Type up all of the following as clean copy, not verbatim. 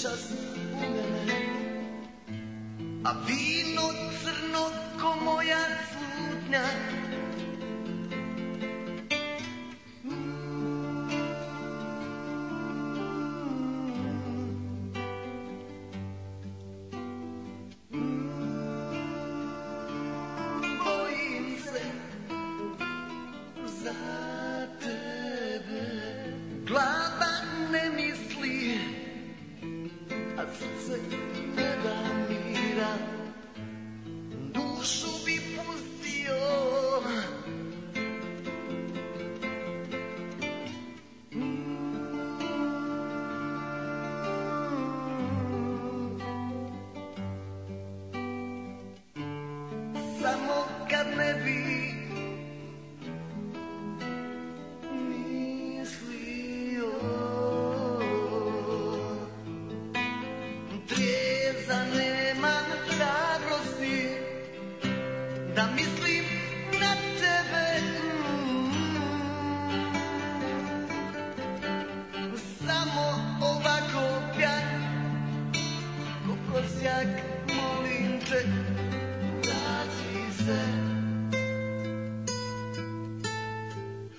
čas u mene, a vino crno ko moja slutnja. Bojim se za tebe, glava ne misli, a srce ne da mira, dušu bi pustio. Samo kad ne bi mislio, trijeza nemam hrabrosti da mislim na tebe. Samo ovako pjan ko prosjak, molim te, vrati se.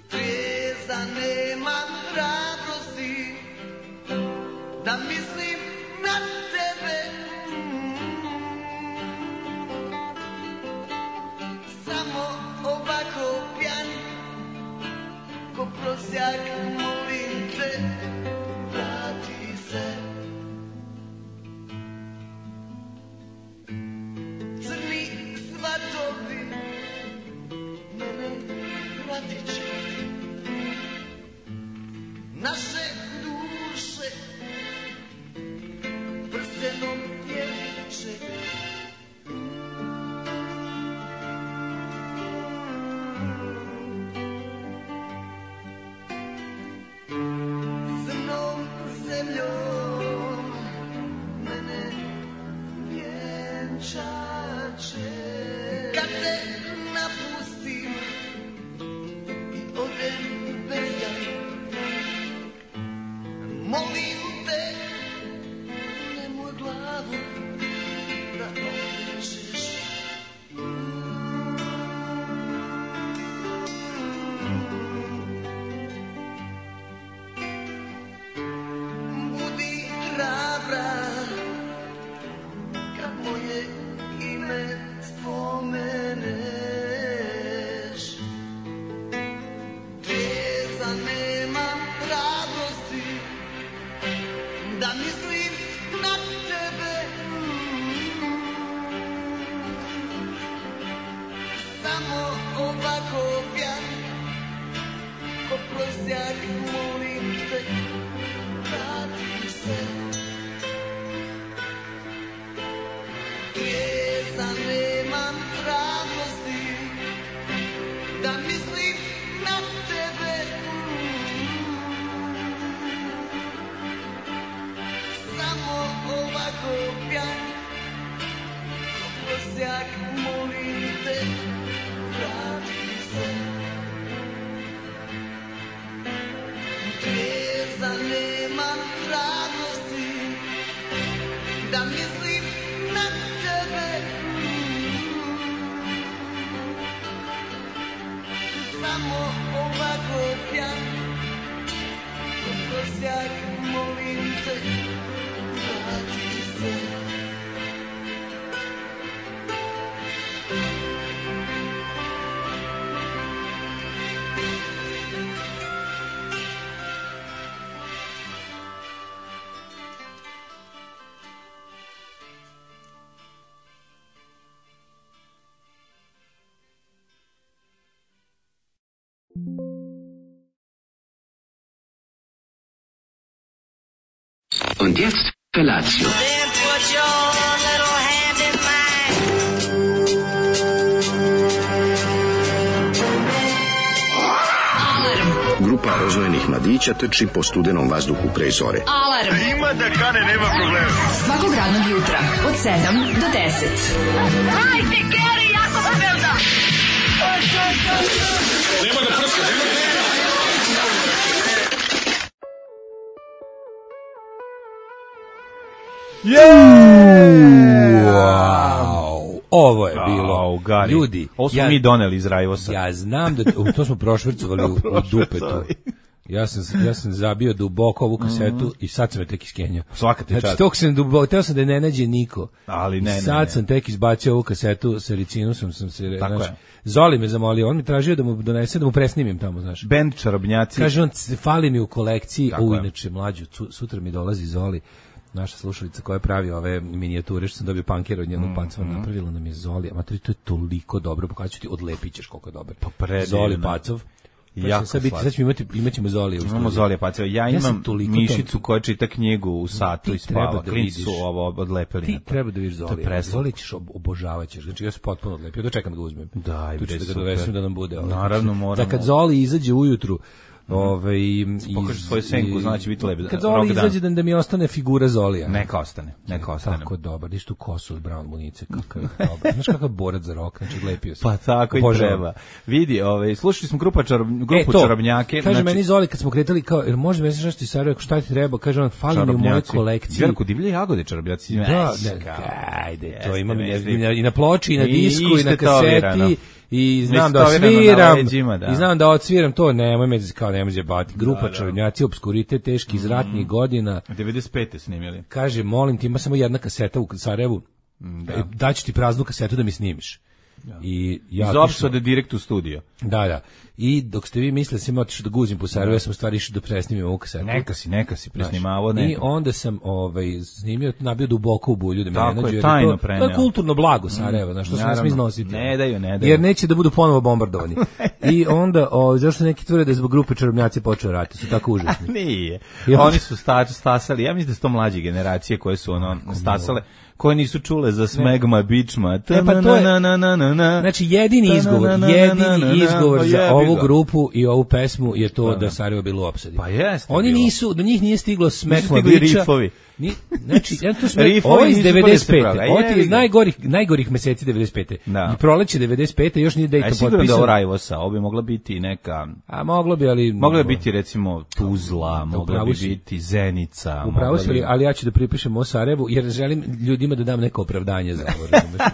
Trijeza nemam hrabrosti da mislim na tebe. Samo ovako pjan ko prosjak, molim te, vrati se. Crni svatovi mene vratit će, naše duše prstenom jeviće. Crnom zemljom mene vjenčat će. Kad te napustim i odem bez ga, molim te, nemoj glavu da okrećeš. Budi hrabra kad moje ime spomeneš. Trijeza nemam hrabrosti da mislim na tebe. Samo ovako pjan ko prosjak, molim te, vrati se. Trijeza nemam hrabrosti da mislim na tebe. Samo ovako pjan ko prosjak, molim te, vrati se. Trijeza nemam hrabrosti da mislim na tebe. Samo ovako pjan ko prosjak, molim te, vrati se. Und jetzt Felatio. Then put your little hand in mine. Grupa rozvojenih mladića trči po studenom vazduhu pre zore. Alarm. Ima da kane, nema problema. Svakog radnog jutra od 7 do 10. Hajde, Geri, jako se velda. Nema da prska, nema da prska. Wow. Ovo je bilo. Gari. Ljudi, ovo smo mi doneli iz Rajvosa. Ja znam da to smo prošvrcovali u dupetu. Ja sam zabio duboko ovu kasetu i sad sam je tek iskenjao. Svaka ti čast. Znači, tog sam duboko, teo sam da je ne nađe niko. Ali ne. Sad sam tek izbacio ovu kasetu sa Ricinusom, sam se... Tako je. Zoli me zamolio, on mi tražio da mu donese, da mu presnimim tamo, znaš. Band Čarobnjaci. Kaže on, fali mi u kolekciji, inače mlađu, sutra mi dolazi Zoli, naša slušalica koja pravi ove minijature, što sam dobio pankera od njenog Pacova, napravila nam je Zoli, a to je toliko dobro, pokazat ću ti, odlepit ćeš koliko je dobro. Zoli Pacov. Sad ćemo imaćemo Zolija. Imamo Zolija Pacova. Ja imam mišicu koja čita knjigu u satu i spava. Klinci su ovo odlepili. Ti treba da vidiš Zolija. Zolija ćeš obožavaćeš. Znači ja se potpuno odlepio. Da čekam da ga uzmem. Daj, tu ću da ga dovesim da nam bude. Naravno moramo. Da kad Zoli izađe ujutru, pokaže svoju senku, znači biti lep. Kad Zoli izađe da mi ostane figura Zolija. Neka ostane. Tako dobar, vidiš tu kosu od Brown munice, kakav je dobar. Znaš kakav borac za rok, znači lepio se. Pa tako i treba. Vidi, slušali smo grupu Čarobnjake. Kaže meni Zoli kad smo kretali kao, jer može mi nešto iz Sarajeva, šta ti treba, kaže on, fali mi u mojoj kolekciji. Vjerko, divlje jagode Čarobnjaci. Da, ajde, to imam i na ploči, i na disku, i na kaseti. I znam da odsviram, i znam da odsviram to, nemoj me zjebati. Grupa Čarobnjaci, obskuritet, teški iz ratnih godina. 95. snimili. Kaže, molim ti, ima samo jedna kaseta u Sarajevu, daću ti praznu kasetu da mi snimiš. I ja iz opsade direkt u studio. Da. I dok ste vi mislili sam otišao da guzim po Sarajevu, ja sam u stvari išao da presnimim ovu kasetu. Neka si presnimavao. I onda sam snimio, nabio duboko u bulju da me ne nađu. Tako je, tajno preneo. To je kulturno blago Sarajeva, znaš, što se ne smije iznositi. Ne daju. Jer neće da budu ponovo bombardovani. I onda, zašto neki tvrde da je zbog grupe Čarobnjaci počeo rat, su tako užasni. Nije. Oni su stasali, ja mislim da su to mlađe generacije koje su stasale, koje nisu čule za Smegma, Bičma. Znači, jedini izgovor za ovu grupu i ovu pesmu je to da Sarajevo bilo u opsadi. Pa jeste. Oni nisu, do njih nije stiglo Smegma, Biča. Znači, ovo je iz 95. Ovo je iz najgorih meseci 95. I proleće 95. još nije Dejton potpisan. Sigurno da ovo Rajvosa, ovo bi mogla biti neka... A moglo bi, ali... Mogla bi biti, recimo, Tuzla, mogla bi biti Zenica. Upravo si, ali ja ću da pripišem o Sarajevu, jer želim ljudima da dam neko opravdanje za ovo.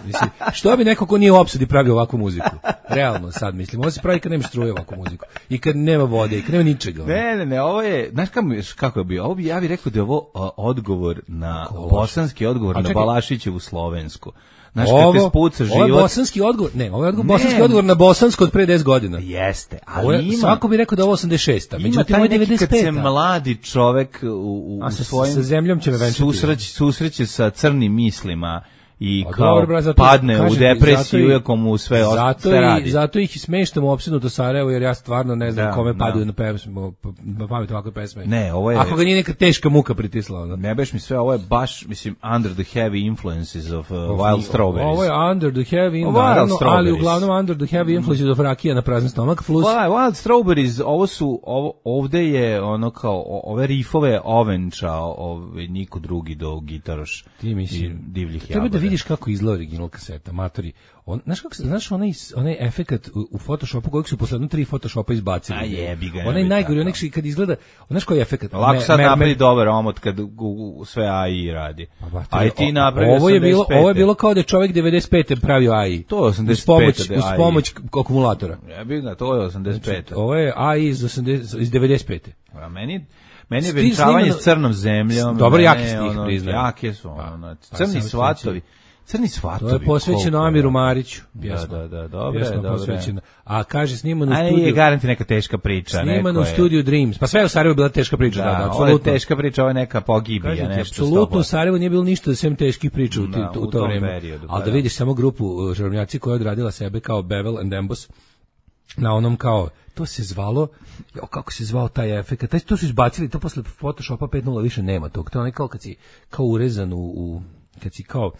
Mislim, što bi neko ko nije u opsadi pravio ovakvu muziku? Realno, sad mislim. Ovo se pravi kad nema struje ovakvu muziku. I kad nema vode, i kad nema ničega. Ne, ovo je... Znaš kako je bio? Ja bih rekao da je ovo odgovor na bosanski odgovor na Balašićevu slovensku. Znaš, kad te spuca život... Ovo je bosanski odgovor, ovo je bosanski odgovor na bosansko od pre 10 godina. Jeste, ali ima... Svako bi rekao da je ovo 86. Ima taj neki kad se mladi čovek u svojim... Sa zemljom će me venčati. Susreće sa crnim mislima i kao padne u depresiju, iako mu sve radi. Zato ih i smeštamo opsednuto Sarajevo, jer ja stvarno ne znam kome padaju na pamet ovakve pesme. Ne, ovo je... Ako ga nije neka teška muka pritisla. Ne beš mi sve, ovo je baš, mislim, under the heavy influences of Wild Strawberries. Ovo je under the heavy influences, ali uglavnom under the heavy influences of rakija na prazan stomak. Wild Strawberries, ovde je ono kao, ove rifove ovenčao niko drugi do gitaroš i divljih jagoda. Vidiš kako izgleda original kaseta, matori. Znaš onaj efekat u Photoshopu kojeg su posledno 3 Photoshopa izbacili. A jebi ga. Onaj najgori, onaj kad izgleda, znaš koji je efekat? Lako sad napravi dobar omot kad sve AI radi. A i ti napravi 85. Ovo je bilo kao da je čovjek 95. pravio AI. To je 85. Uz pomoć akumulatora. Jebi ga, to je 85. Ovo je AI iz 95. A meni je venčavanje s crnom zemljom. Dobro, jaki stih, priznam. Jake su, crni svatovi. Crni svatovi. To je posvećeno Amiru Mariću. Da, dobro. A kaže snimano u studiju. Aj, garanti neka teška priča. Snimano u studiju Dreams. Pa sve u Sarajevu bila teška priča. Da, ovo je teška priča, ovo je neka pogibija, nešto. Apsolutno u Sarajevu nije bilo ništa sem teških priča u to vreme. Ali da vidiš samo grupu Čarobnjaci koja je odradila sebe kao Bevel and Embos na onom kao, to se zvalo, kako se zvao taj efekt, to su izbacili, to posle Photoshopa 5.0 više nema tog, to je onaj kao kad si kao urezan kad si kao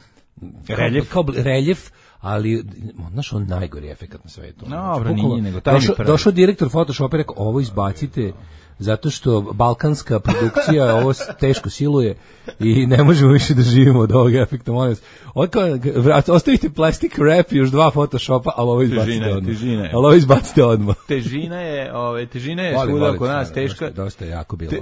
reljef, ali znaš, on najgori efekat na svetu. Dobro, nije, nego taj došao direktor Photoshopa i rekao, ovo izbacite, zato što balkanska produkcija ovo teško siluje i ne možemo više da živimo od ovog efekta, molim vas. Ostavite plastic wrap i još 2 Photoshopa, ali ovo izbacite odmah. Težina je svuda oko nas teška. Dosta je jako bilo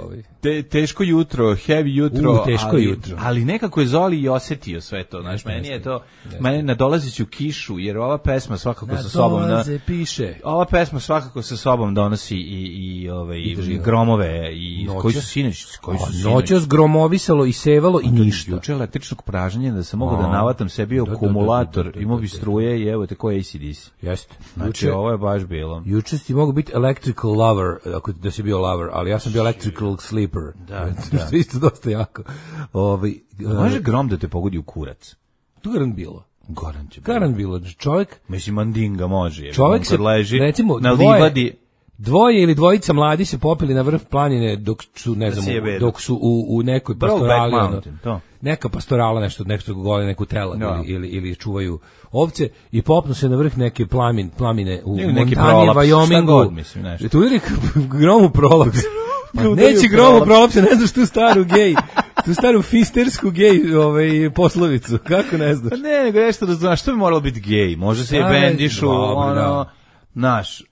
teško jutro, heavy jutro, jutro. Ali nekako je Zoli i osetio sve to. Znaš, meni je to, meni nadolaziću kišu, jer ova pesma svakako sa sobom piše. Ova pesma svakako sa sobom donosi i gromove i koji su sinoć, noćas gromovisalo i sevalo i ništa. Juče električnog pražnjenja da sam mogao da navatam sebi akumulator, imao bi struje i evo te koji ACDC. Jeste. Znači ovo je baš bilo. Juče si mogao biti electrical lover, ako da si bio lover, ali ja sam bio electrical sleeper. Da. Što isto dosta jako. Može grom da te pogodi u kurac? To garant bilo. Garant bilo. Čovjek, mislim, mandinga može. Čovjek se leži, recimo, na livadi. Dvoje ili dvojica mladi se popili na vrh planine dok su, ne znam, dok su u nekoj pastorali, neka pastorala nešto gole, neku telad ili čuvaju ovce i popnu se na vrh neke plamine u Montani, Wyomingu. Tu je gromu prolaps. Neće gromu prolaps, ne znaš tu staru fistersku gej poslovicu, kako ne znaš? Ne, nego nešto da znaš, što bi moralo biti gej? Može se je bendišu, naš...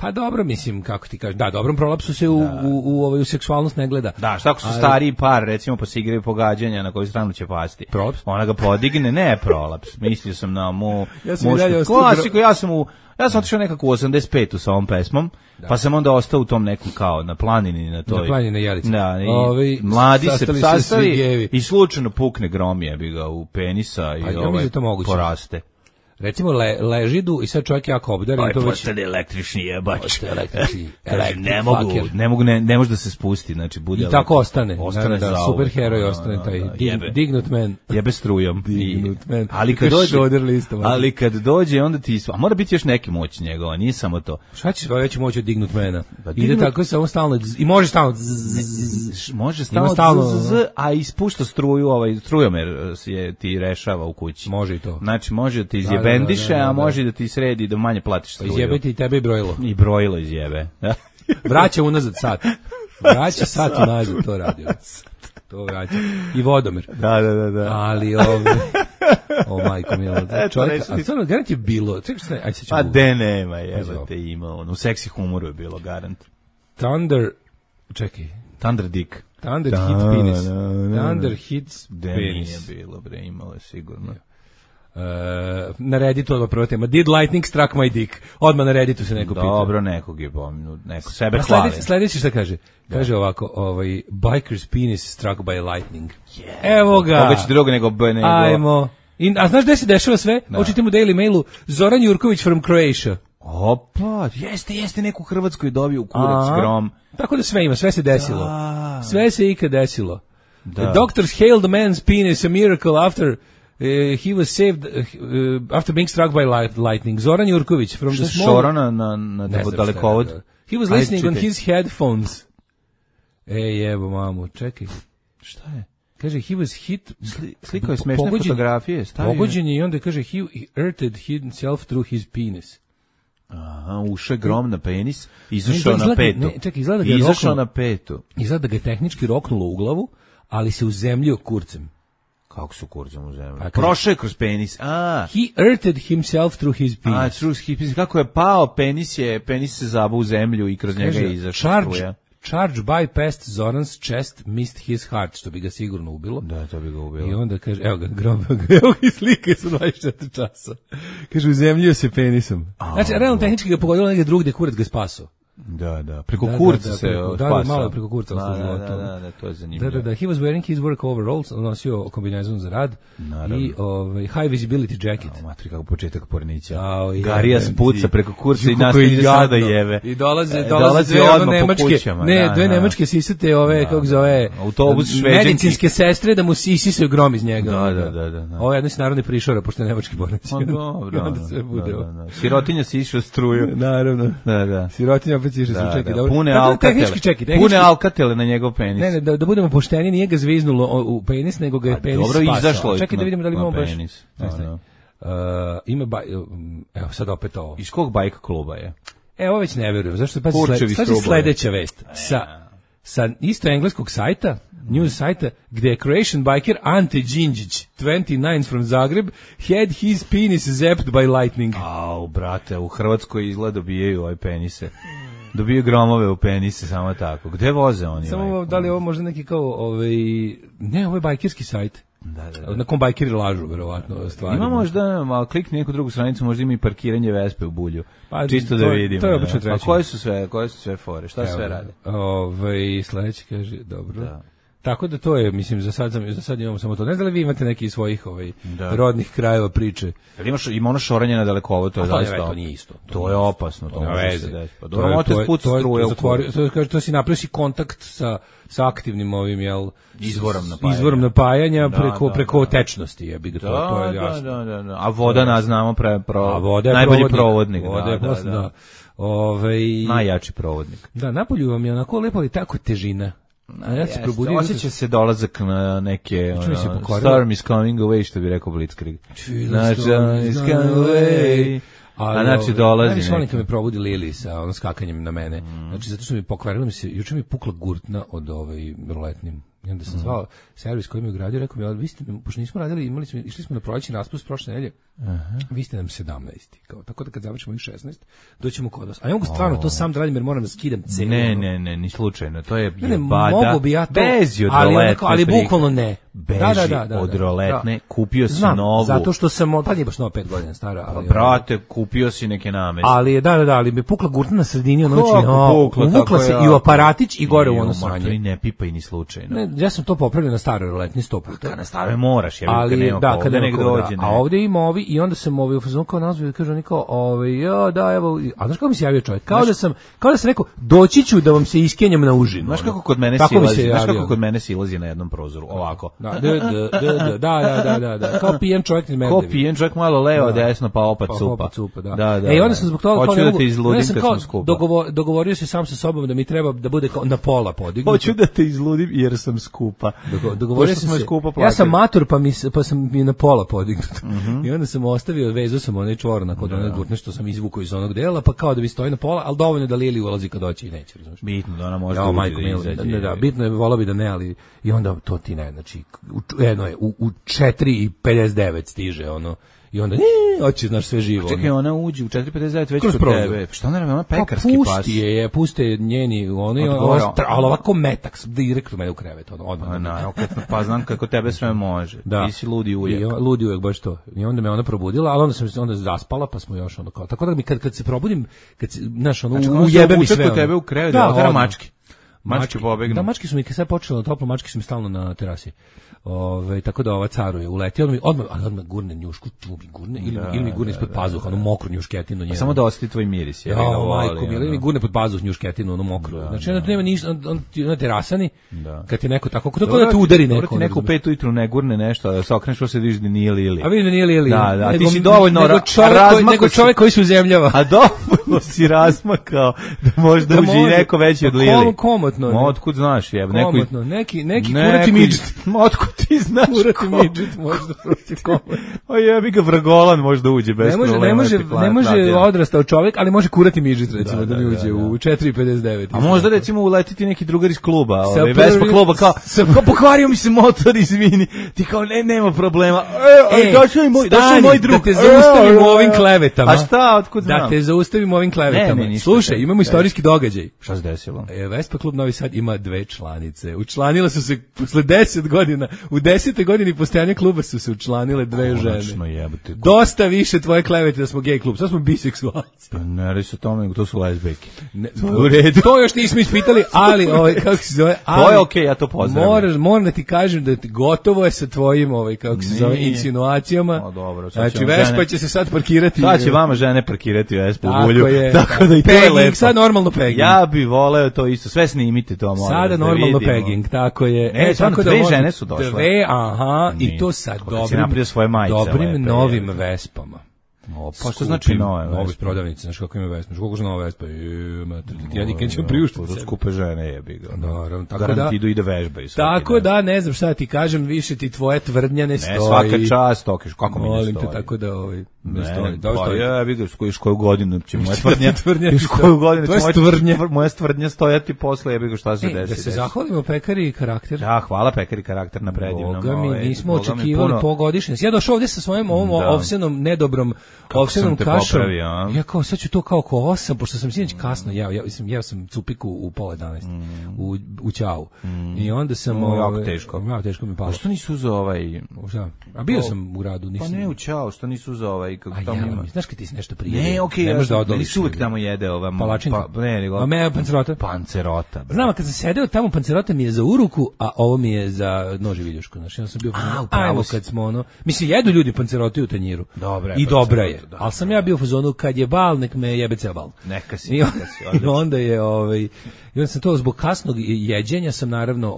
Pa dobro, mislim, kako ti kažeš, da, dobrom prolapsu se u seksualnost ne gleda. Da, šta ako su stariji par, recimo, pa se igraju pogađanja, na koju stranu će pasti? Prolaps? Ona ga podigne, ne prolaps, mislio sam na klasiku, ja sam otišao nekako u 85. sa ovom pesmom, pa sam onda ostao u tom neku kao na planini, na toj... Na planini Jelici. Da, mladi se sastali i slučajno pukne grom jebi ga u penisa i poraste. Recimo ležidu i sad čovjek jako obdaren. To postane električni jebač. Ne može da se spusti. Znači, bude i tako ostane. Da, superheroj ostane taj dignut man. Jebe strujom. Dignut man. Ali kad dođe, onda ti... A mora biti još neki moć njegova, nije samo to. Šta ćeš veći moć od dignut mana? Ide tako samo stalno... I može stalno... Može stalno... A ispušta struju, strujomer ti rešava u kući. Može i to. Znači, može ti bendiše, a može da ti sredi da manje platiš struju. Izjebe ti i tebe i brojilo. I brojilo izjebe. Vraća unazad sat. Vraća sat unazad, to radi. To vraća. I vodomir. Da. Ali majko milo. Čovjek, a stvarno, garant je bilo. Pa de nema, jebate, ima. U seksi humoru je bilo, garant. Thunder Dick. Thunder hit penis. Thunder hits penis. Nije bilo, bre, imalo je sigurno. Na Redditu odmah prva tema. Did lightning struck my dick? Odmah na Redditu se neko pita. Dobro, nekog je pominu, neko sebe hvali. Sljedeći šta kaže? Kaže ovako, biker's penis struck by lightning. Evo ga. Koga će drugo nego... Ajmo. A znaš gde se dešava sve? Očitim u Daily Mailu. Zoran Jurković from Croatia. Opa, jeste neku Hrvatsku je dobio u kurac grom. Tako da sve ima, sve se desilo. Sve se ikad desilo. The doctors hailed the man's penis a miracle after... he was saved after being struck by lightning. Zoran Jurković from the small... Šorana na dalekovod. He was listening on his headphones. Evo mamu, čekaj. Šta je? Kaže, he was hit... Slikao je smešne fotografije. Pogođen je i onda kaže, he hurted himself through his penis. Aha, ušao je grom na penis, izašao na petu. Čekaj, izgleda da ga je tehnički roknulo u glavu, ali se uzemljio kurcem. Kako su kurcem u zemlju? Prošao je kroz penis. He hurted himself through his penis. Through his penis. Kako je pao, penis se zabao u zemlju i kroz njega je izašao struja. Charge bypassed Zoran's chest, missed his heart, što bi ga sigurno ubilo. Da, to bi ga ubilo. I onda kaže, evo ga slike su 24 časa. Kaže, uzemljio se penisom. Znači, realno tehnički ga pogodilo negdje drugdje, kurac ga spasao. Da, preko kurca se spasao. Malo preko kurca. Da, to je zanimljivo. Da, he was wearing his work overalls, nosio kombinezon za rad. Naravno. I high visibility jacket. Matri, kako početak pornića. Garija spuca preko kurca i nastavlja sada jeve. I dolaze dve nemačke, dve nemačke sisate kako zove, autobus šveđanki. Medicinske sestre da mu isisaju grom iz njega. Da. Ovo je jedno narodni prišora, pošto je nemački bornici. Dobro. Sirotinja si išao struju. Naravno. Da. Sirotinja opet si išao struju. Čekaj, dobro. Pune alkatele na njegov penis. Ne, da budemo pošteni, nije ga zviznulo u penis, nego ga je penis spasao. Dobro, izašlo. Čekaj da vidimo da li imamo baš. ima evo sad opet ovo. Iz kog bajk kluba je? Ovo već ne verujem, zašto pa sledeća vest sa isto engleskog sajta, news sajta, gde je Croatian biker Ante Đinđić, 29 from Zagreb, had his penis zapped by lightning. Au, brate, u Hrvatskoj izgleda dobijaju ove penise. Dobiju gromove u penise, samo tako. Gde voze oni? Samo da li je ovo možda neki kao, ne, ovo je bajkerski sajt. Da. Na kom bajkeri lažu, verovatno, stvari. Ima možda, malo klikni neku drugu stranicu, možda ima i parkiranje Vespe u Bulju. Pa, čisto da vidimo. To je obično treći. A koje su sve fore? Šta sve rade? Sledeći kaže, dobro. Da. Tako da to je, mislim, za sad imamo samo to. Ne znam da li vi imate neki svojih rodnih krajeva priče. Ima ono šoranje na dalekovo, to je zaista. To nije isto. To je opasno, to može se desiti. To si napravio si kontakt sa aktivnim ovim, izvorom napajanja preko tečnosti, jebi ga, to je jasno. Da. A voda, znamo, najbolji provodnik. Voda je da. Najjači provodnik. Da, napolju vam je onako lepo, ali tako težina. Osjeća se dolazak na neke storm is coming away, što bi rekao Blitzkrieg. Storm is coming away. Znači dolazi neki. Najviše me probudi Lili sa skakanjem na mene. Znači zato što mi pokvarilo juče mi je pukla gurtna od roletnim. I onda sam zvao servis koji mi je ugradio, rekao mi, ali vi ste, pošto nismo radili, išli smo na prolećni raspust prošle nedelje, vi ste nam 17. Kao, tako da kad završimo ih 16, doćemo kod vas. A ja mogu stvarno to sam da radim jer moram da skidam cenu. Ne, ni slučajno, to je jebada. Mogu bi ja to, Bezi od roletne. Ali bukvalno ne. Beži od roletne, kupio si novu. Zato što sam, pa nije baš nova 5 godina stara. Pa brate, kupio si neke nameste. Ali ali mi pukla gurtna na sredini, uvukla se i u aparatić i gore u ono sranje. Ne pipaj ni slučajno. Ja sam to popravljao na staroj roletni 100 puta. Na staroj moraš, jer kada negde dođe. A ovde ima ovi i onda sam u fazonu kao nazvao i kaže oni kao, evo, a znaš kako mi se javio čovjek? Kao da sam rekao, doći ću da vam se iskenjam na užinu. Znaš kako kod mene silazi na jednom prozoru, ovako. Da, kao pijen čovjek iz Medveđe. Kao pijen čovjek malo levo, desno, pa opet supa. Da. I onda sam zbog toga hoću da te izludim kad smo skupa. Dogovorio se sam sa sobom da mi treba da bude na pola podignuto. Hoću da te izludim jer sam skupa. Dogovorio sam se, ja sam mator pa sam mi na pola podignut. I onda sam ostavio, vezao sam onaj čvorna kod one gurtne što sam izvukao iz onog dela, pa kao da bi stoji na pola, ali dovoljno da Lili ulazi kad doći i neće, razumiješ. Bitno da ona može ući da izađe. Da, bitno je, volao bi da ne, ali i onda to ti ne, znači, jedno je, u 4:59 stiže ono, i onda hoće, znaš, sve živo. Čekaj, ona uđe u 4:59 već kod tebe. Šta ona radi, ona pekarski pas? Puste njeni, ali ovako metak, direktno mene u krevet, odmah. Pa znam kako tebe sve može. Ti si ludi ujek. Ludi ujek, baš to. I onda me ona probudila, ali onda sam se zaspala, pa smo još ono kao. Tako da mi kad se probudim, znaš, ono, ujebe mi sve. Kod tebe u krevet, da otara mački. Mački pobegnu. Da, mački su mi kad sad počelo toplo, mački su mi stalno na terasi. Tako da ova caruje uleti, odmah gurne njušku, ili mi gurne ispod pazuha, onu mokru njušketinu njenu. Samo da ostane tvoj miris. Majko, ili mi gurne pod pazuh njušketinu, onu mokru. Znači, onda nema ništa, na terasani, kad je neko tako, kako da te udari neko. Dobro ti neko u 5 ujutru ne gurne nešto, da se okreneš, se vidiš da nije Lili. A vidim da nije Lili. Da, ti si dovoljno nego čovjek koji se uzemljava. A dovoljno si razmakao da možda uđe i neko veći od Lili. Komotno. Otkud znaš, jeb, neki kurati midžet. Otkud ti znaš kurati midžet možda proći komotno. O jebi ga, vragolan možda uđe bez problema. Ne može odrastao čovjek, ali može kurati midžet, recimo, da mi uđe u 4:59. A možda, recimo, uletiti neki drugar iz kluba, Vespa kluba, kao pokvario mi se motor, izvini. Ti kao, nema problema. Došao je moj drug. Da te zaustavimo ovim klevetama. A šta, otkud znam? Da te zaustavimo ovim klevetama. Slušaj, imamo istorijski događaj. Šta se desilo? Vespa klub Novi Sad ima 2 članice. Učlanile su se posle 10 godina. U 10. godini postojanja kluba su se učlanile 2 žene. Jebate. Dosta više tvoje klevete da smo gej klub. Sad smo biseksualci. Ne radi se o tome, nego to su lezbejke. U redu. To još nismo ispitali, ali kako se zove? To je okej, ja to pozdravljam. Moram da ti kažem da gotovo je sa tvojim kako se zove insinuacijama. Dobro, znači Vespa će se sad parkirati. Sad će vama žene parkirati Vespu u Bulju. Tako da i to je lepo. Sad normalno pegging. Ja bih voleo to isto. Sve snimite to, molim. Sada normalno pegging, tako je. Tako da 2 žene su došle. I to sad dobrim novim Vespama. Pa što znači nove Vespe? Nove prodavnice, znaš kako ima Vespa, koliko je nova Vespa, ja nikad ću priuštiti sebi. Skupe žene jebi ga. Naravno, tako da idu i da vežbaju. Tako da, ne znam šta ti kažem, više ti tvoje tvrdnja ne stoji. Ne, svaka čast, tokiš, kako mi ne stoji. Molim te, tako da ne stoji. Pa ja bih skojiš koju godinu će moja tvrdnja. Koju godinu će moja tvrdnja stojati posle, ja bih šta se desi. Da se zahvalimo Pekari i Karakter. Da, hvala Pekari Karakter na predivnom. Boga mi, nismo očekivali pogodišnje. Ja došao ovdje sa svojim ovom ovsenom nedobrom ovsenom kašom. Ja kao sad ću to kao oko 8, pošto sam sinoć kasno jeo sam cupiku u pola 11 u Ćau. I onda sam jako teško. Jako teško mi palo. Što nisi uzeo ovaj? A bio sam u gradu, nisam. Pa ne u Ćau, što nisi uzeo ovaj kako tamo ima. Znaš kad ti se nešto prije. Ne, okej, ne možeš da odoliš. Uvek tamo jede ova palačinka. Pa ne, nego. A me pancerota. Pancerota. Znam, kad sam sedeo tamo, pancerota mi je za uruku, a ovo mi je za nož i viljušku. Znači, ja sam bio ajmo kad smo ono. Mislim, jedu ljudi panceroti u tanjiru. I dobra je. Ali sam ja bio u fazonu kad je bal, nek me jebe ceo bal. Neka si. I onda je i onda sam to zbog kasnog jeđenja sam naravno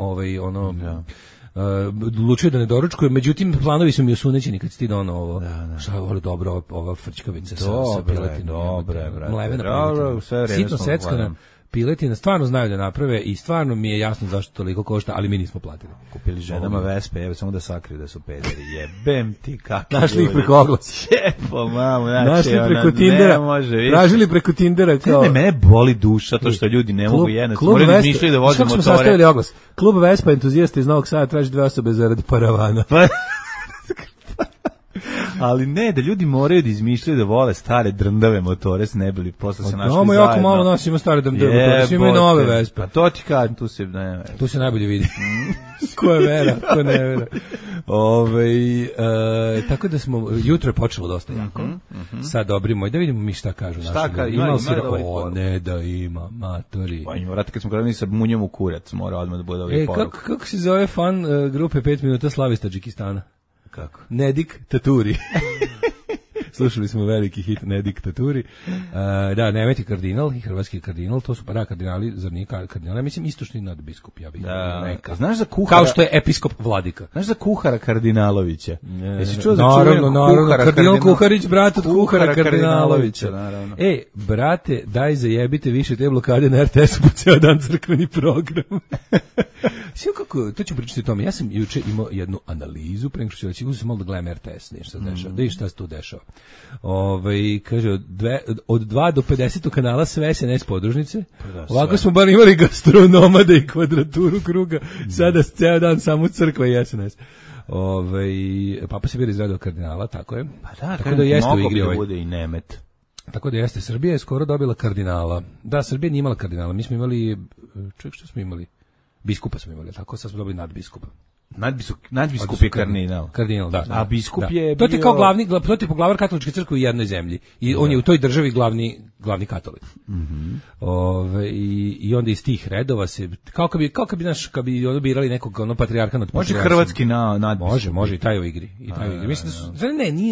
odlučio da ne doručkujem, međutim planovi su mi osunećeni kad ti dono ovo. Šta je ovo dobro, ova frčkavica sa piletinom. Dobro, sve sitno seckana piletina, stvarno znaju da naprave i stvarno mi je jasno zašto toliko košta, ali mi nismo platili. Kupili ženama Vespe, evo samo da sakriju da su pederi, jebem ti kako. Našli ih preko oglasa. Jepo, mamu, našli preko Tindera, tražili preko Tindera. Kao... Mene boli duša to što ljudi ne mogu jednostavno, moraju izmišljati da voze motore. Kako smo sastavili oglas? Klub Vespa entuzijasta iz Novog Sada traži 2 osobe zaradi paravana. Ali ne, da ljudi moraju da izmišljaju da vole stare drndave motore s nebili, posle se našli zajedno. Jako malo nas ima stare drndave motore, svi imaju nove Vespe. Pa to ti kažem, tu se najbolje vidi. Ko je vera, ko ne vera. Tako da smo, jutro je počelo dosta jako. Sad dobri moj, da vidimo mi šta kažu naši ljudi. Ne da ima, matori. Pa ima, vrati, kad smo krenuli sa munjom u kurac, mora odmah da bude ovaj poruku. Kako se zove fan grupe 5 minuta Slavi iz Tadžikistana? Kako? Nedik Taturi. Slušali smo veliki hit Nedik Taturi. Da, Nemeti kardinal i hrvatski kardinal, to su kardinali, zar nije kardinal? Mislim, istočni nadbiskup, ja bih rekao. Znaš za kuhara? Kao što je episkop Vladika. Znaš za kuhara Kardinalovića? Jesi čuo za naravno, kardinal Kuharić, brat od kuhara Kardinalovića. Naravno. Brate, daj zajebite više te blokade na RTS-u po ceo dan crkveni program. Sve kako, to ću pričati o tome. Ja sam juče imao jednu analizu, pre nego što ću reći, uzem malo da gledam RTS, nešto se dešava. Da i šta se tu dešava. Kaže, od 2 do 50 kanala sve SNS podružnice. Ovako smo bar imali gastronomade i kvadraturu kruga. Sada ceo dan samo crkva i SNS. Papa se bira izradao kardinala, tako je. Pa da, tako da jeste u igri ovaj. Bude i Nemet. Tako da jeste, Srbija je skoro dobila kardinala. Da, Srbija nije imala kardinala, mi smo imali, što smo imali? Biskupa smo imali, tako sad smo dobili nadbiskupa. Nadbiskup je kardinal. Kardinal, da. A biskup je to ti kao glavni, to ti poglavar katoličke crkve u jednoj zemlji. I on je u toj državi glavni katolik. I onda iz tih redova se kao kad bi ono birali nekog patrijarha nad patrijarhom. Može hrvatski nadbiskup. Može i taj u igri. Mislim da su,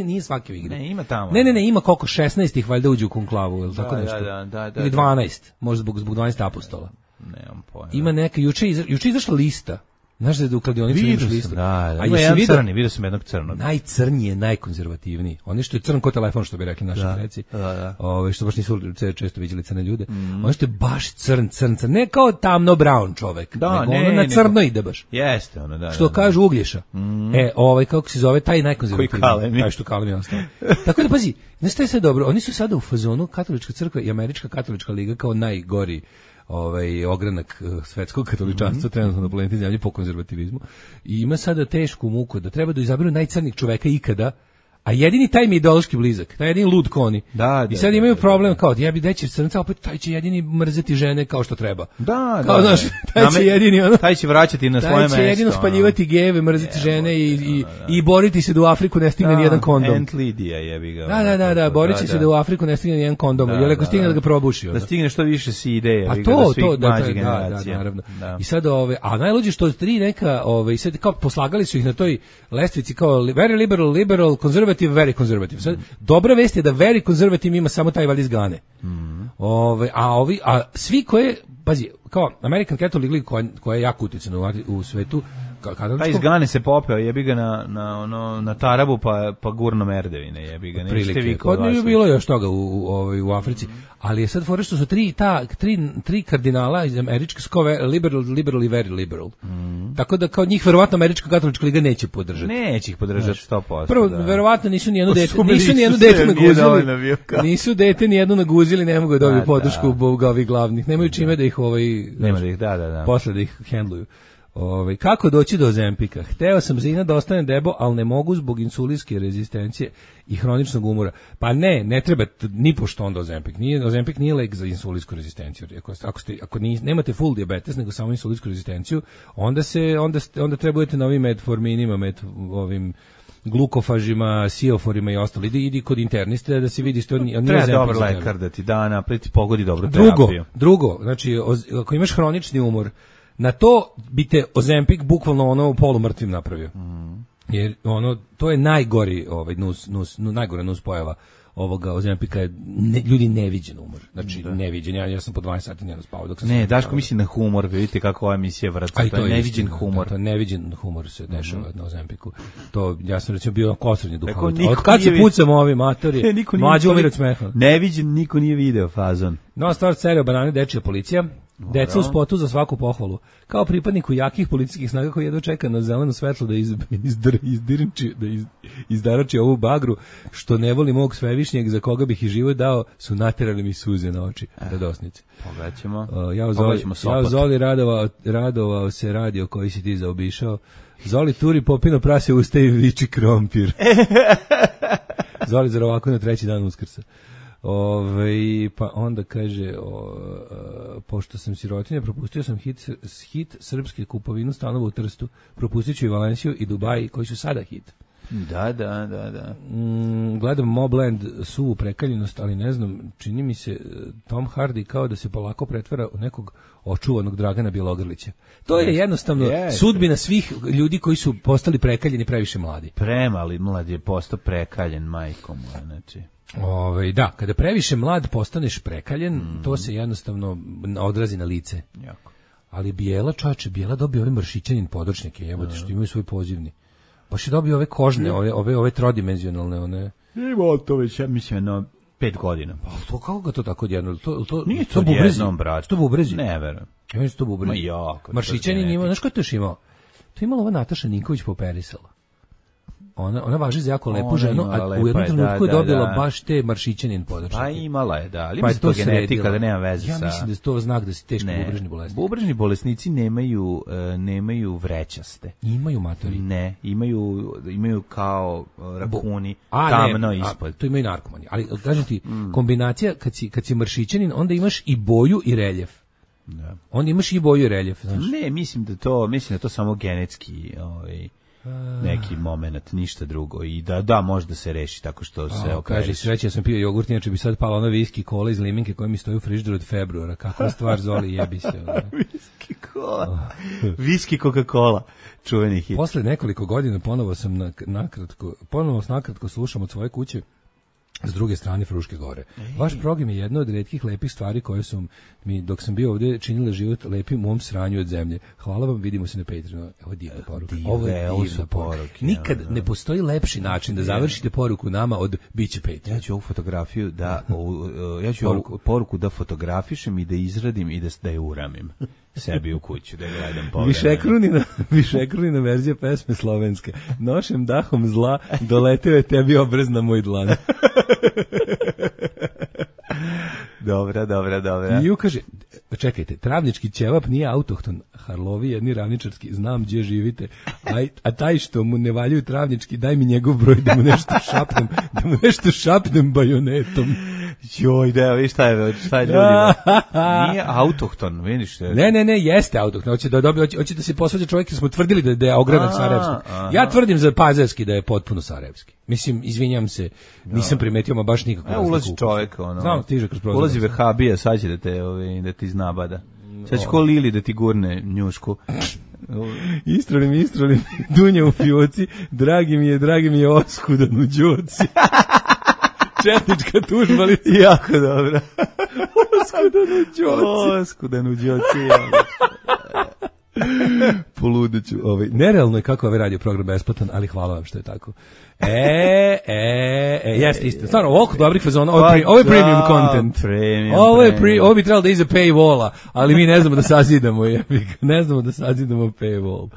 nije svaki u igri. Ne, ima tamo. Ne, ima koliko 16 ih valjda uđe u konklavu, ili tako nešto. Da. Ili 12, možda zbog 12 apostola. Nemam pojma. Ima neka juče izašla lista. Znaš da je u kladionici imaš listu? Da. Ima jedan crni, vidio sam jednog crnog. Najcrniji je najkonzervativniji. Oni što je crn ko telefon, što bi rekli naši preci. Što baš nisu često viđali crne ljude. Oni što je baš crn. Ne kao tamno brown čovek. Nego ono na crno ide baš. Jeste ono, da. Što kažu Uglješa. Kako se zove, taj najkonzervativniji. Taj što Kalemi ostao. Tako da pazi, znaš šta je sve dobro? Oni su sada u fazonu Katolička crkva i Američka katolička liga kao najgori ogranak svetskog katoličanstva trenutno na planeti Zemlji po konzervativizmu i ima sada tešku muku da treba da izaberu najcrnijeg čoveka ikada, a jedini taj mi je ideološki blizak, taj jedini lud koni. I sad imaju problem kao ja bi deći crnca, opet taj će jedini mrzeti žene kao što treba. Kao znaš, taj će vraćati na svoje mesto. Taj će jedino spaljivati gejeve, mrzeti žene i boriti se da u Afriku ne stigne nijedan kondom. Aunt Lidija jebi ga. Da, borit će se da u Afriku ne stigne nijedan kondom, jer ako stigne da ga probuši. Da stigne što više si ideje, a to da naravno. I sad a najluđe što tri neka sad kao poslagali su ih na toj lestvici kao very liberal, conservative, very conservative. Sad, dobra vest je da very conservative ima samo taj valiz Gane. A svi koje, pazi, kao American Catholic League koja je jako utjecana u svetu, Taj izgane se popeo, jebi ga na tarabu, pa gurno merdevine, jebi ga. Prilike. Kod nije bilo još toga u Africi, ali je sad fora što su tri kardinala iz američke skove liberal i very liberal. Tako da kao njih verovatno američka katolička liga neće podržati. Neće ih podržati 100%. Prvo, verovatno nisu ni jedno dete naguzili. Nisu dete ni jedno naguzili, ne mogu da dobiju podršku ovih glavnih. Nemaju čime da ih nema da ih, da. Posle da ih hendluju. Kako doći do Ozempika? Hteo sam zina da ostane debo, ali ne mogu zbog insulinske rezistencije i hroničnog umora. Pa ne treba ni pošto onda Ozempik. Ozempik nije lek za insulinsku rezistenciju. Ako nemate full dijabetes, nego samo insulinsku rezistenciju, onda trebujete na ovim metforminima, ovim glukofažima, sioforima i ostalo. Idi kod interniste da se vidi što nije treba dobar lekar da ti da napreti pogodi dobru terapiju. Drugo, znači ako imaš hronični umor, na to bi te Ozempik bukvalno polumrtvim napravio. Jer to je najgori najgora nus pojava ovoga Ozempika je ljudi neviđen umor. Znači neviđen. Ja sam po 20 sati njeno spavao dok sam Daško misli na humor, vidite kako ova emisija vrata. To je neviđen humor. To je neviđen humor se dešava na Ozempiku. To ja sam recimo bio kosrednje duhovit. Od kad se pucamo ovi matori, mlađi umire od smeha. Neviđen, niko nije video fazon. No, stvar cerio banane, dečija policija. Deca u spotu za svaku pohvalu. Kao pripadniku jakih policijskih snaga koji jedva čeka na zeleno svetlo da izdarači ovu bagru, što ne voli mog svevišnjeg za koga bih i život dao, su naterali mi suze na oči. Radosnice. Pogledaćemo. Ja Zoli radovao se radio koji si ti zaobišao. Zoli turi popino prase usta i viči krompir. Zoli zar ovako na treći dan Uskrsa. Pa onda kaže pošto sam sirotinja, propustio sam hit srpske kupovinu stanova u Trstu, propustit ću i Valenciju i Dubai koji su sada hit. Da. Gledam Mobland suvu prekaljenost, ali ne znam, čini mi se Tom Hardy kao da se polako pretvara u nekog očuvanog Dragana Bjelogrlića. To je jednostavno sudbina svih ljudi koji su postali prekaljeni previše mladi. Premali mlad je postao prekaljen majkom, znači. Da, kada previše mlad postaneš prekaljen, to se jednostavno odrazi na lice. Jako. Ali Bijela dobio ove mršićanin podočnike, jebote, što imaju svoj pozivni. Baš je dobio ove kožne, ove trodimenzionalne, one. Imao to već, ja mislim, 5 godina. Pa to kako ga to tako odjedno? Nije to odjednom, brać. To bubrezi? Ne, verujem. Ja mislim to bubrezi. Ma jako. Mršićanin imao, znaš ko to još imao? To imala ova Nataša Ninković poperisala. Ona važi za jako lepu ženu, a u jednom trenutku je dobila baš te maršićanin podočnike. Pa imala je, da, ali mislim to genetika da nema veze sa. Ja mislim da je to znak da si teški bubrežni bolesnik. Bubrežni bolesnici nemaju vrećaste. Imaju matori. Ne, imaju kao rakuni tamno ispod. To imaju narkomani. Ali kažem ti, kombinacija kad si maršićanin, onda imaš i boju i reljef. Da. Onda imaš i boju i reljef, znaš. Ne, mislim da to samo genetski, neki moment, ništa drugo. I da može da se reši tako što se operiš. Kaže, sreće, ja sam pio jogurt, inače bi sad pala ona viski kola iz liminke koja mi stoji u frižideru od februara. Kakva stvar, Zoli, jebi se. Viski kola. Viski Coca-Cola. Čuveni hit. Posle nekoliko godina ponovo nakratko slušam od svoje kuće s druge strane Fruške gore. Vaš program je jedna od retkih lepih stvari koje su mi, dok sam bio ovdje, činile život lepim u mom sranju od zemlje. Hvala vam, vidimo se na Patreonu. Ovo je divna poruka. Ovo je divna poruka. Nikad ne postoji lepši način da završite poruku nama od biće Patreon. Ja ću ovu fotografiju poruku da fotografišem i da izradim i da je uramim sebi u kuću, da je gledam povremeno. Višekrunina verzija pesme slovenske. Nošem dahom zla, doleteo je tebi obraz na moj dlan. Dobra. I kaže, čekajte, travnički ćevap nije autohton, Harlovi jedni ravničarski, znam gdje živite, a taj što mu ne valjaju travnički, daj mi njegov broj da mu nešto šapnem bajonetom. Joj, da, viš šta je ljudima. Nije autohton, vidiš. Ne, jeste autohton. Hoće da se posvađa čovjek, jer smo tvrdili da je ogranak sarajevski. Ja tvrdim za Pazarski da je potpuno sarajevski. Mislim, izvinjam se, nisam primetio ma baš nikako. Ulazi čovjek, znam, stiže kroz prozor. Ulazi vehabija, sad će da ti znabada. Sad će ko Lili da ti gurne njušku. Istrolim, dunja u fioci, dragi mi je oskudan u đoci. Četnička tužbalica. Jako dobra. Oskudan u đoci. Poludeću. Nerealno je kako ovaj radio program besplatan, ali hvala vam što je tako. Jeste isto. Stvarno, ovako dobrih fazona, ovo je premium content. Ovo bi trebalo da iza paywalla, ali mi ne znamo da sazidamo, ne znamo da sazidamo paywall.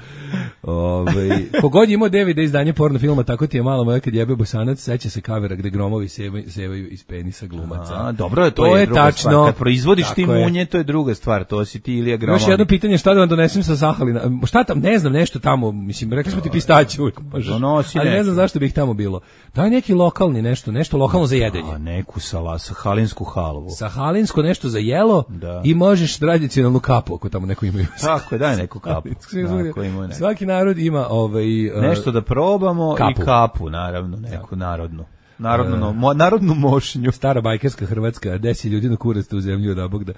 Kogod je imao DVD izdanje porno filma, tako ti je malo moja kad jebe Bosanac, seća se kavera gde gromovi sevaju iz penisa glumaca. Dobro, to je druga tačno, stvar. Kad proizvodiš ti munje, to je druga stvar, to si ti Ilija Gromovi. Još jedno pitanje, šta da vam donesem sa Sahalina? Šta tam, ne znam, nešto tamo, mislim, rekli smo ti pistaće uvijek možeš, ali ne znam zašto bih tamo bilo. Daj neki lokalni nešto lokalno za jedenje. Neku sahalinsku halvu. Sahalinsko nešto za jelo i možeš tradicionalnu kapu ako tamo neko imaju. Tako je, daj neku kapu. Svaki narod ima nešto da probamo kapu. I kapu, naravno, neku narodnu. Narodnu mošnju. Stara bajkerska Hrvatska, 10 ljudi na kurac u zemlju da Bog da.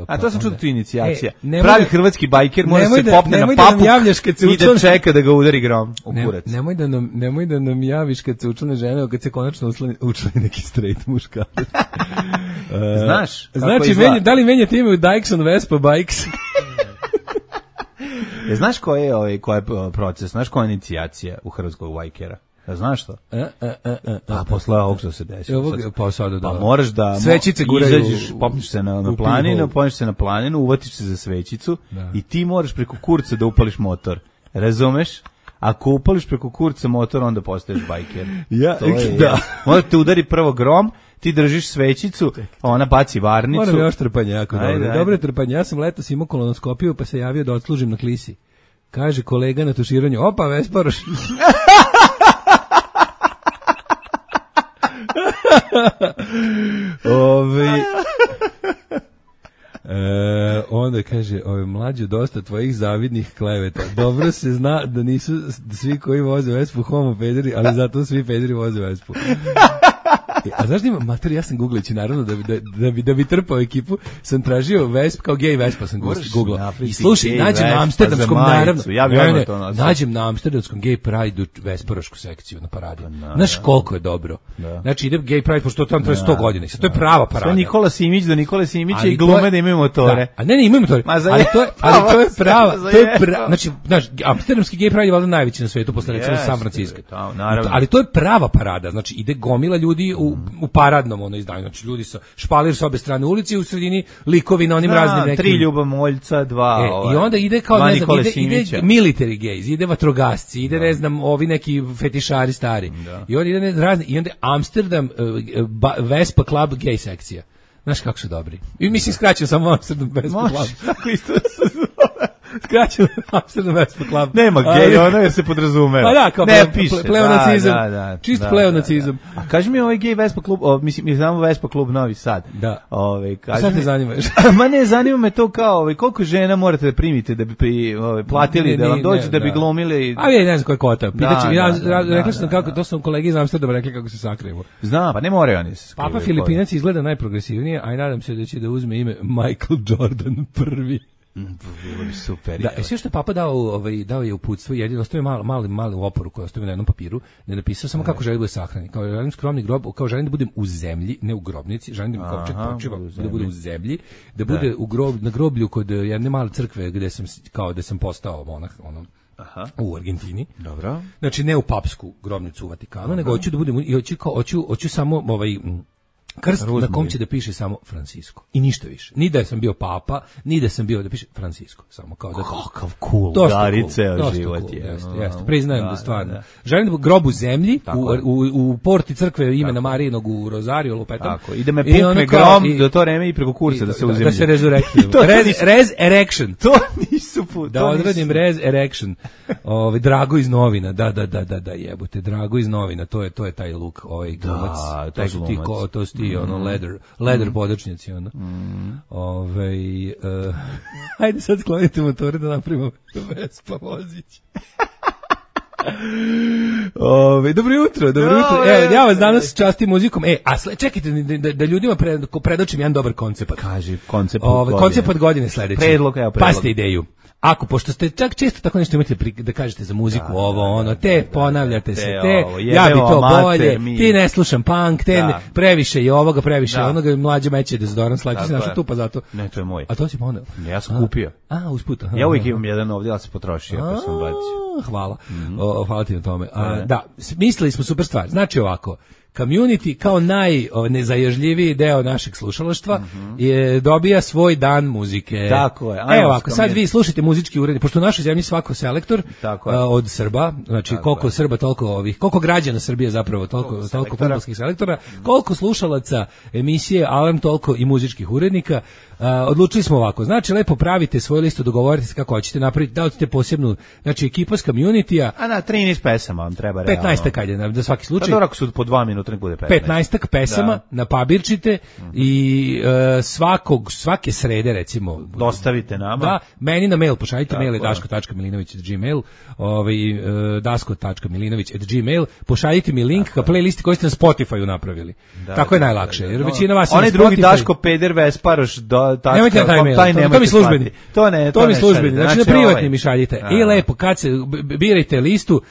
A to sam čuo tu inicijacija. Pravi hrvatski bajker mora se popne na papu i da čeka da ga udari grom u kurac. Nemoj da nam javiš kad se učlane žene, kad se konačno učlani neki straight muškarac. Znaš? Znači, da li menjate ime u Dykeson Vespa Bikes? Znaš koji je proces, znaš koja je inicijacija u hrvatskog bajkera? Znaš to? Pa posle ovog što se desi. Pa moraš da svećice guraju. Izađeš, popneš se na planinu, uvatiš se za svećicu i ti moraš preko kurca da upališ motor. Razumeš? Ako upališ preko kurca motor, onda postaješ bajker. Možda te udari prvo grom, ti držiš svećicu, a ona baci varnicu. Moram još trpanje jako dobro. Dobro trpanje. Ja sam letos imao kolonoskopiju pa se javio da odslužim na klisi. Kaže kolega na tuširanju, opa, Vesparoš. Onda kaže, mlađo, dosta tvojih zavidnih kleveta. Dobro se zna da nisu svi koji voze Vespu homo pederi, ali zato svi pederi voze Vespu. A znaš da ima, mater, ja sam googleći, naravno, da bi trpao ekipu, sam tražio Vesp, kao gej Vespa sam googlao. I slušaj, nađem na amsterdamskom, naravno, nađem na amsterdamskom gej Pride-u Vesparošku sekciju na paradi. Znaš koliko je dobro. Znači, ide gej Pride, pošto to tamo traje 100 godina. To je prava parada. Sve Nikola Simić do Nikola Simića i glume da imaju motore. A ne, imaju motore. Ali to je prava. Znači, amsterdamski gej Pride je valjda najveći na svetu, posle recimo San Francisco. Ali to je prava parada. Znači, ide gomila ljudi u paradnom izdanju, znači ljudi sa špalir sa obe strane ulice i u sredini likovi na onim raznim nekim. 3 Ljubomoljca, 2 i onda ide kao, ne znam, ide military gays, ide vatrogasci, ide ne znam, ovi neki fetišari stari. I onda ide razni, i onda Amsterdam Vespa Club gay sekcija. Znaš kako su dobri. I mislim skraćeno samo Amsterdam Vespa Club. Može, isto skraćeno Amsterdam Vespa Club. Nema gej, ono jer se podrazumeva. Pa da, kao pleonacizam. Čist pleonacizam. A kaži mi ovaj gej Vespa Club, mislim, mi znamo Vespa Club Novi Sad. Da. Sad te zanimaš? Ma ne, zanima me to kao, koliko žena morate da primite da bi platili, da vam dođu, da bi glumili. A ja ne znam koja kvota. Rekli sam kako, to sam kolegi iz Amsterdama rekli kako se sakriju. Znam, pa ne moraju oni se skrivaju. Papa Filipinac izgleda najprogresivnije, a i nadam se da će da uzme ime Michael Jordan prvi. Bilo bi super. Da, sve što je Papa dao je uputstvo, jedino ostavio mali oporu koju ostavio na jednom papiru, ne napisao samo kako želi da bude sahranjen. Kao želim skromni grob, kao želim da budem u zemlji, ne u grobnici, želim da mi kovčeg počiva, da bude u zemlji, da bude na groblju kod jedne male crkve gde sam postao monah, u Argentini. Dobro. Znači ne u papsku grobnicu u Vatikanu, nego hoću da budem i hoću samo krst na kom će da piše samo Francisco. I ništa više. Ni da sam bio papa, ni da sam bio da piše Francisco. Samo kao da kakav cool. Dari ceo život je. Jeste. Priznajem da stvarno. Želim da grob u zemlji, u porti crkve imena Marijinog u Rozariju, lupetam. Tako, ide me pukne grom do to vreme i preko kurca da se uzemlji. Da se rezurektujem. Res erection. To nisu put. Da odradim res erection. Drago iz novina. Da, jebote. Drago iz novina. To je taj luk, glumac. To su ti to su ti leather podočnjaci ajde sad sklonite motore da napravimo Vespa vozić. Dobro jutro. Evo, ja vas danas častim muzikom. Čekajte da ljudima predočim jedan dobar koncept. Kaži, koncept godine sledeći. Predlog. Pasite ideju. Ako, pošto ste čak često tako nešto imate da kažete za muziku, ponavljate se, ja bi to bolje, ti ne slušam punk, previše i ovoga, previše onoga, mlađe meće dezodorans, slati se naša tupa zato. Ne, to je moj. A to si poneo? Ja sam kupio. Usput. Ja uvijek imam jedan ovdje, ali se potrošio, pa sam bacio. Hvala. Hvala ti na tome. Da, mislili smo super stvar. Znači ovako, community kao najnezaježljiviji deo našeg slušalaštva dobija svoj dan muzike. Tako je. Evo ovako, sad vi slušajte muzički urednik, pošto u našoj zemlji svako selektor od Srba, znači koliko Srba, toliko koliko građana Srbije zapravo, toliko fudbalskih selektora, koliko slušalaca emisije Alarm, toliko i muzičkih urednika. Odlučili smo ovako, znači lepo pravite svoju listu, dogovorite se kako hoćete napraviti, da odite posebnu, znači ekipa s community-a. A na 13 pesama vam treba realno. 15 kajde, za svaki slučaj. Pa dobro, ako su po 2 minuta, nek bude 15. 15 pesama napabirčite i svake srede, recimo. Dostavite nama. Da, meni na mail pošaljite, mail je daško.milinović@gmail, dasko.milinović@gmail, pošaljite mi link ka playlisti koji ste na Spotify-u napravili. Tako je najlakše, jer većina vas je na Spotify. Onaj drugi Daško Peder Vesparoš, nemojte na taj mail, to mi službeni. To mi službeni, znači na privatni mi šaljite. I lepo, kad se birajte listu,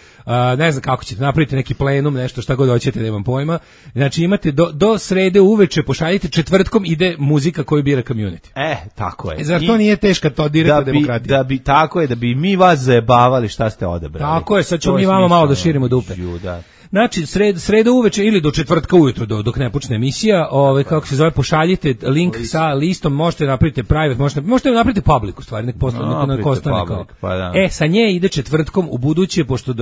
ne znam kako ćete, napravite neki plenum, nešto šta god hoćete, nemam pojma. Znači imate do srede uveče, pošaljite, četvrtkom ide muzika koju bira community. Tako je. Zar to nije teška to direktna demokratija? Tako je, da bi mi vas zajebavali šta ste odebrali. Tako je, sad ćemo mi vama malo da širimo dupe. Znači, sreda uveče ili do četvrtka ujutro, dok ne počne emisija, kako se zove, pošaljite link sa listom, možete napraviti private, možete napraviti public, u stvari, nek ostane kao. Sa nje ide četvrtkom u buduće, pošto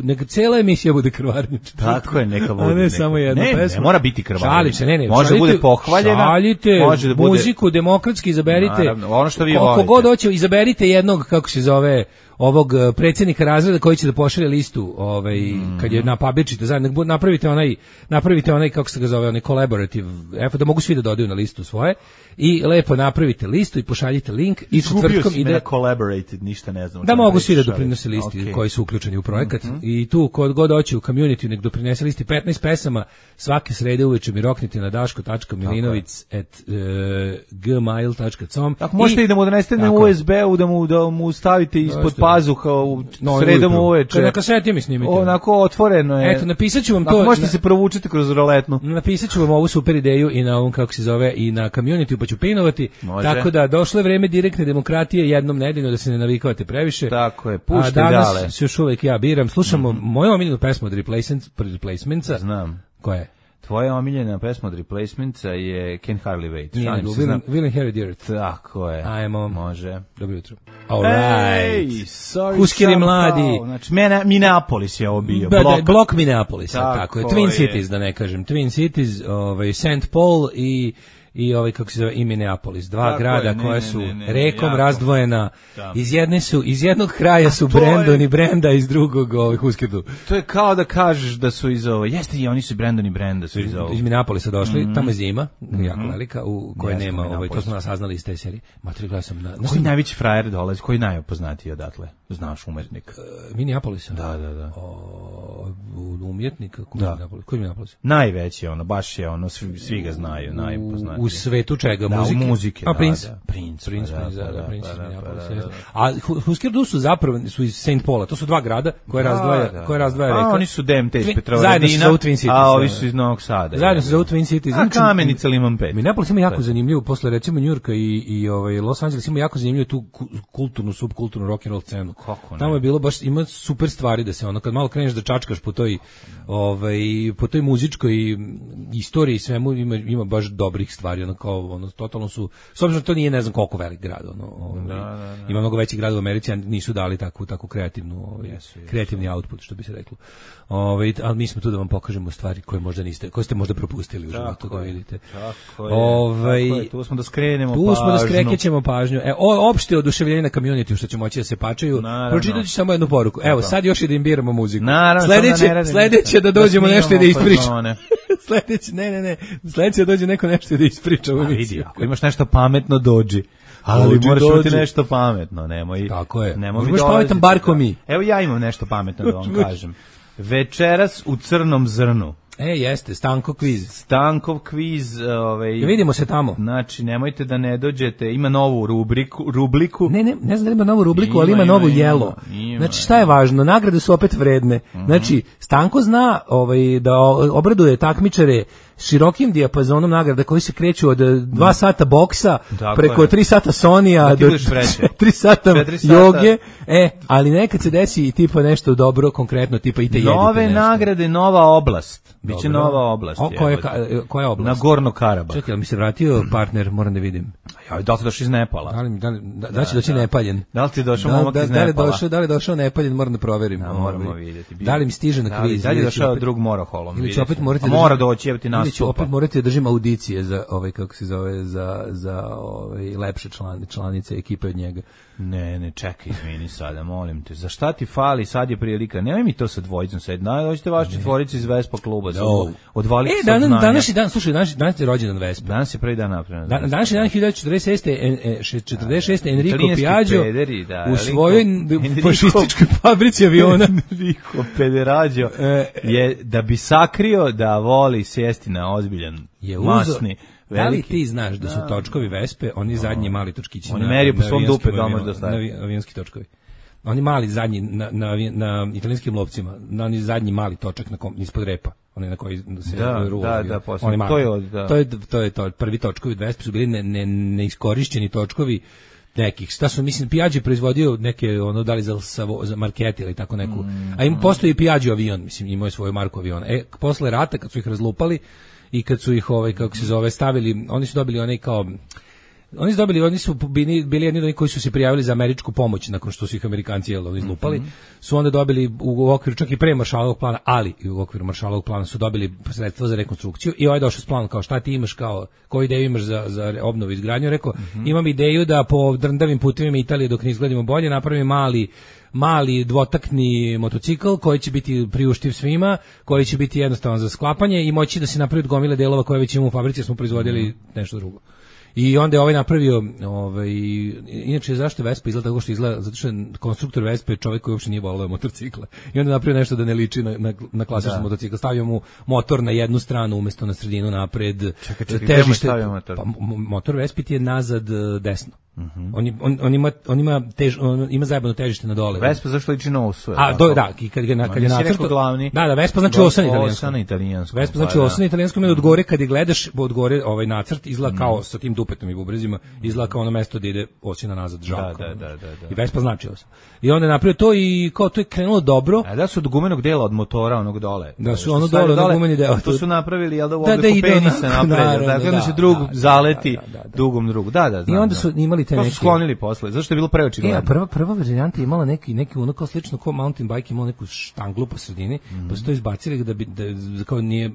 neka cijela emisija bude krvarnična. Tako je, neka bude. A ne samo jedna pesma. Ne mora biti krvarnična. Šalim se, ne. Može da bude pohvaljena. Šaljite muziku, demokratski izaberite. Naravno, ono što vi volite. Koliko god hoće, izaberite jednog, kako se zove, ovog predsjednika razreda koji će da pošalje listu, kad je napabirčite zajedno, napravite onaj kako se ga zove, onaj collaborative effort, da mogu svi da dodaju na listu svoje i lepo napravite listu i pošaljite link i četvrtkom ide collaborated, ništa ne znam. Da mogu svi da doprinose listi koji su uključeni u projekat i tu kod god hoće u community nek doprinese listi 15 pesama svake srede uveče mi roknite na daško.milinovic@gmail.com. Tako možete i da mu donesete na USB-u, da mu stavite ispod pazuha u sredom uveče. Na kaseti mi snimite. Onako otvoreno je. Eto, napisat ću vam to. Možete se provučiti kroz roletnu. Napisat ću vam ovu super ideju i na ovom, kako se zove, i na community, pa ću pinovati. Tako da došlo je vreme direktne demokratije jednom nedeljno, da se ne navikavate previše. Tako je, puštaj dale. A danas danas još uvek ja biram. Slušamo moju omiljenu pesmu od Replacementsa. Znam. Koja je? Tvoja omiljena pesma od Replacementsa je Can't Hardly Wait. Nije nego, Will and Harry Dirt. Tako je. Ajmo. Može. Dobro jutro. All right. Huskeri mladi. Znači, Minneapolis je ovo bio. Blok Minneapolisa, tako je. Twin Cities, da ne kažem. Twin Cities, St. Paul i kako se zove, i Minneapolis, dva grada koja su rekom razdvojena. Iz jednog kraja su Brandon i Brenda, iz drugog Huskedu. To je kao da kažeš da su iz ovo, jeste i oni su Brandon i Brenda su iz ovo. Iz Minneapolisa došli, tamo je zima, jako velika, u kojoj nema, to smo nas saznali iz te serije. Matri, sam koji najveći frajer dolazi, koji najopoznatiji odatle? Znaš, umjetnik. Minneapolisa? Da. Umjetnik? Koji Minneapolis? Najveći, baš je svi ga znaju, najpoznatiji. U svetu čega? Muzike? A Prince? Prince. A Huskerdu su zapravo iz St. Paula, to su dva grada koje razdvaja reka. Oni su DMT iz Petrovaradina, zajedno su za Twin Cities. A ovi su iz Novog Sada. Zajedno su za Twin Cities. A Kamenica Liman 5. Minneapolis ima jako zanimljivo, posle recimo Njujorka i Los Angeles ima jako zanimljivo tu kulturnu, subkulturnu rock and roll scenu. Tamo je bilo baš, ima super stvari da se kad malo kreneš da čačkaš po toj muzičkoj istoriji i svemu, ima baš dobrih stvari, totalno su, s obzirom to nije ne znam koliko velik grad, ima mnogo većih gradova u Americi, a nisu dali takvu kreativni output, što bi se reklo. Ali mi smo tu da vam pokažemo stvari koje možda niste, koje ste možda propustili u životu, da vidite. Tako je, tu smo da skrenemo pažnju. Tu smo da skrećemo pažnju. Opšte oduševljenje na community, što će moći da se pačaju. Pročitat ću samo jednu poruku. Evo, sad još i da im biramo muziku. Sledeće da dođemo nešto i da ispričamo. Sledeće da dođe neko nešto da ispriča u emisiju. Ako imaš nešto pametno, dođi. Ali moraš imati nešto pametno, nemoj. Tako je. Možeš pametan bar ko mi. Evo ja imam nešto pametno da vam kažem. Večeras u Crnom zrnu. Jeste, Stankov kviz, vidimo se tamo. Znači, nemojte da ne dođete, ima novu rubriku. Ne znam da ima novu rubriku, ali ima novu jelo. Znači, šta je važno? Nagrade su opet vredne. Znači, Stanko zna da obraduje takmičare širokim dijapazonom nagrada koji se kreću od 2 sata boksa preko 3 sata Sonija do 3 sata joge. Ali nekad se desi i tipa nešto dobro, konkretno, tipa i te jedite nešto. Nove nagrade, nova oblast. Biće nova oblast. Koja oblast? Na Gorno Karabah. Čekaj, ali mi se vratio partner, moram da vidim. Da li ti došao iz Nepala? Da li će doći nepaljen? Da li ti došao momak iz Nepala? Da li je došao nepaljen, moram da proverim. Moramo vidjeti. Da li mi stiže na kviz? Da li je došao drug Moroholom? Ili će opet morati mora doći, evo ti nastupa. Ili će opet morati da držim audicije za kako se zove, za lepše članice ekipe od njega. Ne, čekaj, izvini sada, molim te. Za šta ti fali, sad je prilika? Nemoj mi to sa dvojicom sad. Dođite vaši četvorici iz Vespa kluba. Odvalite se od znanja. Današnji dan, slušaj, danas je rođendan Vespa. Danas je prvi dan napravljen. Današnji dan 1946. Enrico Piaggio u svojoj fašističkoj fabrici aviona. Enrico Pederaggio je, da bi sakrio da voli sjesti na ozbiljan, masni. Da li ti znaš da su točkovi Vespe, oni zadnji mali točkići oni meriju po svom dupe da može da staje. Avionski točkovi. Oni mali zadnji na italijanskim lovcima, na oni zadnji mali točak ispod repa, oni na koji se rula. Da, to je to. Prvi točkovi Vespe su bili neiskorišćeni točkovi nekih. Šta su, mislim, Piaggio proizvodio neke, da li za Marchetti ili tako neku. A im postoji Piaggio avion, mislim, imao je svoju marku aviona. Posle rata, kad su ih razlupali, i kad su ih kako se zove stavili, oni su dobili oni su bili jedni od onih koji su se prijavili za američku pomoć nakon što su ih Amerikanci izlupali, su onda dobili u okviru čak i pre Marshallovog plana, ali i u okviru Marshallovog plana su dobili sredstva za rekonstrukciju i ovaj došao s planom kao šta ti imaš, kao koju ideju imaš za obnovu i izgradnju, rekao imam ideju da po drndavim putevima Italije dok ne izgledimo bolje napravim mali dvotakni motocikl koji će biti priuštiv svima, koji će biti jednostavan za sklapanje i moći da se napravi od gomile delova koje već imamo u fabrici, smo proizvodili nešto drugo. I onda je ovaj napravio, inače zašto Vespa izgleda tako što izgleda, zato što je konstruktor Vespa je čovjek koji uopšte nije voleo motorcikla. I onda je napravio nešto da ne liči na klasični motocikl. Stavio mu motor na jednu stranu umjesto na sredinu napred. Čekaj, težište. Motor Vespa ti je nazad desno. On ima zajebano težište na dole. Vespa zašto liči na osu? I kad je nacrtao glavni. Da, Vespa znači osa na italijanskom. Vespa znači osa na italijanskom, od gore kad je gledaš, od gore ovaj nacrt izgleda kao sa tim dupetom i bubrezima, izgleda kao ono mesto gde ide osina nazad žalko. Da. I Vespa znači osa. I onda je napravio to i kao to je krenulo dobro. A da su od gumenog dela od motora onog dole. Da su ono dole gumeni deo. To su napravili jel da u obliku penisa napravili. Dakle da se drug zaleti dugom drugu. Da. I onda su imali te neke. To su sklonili posle. Zašto je bilo preočigledno? Prva varijanta imala neki ono kao slično kao mountain bike, imala neku štanglu po sredini, pa su to izbacili da kao nije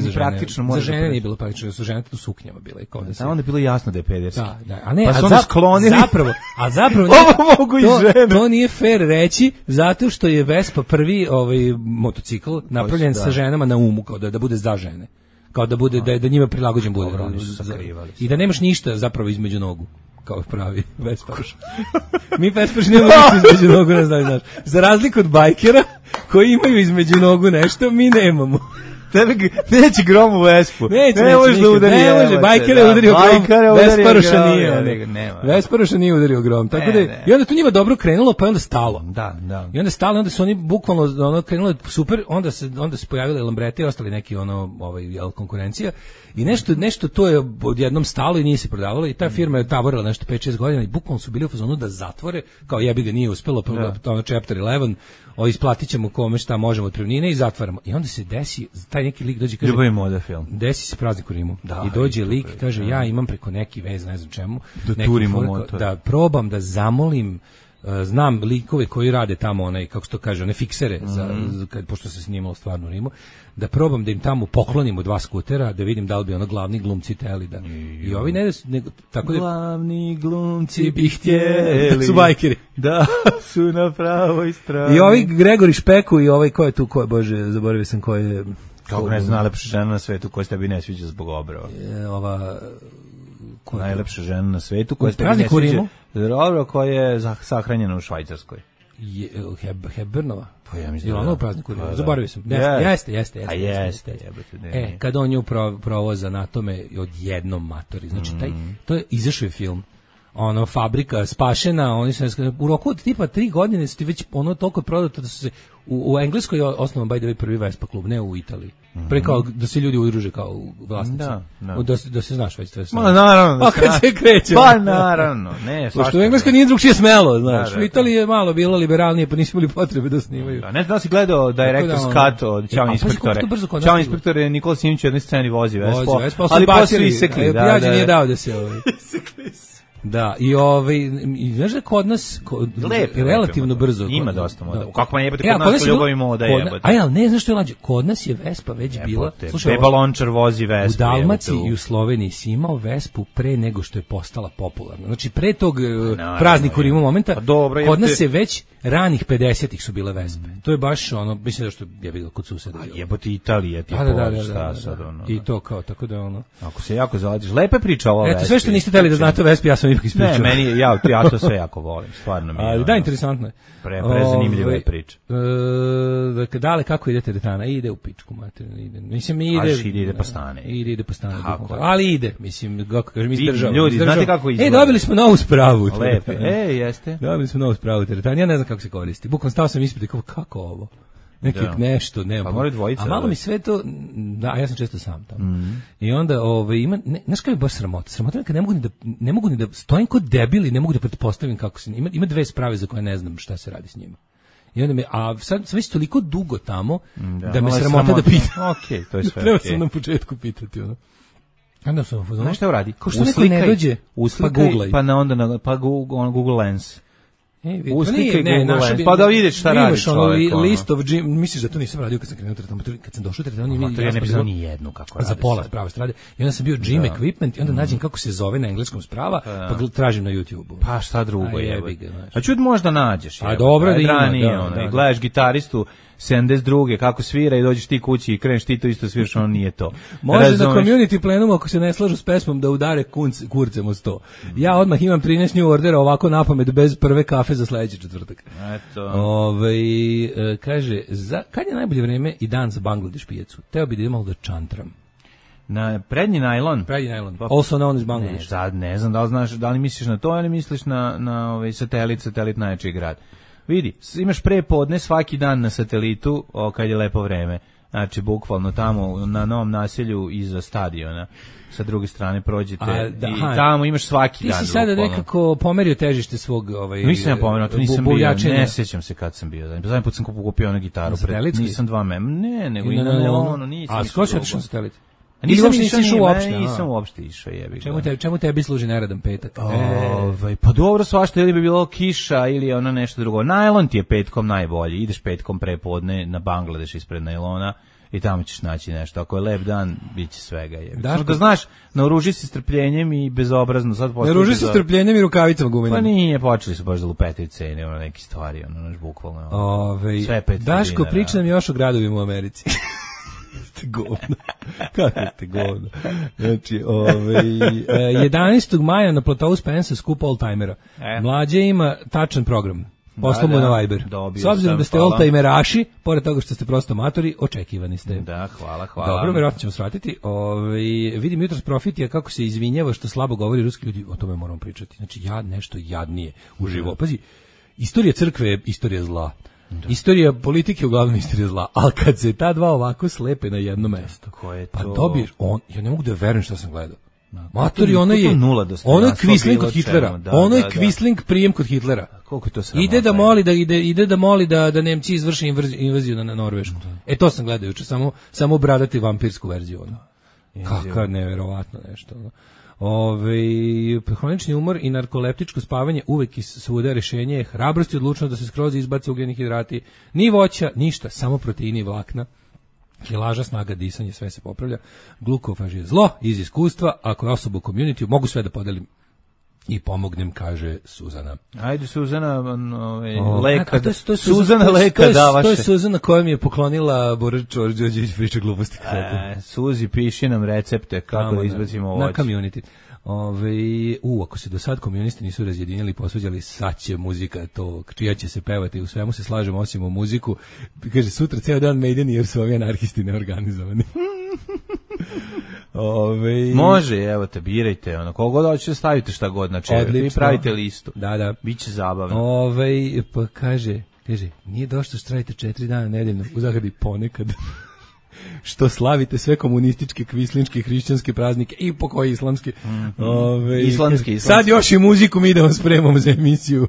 za žene. Praktično za žene nije bilo praktično, su žene tu suknjama bile kao da se. Onda je bilo jasno da je pederski. Da, a ne, pa su sklonili. Zapravo ovo mogu i žene. To nije fair reći zato što je Vespa prvi motocikl napravljen sa ženama na umu, kao da bude za žene. Kao da bude da njima prilagođen bude. I da nemaš ništa zapravo između nogu. Kao pravi Vespaš. Mi Vespaš nemamo ništa između nogu, ne znaš. Za razliku od bajkera koji imaju između nogu nešto, mi nemamo. Tebe neće grom u Vespu. Ne može da udari. Ne može, bajker je udario grom. Vesparoša nije. Vesparoša nije udario grom. Tako da i onda to njima dobro krenulo, pa je onda stalo. Da. I onda stalo, onda su oni bukvalno krenuli super, onda se pojavile Lambrete i ostali neki konkurencija. I nešto to je odjednom stalo i nije se prodavalo i ta firma je tavorila nešto 5-6 godina i bukvalno su bili u fazonu da zatvore, kao jebi ga nije uspelo, chapter 11, isplatit ćemo kome šta možemo od prevnine i zatvaramo. I onda se desi, taj neki lik dođe i kaže, ljubavi moda film. Desi se Praznik u Rimu. I dođe lik i kaže, ja imam preko neki vez, ne znam čemu, da probam da zamolim, znam likove koji rade tamo kako se to kaže, one fiksere, pošto se snimalo stvarno u Rimu, da probam da im tamo poklonimo 2 skutera, da vidim da li bi glavni glumci teli da. I ovi tako da glavni glumci bi htjeli da su bajkeri. Da su na pravoj strani. I ovi Gregori Špeku i ovaj ko je tu, bože, zaboravio sam ko je. Kako ne zna lepša žena na svetu koja se tebi ne sviđa zbog obrava. najlepša žena na svetu koja ste Praznik u Rimu. Dobro, koja je sahranjena u Švajcarskoj. Hepburnova. Pa ja mislim da. Ono u prazniku. Zaboravio sam. Jeste. A jeste. Kad on nju provoza na tome odjednom matori. Znači to je izašao je film. Ono, fabrika spašena, oni su u roku od tipa 3 godine su ti već ono toliko prodato da su se u Engleskoj je osnovan by the way prvi Vespa klub, ne u Italiji. Pre kao da se ljudi udruže kao vlasnici. Da se znaš već to je. Ma naravno. Pa kad se kreće. Pa naravno. Ne, što u Engleskoj nije drugčije smelo, znaš. U Italiji je malo bilo liberalnije, pa nisu imali potrebe da snimaju. Ne znam da si gledao Director's Cut od Ćao inspektore. Ćao inspektore Nikola Simić u jednoj sceni vozi Vespa, ali pa su isekli. Prijađe nije dao da se isekli. Da, i znaš da kod nas relativno brzo. Ima dosta moda. Kako jebate kod nas ljubav i moda jebate. Ali ne, znaš što je lađe? Kod nas je Vespa već bila. Slušaj, Beba Lončar vozi Vespu. U Dalmaciji i u Sloveniji si imao Vespu pre nego što je postala popularna. Znači, pre tog praznika u Rimu momenta, kod nas je već ranih 50-ih su bile Vespe. To je baš ono, mislim da što je bilo kod suseda. Jebote Italija ti je šta sad ono. I to kao, tako da ono. Ako se jako zaladiš, lepe priča ova Vespa. Eto, sve što niste hteli da znate o Vespi, ja sam ipak ispričao. Ne, meni, ja to sve jako volim, stvarno mi je. Ali da, interesantno je. Prezanimljiva je priča. Dakle, dale, kako ide teretana? Ide u pičku materinu, ide. Mislim, ide pa stane. Ide pa stane. Ali ide, mislim, kako kažem, izdržava. Ljudi, znate kako izgleda? Dobili smo novu spravu. Lepe, jeste. Dobili smo novu spravu teretana, ja ne znam kako se koristi. Bukvalno stao sam ispred i kako ovo? Nešto, nema. Pa mora dvojica. A malo mi sve to, da, ja sam često sam tamo. I onda, ima, znaš kako je baš sramota? Sramota je kad ne mogu ni da stojim kod debili, ne mogu da pretpostavim kako se, ima 2 sprave za koje ne znam šta se radi s njima. I onda a sad sam već toliko dugo tamo, da me sramota da pitam. Okej, to je sve. Treba sam na početku pitati, ono. Onda sam, znaš šta uradi? Kao što neko ne dođe, pa googlaj. Pa Google Lens. Uslikaj Google Lens, pa da vidiš šta radi čovjek. List of gym, misliš da to nisam radio kad sam krenuo tamo, kad sam došao tamo, ja ne pisao ni jednu kako radi. Za pola sprava strade. I onda sam bio gym equipment i onda nađem kako se zove na engleskom sprava, pa tražim na YouTubeu. Pa šta drugo je. A čud možda nađeš. A dobro da ima, da. Gledaš gitaristu 72. kako svira i dođeš ti kući i kreneš ti to isto sviraš, on nije to. Može na community plenumu ako se ne slažu s pesmom da udare kurcem od 100. Ja odmah imam 13 new ordera ovako napamet bez prve kafe za sledeći četvrtak. Eto. Kaže, kad je najbolje vreme i dan za Bangladeš pijacu? Teo bi da imalo da čantram. Na prednji najlon. Also known as Bangladeš. Ne znam da li znaš, da li misliš na to ili misliš na satelit najjači grad. Vidi, imaš prepodne svaki dan na satelitu kad je lepo vreme. Znači, bukvalno tamo na Novom naselju iza stadiona. Sa druge strane prođete i tamo imaš svaki dan. Ti si sada nekako pomerio težište svog... Nisam ja pomerio, to nisam bio, ne sjećam se kad sam bio. Zadnji put sam kupio onu gitaru. Nisam 2 meme. Ne, nego i na Leonu nisam. A skoro si otišao na satelit? Nisam uopšte išao, jebi ga. Čemu tebi služi neradan petak? Pa dobro, svašta, ili bi bilo kiša ili ono nešto drugo. Najlon ti je petkom najbolji. Ideš petkom prepodne na Bangladeš ispred najlona i tamo ćeš naći nešto. Ako je lep dan, bit će svega. Da znaš, naoruži se strpljenjem i bezobrazno. Naoruži se strpljenjem i rukavicama gumenim. Pa nije, počeli su baš da lupetaju cene, neke stvari, bukvalno. Sve 500 Daško, priča nam još o gradovima u Americi. Ste govno. Kako ste govno? Znači, 11. maja na platovu Spensa skup oldtimera. Mlađe ima tačan program. Poslao mu na Viber. S obzirom da ste oldtimeraši, pored toga što ste prosto amatori, očekivani ste. Da, hvala. Dobro, verovatno ćemo svratiti. Vidim jutros Profitija kako se izvinjava što slabo govori ruski ljudi, o tome moramo pričati. Znači, nešto jadnije uživo. Pazi, istorija crkve je istorija zla. Istorija politike je uglavnom istorija zla, ali kad se ta dva ovako slepe na jedno mesto, pa dobiješ, ja ne mogu da verujem što sam gledao. Matori, ono je Quisling kod Hitlera. Ono je Quisling prijem kod Hitlera. Koliko je to sramota? Ide da moli da Nemci izvrše invaziju na Norvešku. To sam gledao juče, samo bradati vampirsku verziju. Kako neverovatno nešto. Hronični umor i narkoleptičko spavanje uvek svuda rešenje je hrabrost i odlučnost da se skroz izbace ugljeni hidrati, ni voća, ništa, samo proteini i vlakna. Kilaža, snaga, disanje, sve se popravlja. Glukofaz je zlo iz iskustva, ako je osoba u community, mogu sve da podelim i pomognem, kaže Suzana. Ajde Suzana, leka. Suzana leka davaše. To je Suzana koja mi je poklonila Bora Đorđević priča gluposti. Suzi, piši nam recepte kako da izbacimo voće. Na community. Ako se do sad komunisti nisu razjedinili i posvađali, sad će muzika to, čija će se pevati, u svemu se slažemo osim u muziku. Kaže, sutra ceo dan Maideni jer su ovi anarhisti neorganizovani. Može, evo te, birajte, kogo da hoćete stavite šta god na čever, vi pravite listu. Da. Biće zabavno. Pa kaže, nije došto što radite 4 dana nedeljno, u zagradi ponekad. Što slavite sve komunističke, kvislinčke, hrišćanske praznike i po koji islamski. Islamski. Sad još i muziku mi da vam spremamo za emisiju.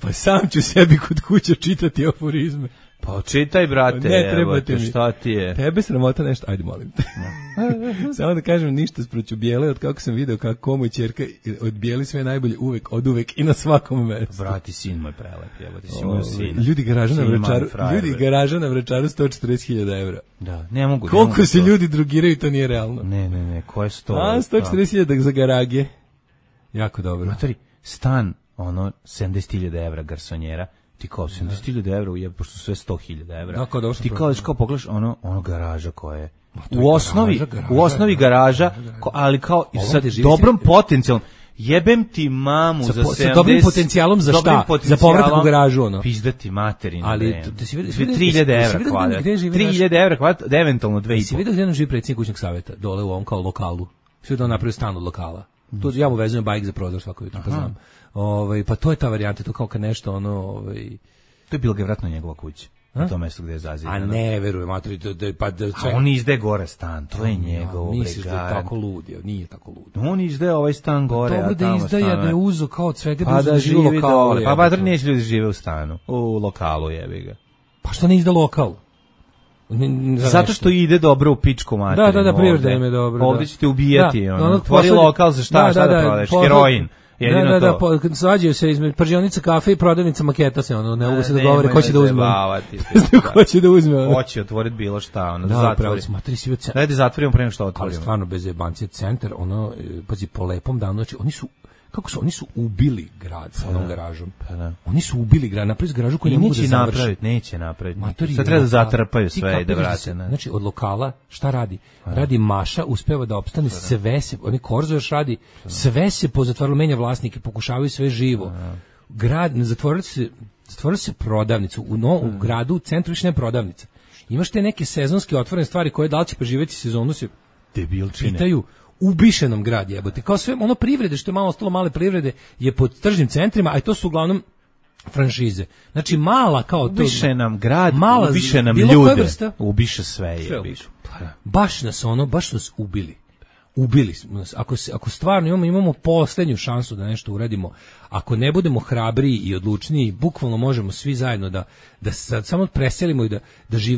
Pa sam ću sebi kod kuće čitati aforizme. Pa čitaj, brate, ne trebate mi. Šta ti je? Tebe sramota nešto, ajde molim te. Samo da kažem ništa sproću Bijele, od kako sam video kako moj ćerka od Bijeli sve najbolje od uvek i na svakom mestu. Brati, sin moj prelep, evo ti si moj sin. Ljudi garaža na Vračaru 140.000 evra. Da, ne mogu. Koliko se ljudi drogiraju, to nije realno. Ne, ko je 140.000 za garage. Jako dobro. Matori, stan, 70.000 evra garsonjera. Ti kao 70.000 evra ujeb, pošto sve 100.000 evra. Da, ti kao pogledaš ono garaža koja je u osnovi garaža, ali kao sa dobrom potencijalom. Jebem ti mamu za 70... Sa dobrim potencijalom za šta? Za povratak u garažu, ono. Pizdati materinu. Ali, 3.000 evra kvadrat. 3.000 evra kvadrat, da eventualno 2.500. Si vidio gdje nam živi predsjednik kućnog savjeta? Dole u ovom kao lokalu. Svi da on napravio stan od lokala. Tu ja mu vezujem bajk za prozor svako jutro, pa znam. Pa to je ta varijanta, to kao kad nešto To je bilo ga vratno njegova kuća. Na tom mjestu gdje je zazidano. A ne, verujem, maturi, on izde gore stan, to je njegov. Misliš da je tako lud, nije tako lud. On izde ovaj stan gore, a tamo izdaje da je uzo kao od svega pa da živi u lokalu. Pa badar neće ljudi žive u stanu, u lokalu jebi ga. Pa što ne izda lokal? Zato što ide dobro u pičku materinu. Da, priroda im je dobro. Ovdje ćete ubijati, tvori lokal za šta da prodaješ, heroin. Da, svađaju se između pržionica kafe i prodavnica maketa se, ne mogu se dogovore ko će da uzme. Ko će da uzme. Hoće otvoriti bilo šta, zatvori. Dajte zatvorimo pre nego što otvorimo. Ali stvarno, bez jebancije, centar, pazi, po lepom danu, znači, oni su ubili grad sa onom garažom. Oni su ubili grad, napravili garažu koju ne mogu da završi. Neće napraviti. Sad treba da zatrpaju sve i da vrate. Znači, od lokala, šta radi? Radi Maša, uspeva da opstane, sve se, oni Korzo još radi, sve se pozatvarilo, menja vlasnike, pokušavaju sve živo. Grad, zatvorili se prodavnicu, u gradu, u centru više ne prodavnica. Imaš te neke sezonske otvorene stvari koje da li će preživjeti sezonu se pitaju, ubiše nam grad, jebote. Kao sve ono privrede, što je malo ostalo male privrede, je pod tržnim centrima, a to su uglavnom franšize. Znači mala kao to. Ubiše nam grad, ubiše nam ljude, ubiše sve. Baš nas ubili. Ubili smo nas. Ako stvarno imamo posljednju šansu da nešto uradimo, ako ne budemo hrabriji i odlučniji, bukvalno možemo svi zajedno da samo preselimo i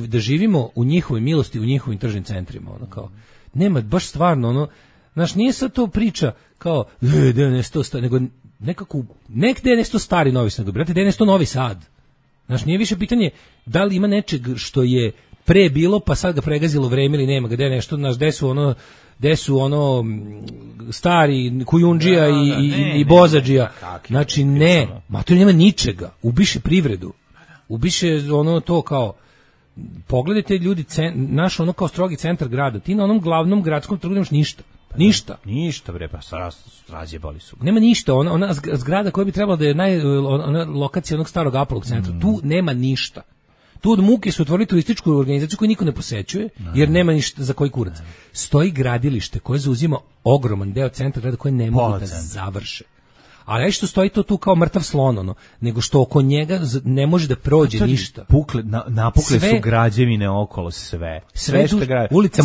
da živimo u njihovoj milosti, u njihovim tržnim centrima. Kao, nema, baš stvarno, znaš, nije sad to priča kao, nego nekako, nekde je nešto stari Novi Sad, brate, da je nešto Novi Sad. Znaš, nije više pitanje da li ima nečeg što je pre bilo, pa sad ga pregazilo vreme ili nema ga, gde je nešto, znaš, gde su stari Kujundžija i Bozadžija. Znači, ne, matori nema ničega, ubiše privredu, ubiše to kao, pogledajte ljudi, naš kao strogi centar grada, ti na onom glavnom gradskom trgu nemaš ništa. Ništa, bre, pa razjebali su. Nema ništa, ona zgrada koja bi trebala da je ona lokacija onog starog Apolog centra, tu nema ništa. Tu od muke su otvorili turističku organizaciju koju niko ne posećuje, jer nema ništa za koji kurac. Stoji gradilište koje zauzima ogroman deo centra grada koje ne mogu da završe. Ali ne što stoji to tu kao mrtav slon, nego što oko njega ne može da prođe ništa. Napukle su građevine okolo sve. Ulica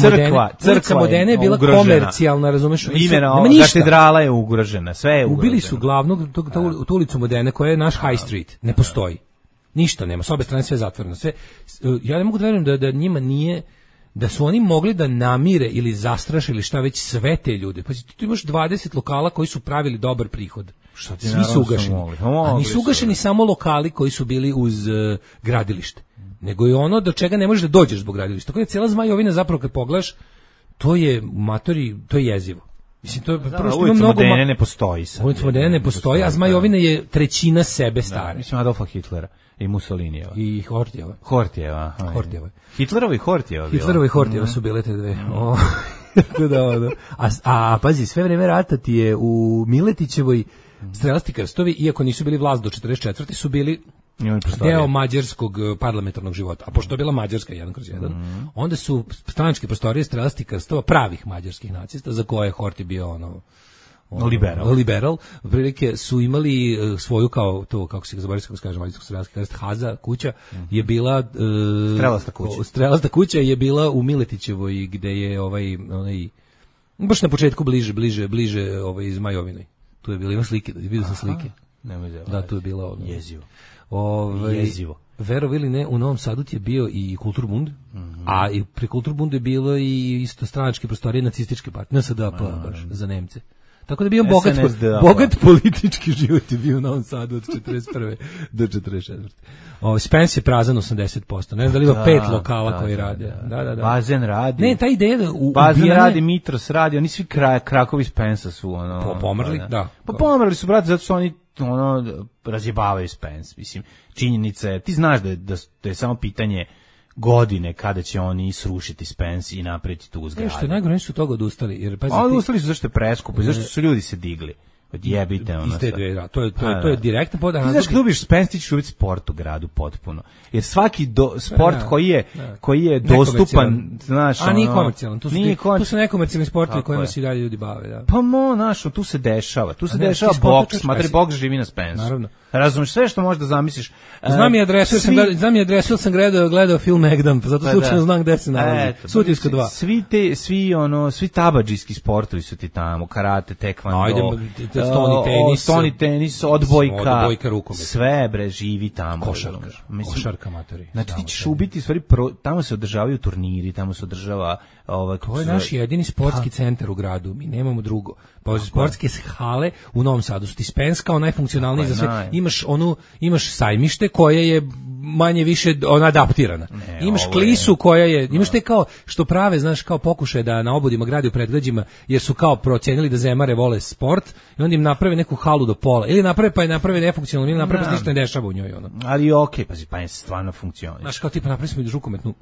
Modene je bila komercijalna, razumeš? Katedrala je ugrožena, sve je ugroženo. Ubili su glavnog, tu ulicu Modene koja je naš High Street, ne postoji. Ništa nema, s obe strane sve zatvoreno. Ja ne mogu da verujem da njima nije, da su oni mogli da namire ili zastraše ili šta već sve te ljude. Pa tu imaš 20 lokala koji su pravili dobar prihod. Svi su ugašeni. A nisu ugašeni samo lokali koji su bili uz gradilište. Nego je ono do čega ne možeš da dođeš zbog gradilišta. Tako je cijela Zmajovina zapravo kad pogledaš, to je jezivo. Mislim, to je prvo što ima Ulica mnogo... Modene ne postoji sad. Ulica Modene ne postoji, a Zmajovina je trećina sebe stare. Mislim, Adolfa Hitlera i Mussolinijeva. I Hortijeva. Hortijeva. Hitlerova i Hortijeva. Hitlerova i Hortijeva su bile te dve. A pazi, sve vreme rata ti je u Miletićevoj strelasti krstovi, iako nisu bili vlast do 44. su bili deo mađarskog parlamentarnog života. A pošto je bila Mađarska 1/1, onda su stranačke prostorije strelasti krstova pravih mađarskih nacista, za koje je Horthy bio liberal, prilike su imali svoju kao to, kako se ga zaboravio, kako se kaže mađarsko strelski krst, Haza kuća je bila strelasta kuća je bila u Miletićevoj, gde je onaj baš na početku bliže iz Zmajovinoj. Tu je bilo, ima slike, vidio sam slike. Da, tu je bilo jezivo. Jezivo. Verovi ili ne, u Novom Sadu ti je bio i Kulturbund, a i pri Kulturbundu je bilo i isto stranačke prostorije nacističke partije, NSDAP baš za Nemce. Tako da je bio bogat politički život je bio u Novom Sadu od 41. do 44. Spence je prazan 80%. Ne znam da li ima 5 lokala koji rade. Da. Bazen radi. Ne, ta ideja da Bazen radi, Mitros radi, oni svi krakovi Spensa su pomrli, da. Pa pomrli su, brate, zato što oni razjebavaju Spence. Mislim, činjenica je, ti znaš da je samo pitanje godine kada će oni srušiti Spence i napraviti tu zgradu. Što je najgore, su toga odustali. Jer, odustali su zašto je preskupo i zašto su ljudi se digli. Odjebite ono. To je direktno podan. Ti znaš kad ubiš Spence, ti ćeš ubiti sport u gradu potpuno. Jer svaki sport koji je dostupan, znaš, a nije komercijalan. Tu su nekomercijalni sportovi kojima se i dalje ljudi bave. Da. Pa znaš, tu se dešava. Tu se dešava boks, smatri boks živi na Spensu. Naravno. Razumiješ sve što možda zamisliš. Znam je adresu, jer sam gledao film Egdam, zato slučajno znam gde se nalazi. Sutjevska 2. Svi tabadžijski sportovi su ti tamo, karate, tekvando, stoni tenis, odbojka, rukomet. Sve bre živi tamo. Košarka matori. Znači ti ćeš ubiti, stvari, tamo se održavaju turniri, tamo se održava... To je naš jedini sportski centar u gradu, mi nemamo drugo. Pa sportske hale u Novom Sadu su ti Spence kao najfunkcionalniji za sve. Imaš sajmište koje je manje više adaptirana. Imaš klisu koja je, imaš te kao što prave, znaš, kao pokušaj da na obodima gradi u predgrađima, jer su kao procenili da zemare vole sport i onda im naprave neku halu do pola. Ili naprave nefunkcionalno, ili naprave pa ništa ne dešava u njoj. Ali okej, pazi, pa je stvarno funkcionira. Znaš, kao tipa napravili smo i rukometnu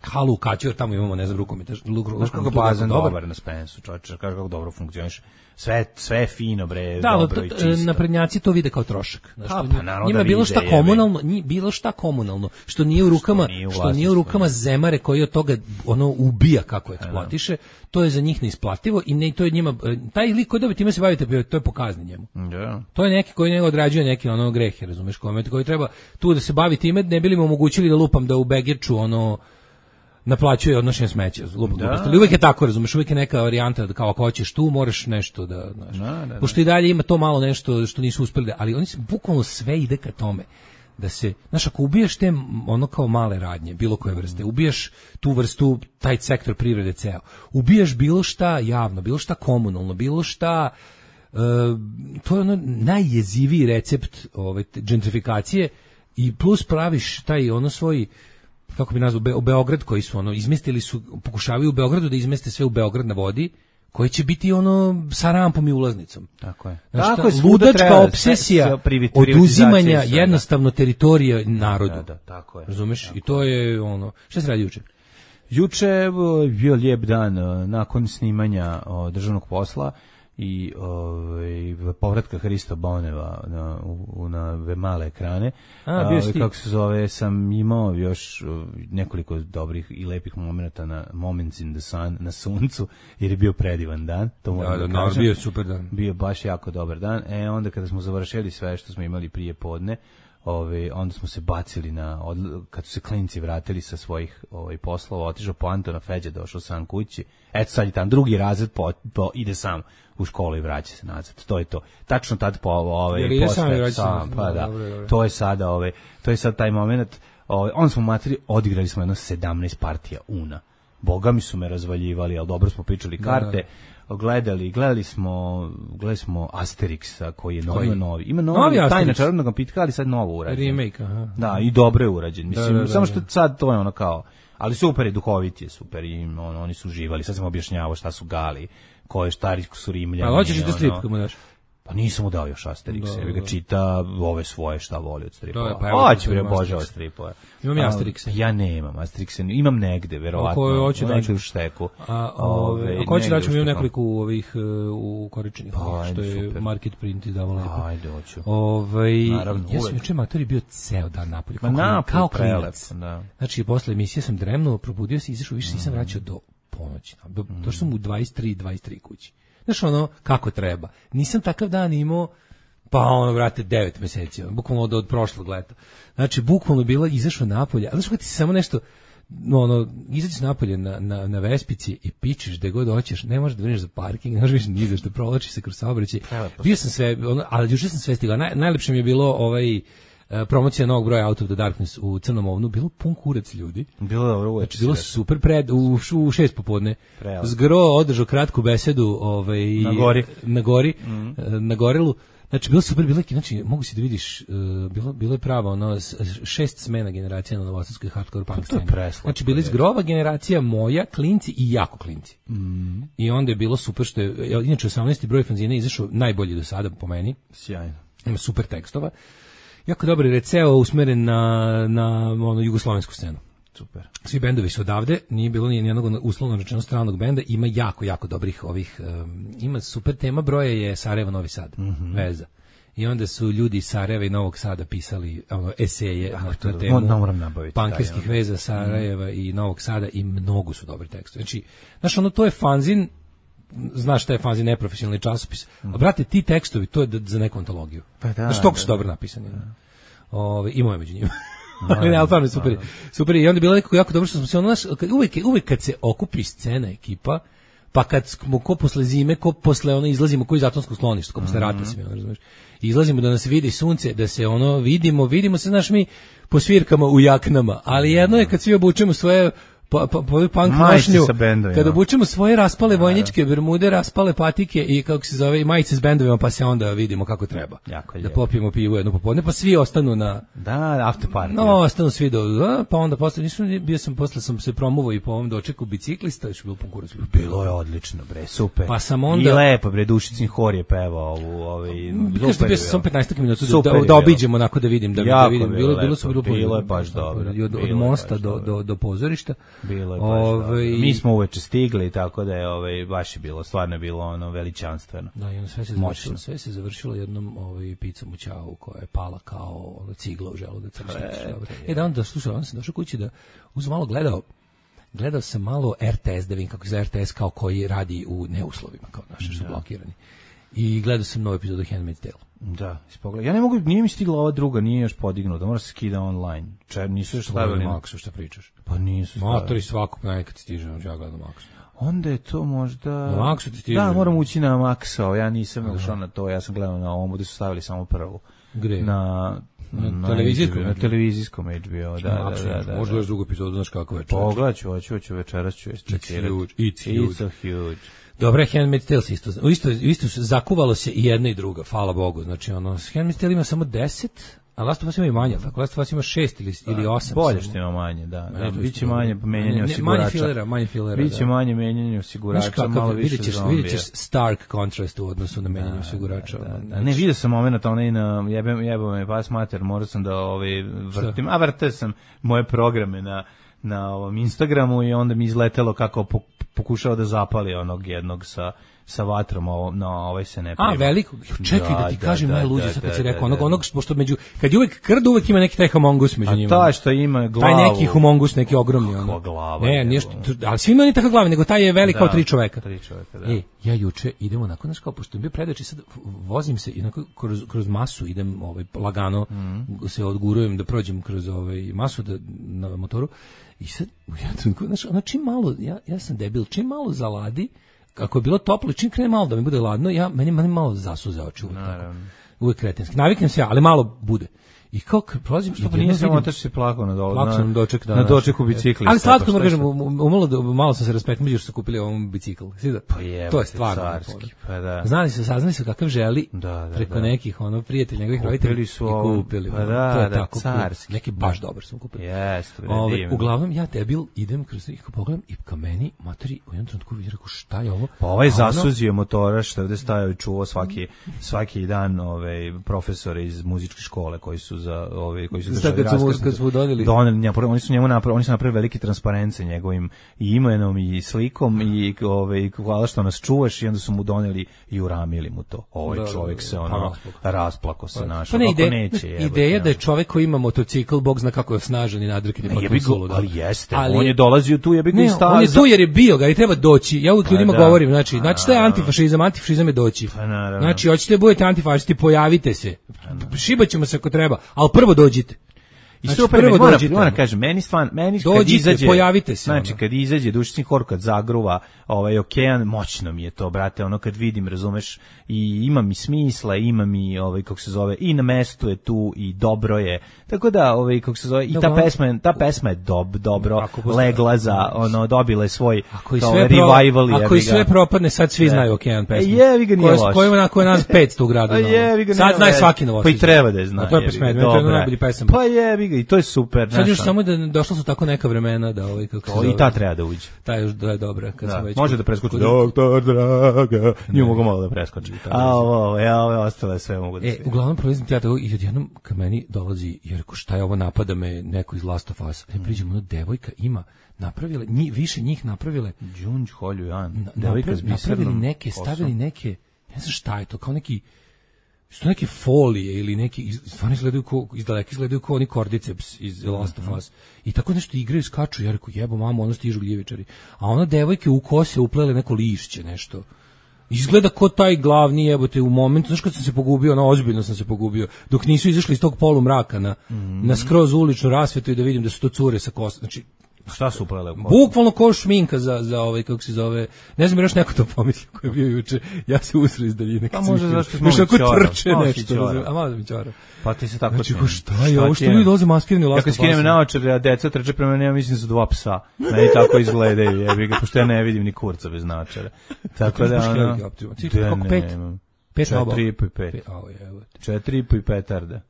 halu u Kaću, jer tamo imamo, ne znam, rukometa. Znaš kako bazen dobar na Spensu, čovječe, kaže kako dobro funkcioniše. Sve je fino, bre, dobro i čisto. Naprednjaci to vide kao trošak. Njima bilo šta komunalno, što nije u rukama zemare koji od toga ubija kako eksploatiše, to je za njih neisplativo i to je njima, taj lik koji time se bavite, to je pokazni njemu. To je neki koji njega odrađuje neki grehe, razumeš, koji treba tu da se bavi time, ne bili mu omogućili da lupam da u Begirču naplaćuje odnošenje smeća. Ali uvijek je tako, razumeš, uvijek je neka varijanta da kao ako hoćeš tu, moraš nešto da, znaš. Pošto i dalje ima to malo nešto što nisu uspjeli, ali oni se bukvalno sve ide ka tome da se, znaš, ako ubijaš te kao male radnje, bilo koje vrste, ubijaš tu vrstu, taj sektor privrede ceo, ubijaš bilo šta javno, bilo šta komunalno, bilo šta, to je najjeziviji recept gentrifikacije i plus praviš taj svoj, kako bi nazvao, Beograd koji su izmestili su, pokušavaju u Beogradu da izmeste sve u Beograd na vodi, koji će biti sa rampom i ulaznicom. Tako je. Znači, ludačka obsesija oduzimanja jednostavno teritorija narodu. Da, tako je. Razumeš? Tako. I to je šta se radi juče? Juče je bio lijep dan nakon snimanja državnog posla i povratka Hrista Boneva na male ekrane. Kako se zove, sam imao još nekoliko dobrih i lepih momenata na Moments in the Sun, na suncu, jer je bio predivan dan. To moram da kažem. Bio je super dan. Bio baš jako dobar dan. Onda kada smo završili sve što smo imali prije podne, onda smo se bacili kad su se klinci vratili sa svojih poslova, otišao po Antona Feđa, došao sam kući. Eto sad je tam drugi razred, ide sam u školu i vraća se nazad. To je to. Tačno tad to je sada to je sad taj moment. Onda smo odigrali smo jedno 17 partija Una. Boga mi su me razvaljivali, ali dobro smo pričali karte. gledali smo Asterixa koji je novi. Ima novi Tajna čarobnog napitka, ali sad novo urađen. Remake, aha. Da, i dobro je urađen. Mislim, samo što sad to je ono kao, ali super je, duhovit je, super i oni su uživali. Sad sam objašnjavao šta su Gali, koje šta su Rimljani. A hoćeš i da strip kako mu daš? Pa nisam mu dao još Asterix, ja ga čita ove svoje šta voli od stripova. Pa hoće bre Bože od stripova. Imam ja Asterixa. Ja nemam Asterixa, imam negde verovatno. Hoće da u šteku. Ko će daći, imam nekoliko ovih u koričenih, što je Market Print izdavao lepo. Ajde, hoću. Naravno, ja sam juče matori bio ceo dan napolju, kao klinac. Znači, posle emisije sam dremnuo, probudio se, izašao, više nisam vraćao do ponoći. Došao sam u 23 kući. Znaš, ono, kako treba. Nisam takav dan imao, pa ono, vrate, 9 meseci, bukvalno od prošlog leta. Znači, bukvalno bilo, izašao napolje, ali znaš kako ti se samo nešto, ono, izađeš napolje na Vespici i pičeš gde god hoćeš, ne možeš da vrneš za parking, ne možeš više ni za što, provlačiš se kroz saobraćaj. Bio sam sve, ali juče sam sve stigao. Najlepše mi je bilo promocija novog broja Out of the Darkness u Crnom Ovnu, bilo pun kurac ljudi. Bilo dobro uveče. Znači, bilo super u 6 popodne. Zgro održao kratku besedu na gori, na Gorilu. Znači, bilo super, znači, mogu si da vidiš, bilo je pravo, 6 smena generacija na novosadskoj hardcore punk sceni. Znači, bili Zgrova generacija, moja, klinci i jako klinci. I onda je bilo super što je, inače 18. broj fanzina izašao najbolji do sada po meni. Sjajno. Ima super tekstova. Jako dobar receo usmeren na jugoslovensku scenu. Super. Svi bendovi su odavde, nije bilo ni jednog uslovno rečeno stranog benda, ima jako dobrih ovih, ima super tema, broje je Sarajevo, Novi Sad, veza. I onda su ljudi iz Sarajeva i Novog Sada pisali eseje na temu pankerskih veza Sarajeva i Novog Sada i mnogo su dobri tekstovi. Znači, znaš, to je fanzin, znaš šta je fanzin, neprofesionalni časopis, a brate, ti tekstovi, to je za neku antologiju. Znaš, toliko su dobro napisani. I moje među njima. Ali stvarno super. I onda je bilo nekako jako dobro što smo se uvek kad se okupi scena, ekipa, pa kad smo ko posle zime, ko posle izlazimo ko iz atomskog skloništa, ko posle rata se, razumeš. Izlazimo da nas vidi sunce, da se vidimo se, znaš, mi po svirkama u jaknama, ali jedno je kad svi obučemo svoje punk nošnju, kada obučemo svoje raspale vojničke bermude, raspale patike i kako se zove, i majice s bendovima, pa se onda vidimo kako treba. Da popijemo pivo jedno popodne, pa svi ostanu na after party. Ostanu svi pa onda posle sam se promovao i po ovom dočeku biciklista, još je bilo punkurac. Bilo je odlično, bre, super. Pa sam onda i lepo, bre, Dušicin hor je pevao bio sam 15 minuta da obiđemo onako da vidim, bilo je baš dobro. Od mosta do pozorišta. Bilo je baš mi smo uveče stigli, tako da je baš je bilo, stvarno je bilo veličanstveno. Da, i sve se završilo jednom picom u Ćao koja je pala kao cigla u želudac. Onda sam došao kući da uzem malo gledao sam malo RTS, da vidim kako je RTS kao koji radi u neuslovima, kao naši su blokirani. I gledao sam novu epizodu Handmaid's Tale. Da, ispogled. Ja ne mogu, nije mi stigla ova druga, nije još podignuta, mora se skida online. Nisu još stavili na Maxu, šta pričaš? Pa nisu stavili. Motori svakog nekad stiže, ja gledam Maxu. Onda je to možda... Na Maxu ti stiže. Da, moram ući na Maxo, ja nisam ušao na to, ja sam gledao na ovom, gde su stavili samo prvu. Gde? Na televizijskom HBO, da. Možda još drugu epizodu, znaš kako večer. Pogledat ću, večeras ću čekirati. It's so huge. Dobro, Handmaid's Tale isto zakuvalo se i jedna i druga, hvala Bogu. Znači, Handmaid's Tale ima samo 10, a Last of Us ima i manje, tako Last of Us ima 6 ili 8. Bolje što ima manje, da. Biće manje menjanje osigurača. Manje filera. Biće manje menjanje osigurača, malo više zombija. Vidjet ćeš stark contrast u odnosu na menjanje osigurača. Ne, vidio sam moment, jebao me pas mater, morao sam da vrtim, a vrtao sam moje programe na ovom Instagramu i onda mi izletelo kako pokušao da zapali onog jednog sa vatrom, ovaj se ne prima. Veliko, čekaj da ti kažem najluđe, sad kad si rekao, onog, pošto kad je uvek krd, uvek ima neki taj homongus među njima. A taj što ima glavu. Taj neki homongus, neki ogromni. Kako glava. Ne, nešto, ali svi imaju takva glava, nego taj je velik kao 3 čoveka. 3 čoveka, da. Ja juče idem onako, znaš kao, pošto je bio predač i sad vozim se i onako kroz masu idem lagano, se odgurujem da prođem kroz masu na motoru i sad, čim malo, ja sam debil, čim malo zaladi, kako je bilo toplo, čim krene malo da mi bude ladno, meni malo zasuze oči uvek kretenski. Naviknem se ja, ali malo bude. I kao kad prolazim, što pa nije samo otac se plakao na doček, na dočeku bicikli. Ali slatko mu kažem, malo sam se raspekmio što su kupili ovom bicikl. Pa je, to je stvarno carski. Pa da. Saznali su kakav želi preko nekih prijatelja njegovih roditelja i kupili. Pa da, to je tako carski. Neki baš dobar su kupili. Jeste, uglavnom ja debil idem kroz ih pogledam i ka meni materi u jednom trenutku vidim rekao šta je ovo? Pa ovaj zasuzio motora što ovde stajao i čuo svaki dan profesore iz muzičke škole koji su držali raskrsnicu. Kad smo doneli. Oni su napravili veliki transparent sa njegovim imenom i slikom i hvala što nas čuvaš i onda su mu doneli i uramili mu to. Ovaj čovjek se rasplako se našao. Ideja da je čovjek koji ima motocikl, Bog zna kako je snažan i nadrkani potpuno suludo. Ali jeste, on je dolazio tu, jebi ga i stavio. On je tu jer je bio, ga i treba doći. Ja uvijek ljudima govorim, znači što je antifašizam je doći. Znači, hoćete da budete antifašisti, pojavite se. Šibaćemo se ako treba, ali prvo dođite. I znači, super, moram kažem, meni kad izađe, pojavite se. Znači, kad izađe Dušični hor, kad zagruva okean, moćno mi je to, brate, kad vidim, razumeš, i ima mi smisla, ima mi, kako se zove, i na mestu je tu, i dobro je, tako da, kako se zove, i ta pesma je dobro legla za, dobila je svoj revival. Ako i sve propadne, sad svi znaju okean pesmu. Jevi ga nije loš. Ko je nas 500 u gradu. Sad znaju svaki Novosađan. Pa i treba da je zna. To je najbolji pesma. Pa jevi ga, i to je super. Sad još samo da došlo su tako neka vremena da kako se zove. I ta treba da uđe. Ta je dobra kad sam već. Može da preskoči. Doktor Draga. Nije mogu malo da preskoči. Ove ostale sve mogu da se. Uglavnom prolazim ja tako i odjednom ka meni dolazi jer šta je ovo, napada me neko iz Last of Us. Priđemo na devojka ima napravile, više njih napravile. Đunđ Holjujan. Napravili neke, stavili neke, ne znam šta je to, kao neki su neke folije ili neki, stvarno izgledaju kao oni kordiceps iz Last of Us. I tako nešto igraju, skaču, ja rekao, jebo mamo, ono stižu gljivičari. A ona devojke u kose uplele neko lišće, nešto. Izgleda ko taj glavni, jebote, u momentu, znaš kad sam se pogubio, ozbiljno sam se pogubio, dok nisu izašli iz tog polumraka na skroz uličnu rasvetu i da vidim da su to cure sa kosa, znači, šta su uplele? Bukvalno kao šminka za kako se zove. Ne znam, još neko to pomislio ko je bio juče. Ja se usro iz daljine. Pa može zašto smo trče nešto. A malo mi čara. Pa ti se tako znači, šta je ovo što ljudi dolaze maskirani u Last of Us? Ja kad skinem naočare, a deca trče prema mene, ja mislim su 2 psa. Meni tako izgledaju, jebi ga, pošto ja ne vidim ni kurca bez naočara. Tako da ono... 4,5 4,5. 4,5 petarda.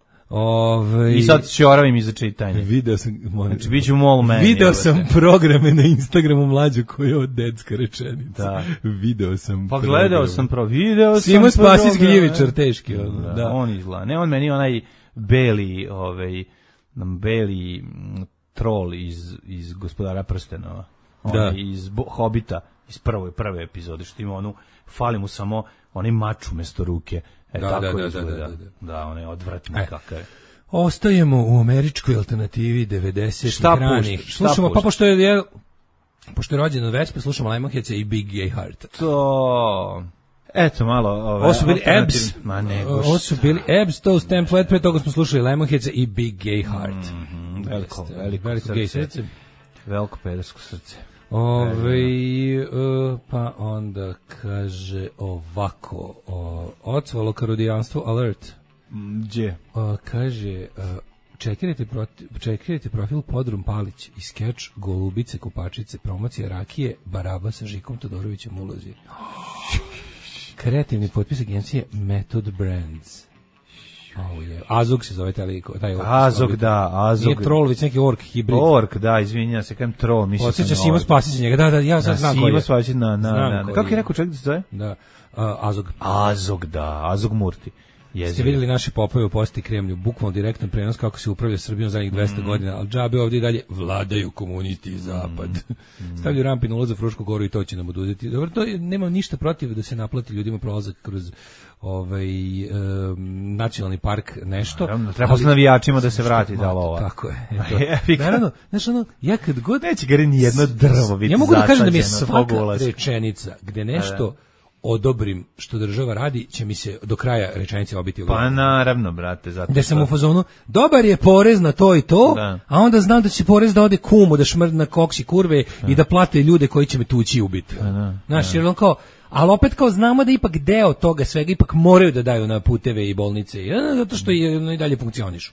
I sad ćoravim iza čitanja. Video sam, znači biću mol meni. Video sam programe na Instagramu mlađu koji je od detska rečenica. Da. Video sam. Pa gledao sam video. Simo Spasić Gljevičar teški. Da. On izgleda. Ne, on meni onaj beli, beli trol iz Gospodara prstenova. Iz Hobita, iz prve epizode, što ima onu, fali mu samo onaj mač umesto ruke. Tako izgleda. Da, on je odvratni kakav je. Ostajemo u američkoj alternativi 90-ih ranih. Slušamo, pa pošto je rođen od Vespe, slušamo Lemonheadsa i Big Gay Heart. To... Eto malo... Ovo su bili Ebbs. Ovo su bili Ebbs, Toast Template, pre toga smo slušali Lemonheadsa i Big Gay Heart. Veliko gay srce. Veliko pedersko srce. Pa onda kaže ovako, ocvalo karudijanstvo alert. Gdje? Kaže, čekirajte profil Podrum Palić i skeč Golubice Kopačice, promocija rakije Baraba sa Žikom Todorovićem ulozi. Kreativni potpis agencije Method Brands. Azog se zove taj Azog, da, Azog. Nije troll, već neki ork hibrid. Ork, da, izvinjam se, kajem troll, mislim. Osjeća Simo Spasić njega, da, ja sad znam ko je. Simo Spasić, kako je rekao čovjek da se zove? Da, Azog. Azog, da, Azog Murti. Ste vidjeli naše popove u Poseti Kremlju, bukvalno direktan prenos kako se upravlja Srbijom zadnjih 200 godina, ali džabe ovdje i dalje vladaju komunisti i zapad. Stavljaju rampi na ulaz za Frušku goru i to će nam oduzeti. Dobro, to nemam ništa protiv da se naplati ljudima prolazak kroz nacionalni park nešto. Treba s navijačima da se vrati da ovo. Tako je. Naravno, znaš ono, ja kad god... Neće gari ni jedno drvo biti ja mogu da kažem da mi je svaka rečenica gde nešto odobrim što država radi, će mi se do kraja rečenice obiti u glavu. Pa naravno, brate, zato da sam u fazonu, dobar je porez na to i to, a onda znam da će porez da ode kumu, da šmrdi na koksi kurve i da plate ljude koji će me tući i ubiti. Znaš, jer on kao, ali opet kao znamo da ipak deo toga svega ipak moraju da daju na puteve i bolnice, zato što i dalje funkcionišu.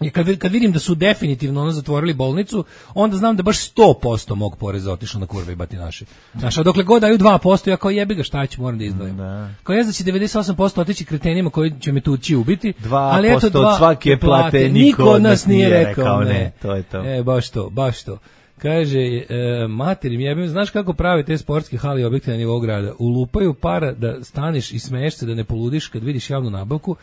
I kad vidim da su definitivno zatvorili bolnicu, onda znam da baš 100% mog poreza otišlo na kurve i batinaše. Znaš, a dokle god daju 2%, ja kao jebi ga, šta ću, moram da izdvojim. Kao ja znači 98% otići kretenima koji će me tući ubiti, 2% ali eto, od svake plate niko od nas nije rekao ne. To je to. Baš to. Kaže, materim, jebim, znaš kako prave te sportske hale i objekte na nivou grada? Ulupaju para da staneš i smeješ se da ne poludiš kad vidiš javnu nabavku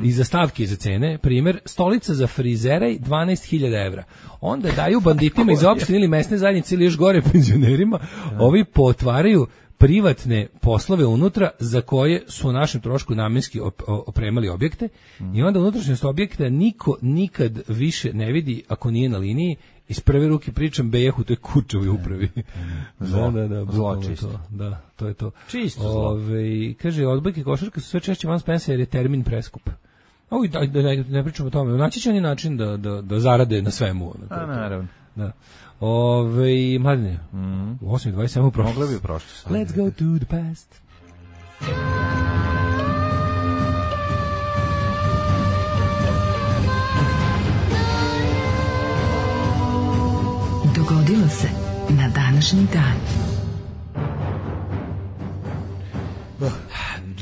i za stavke i za cene. Primer, stolica za frizeraj 12.000 evra. Onda daju banditima iz opštine ili mesne zajednice ili još gore penzionerima, ovi potvaraju privatne poslove unutra za koje su u našem trošku namenski opremali objekte i onda unutrašnjost objekta niko nikad više ne vidi ako nije na liniji. Iz prve ruke pričam Bejehu, to je Kučovoj upravi. Zlo čisto. Da, to je to. Čisto zlo. Kaže, odbojke košarke su sve češće van spensa jer je termin preskup. Da ne pričamo o tome. Naći će oni način da zarade na svemu. Naravno. Da. Mladine, u 8.27 prošlo. Mogla bi prošlo. Let's go to the past. Dogodilo se na današnji dan.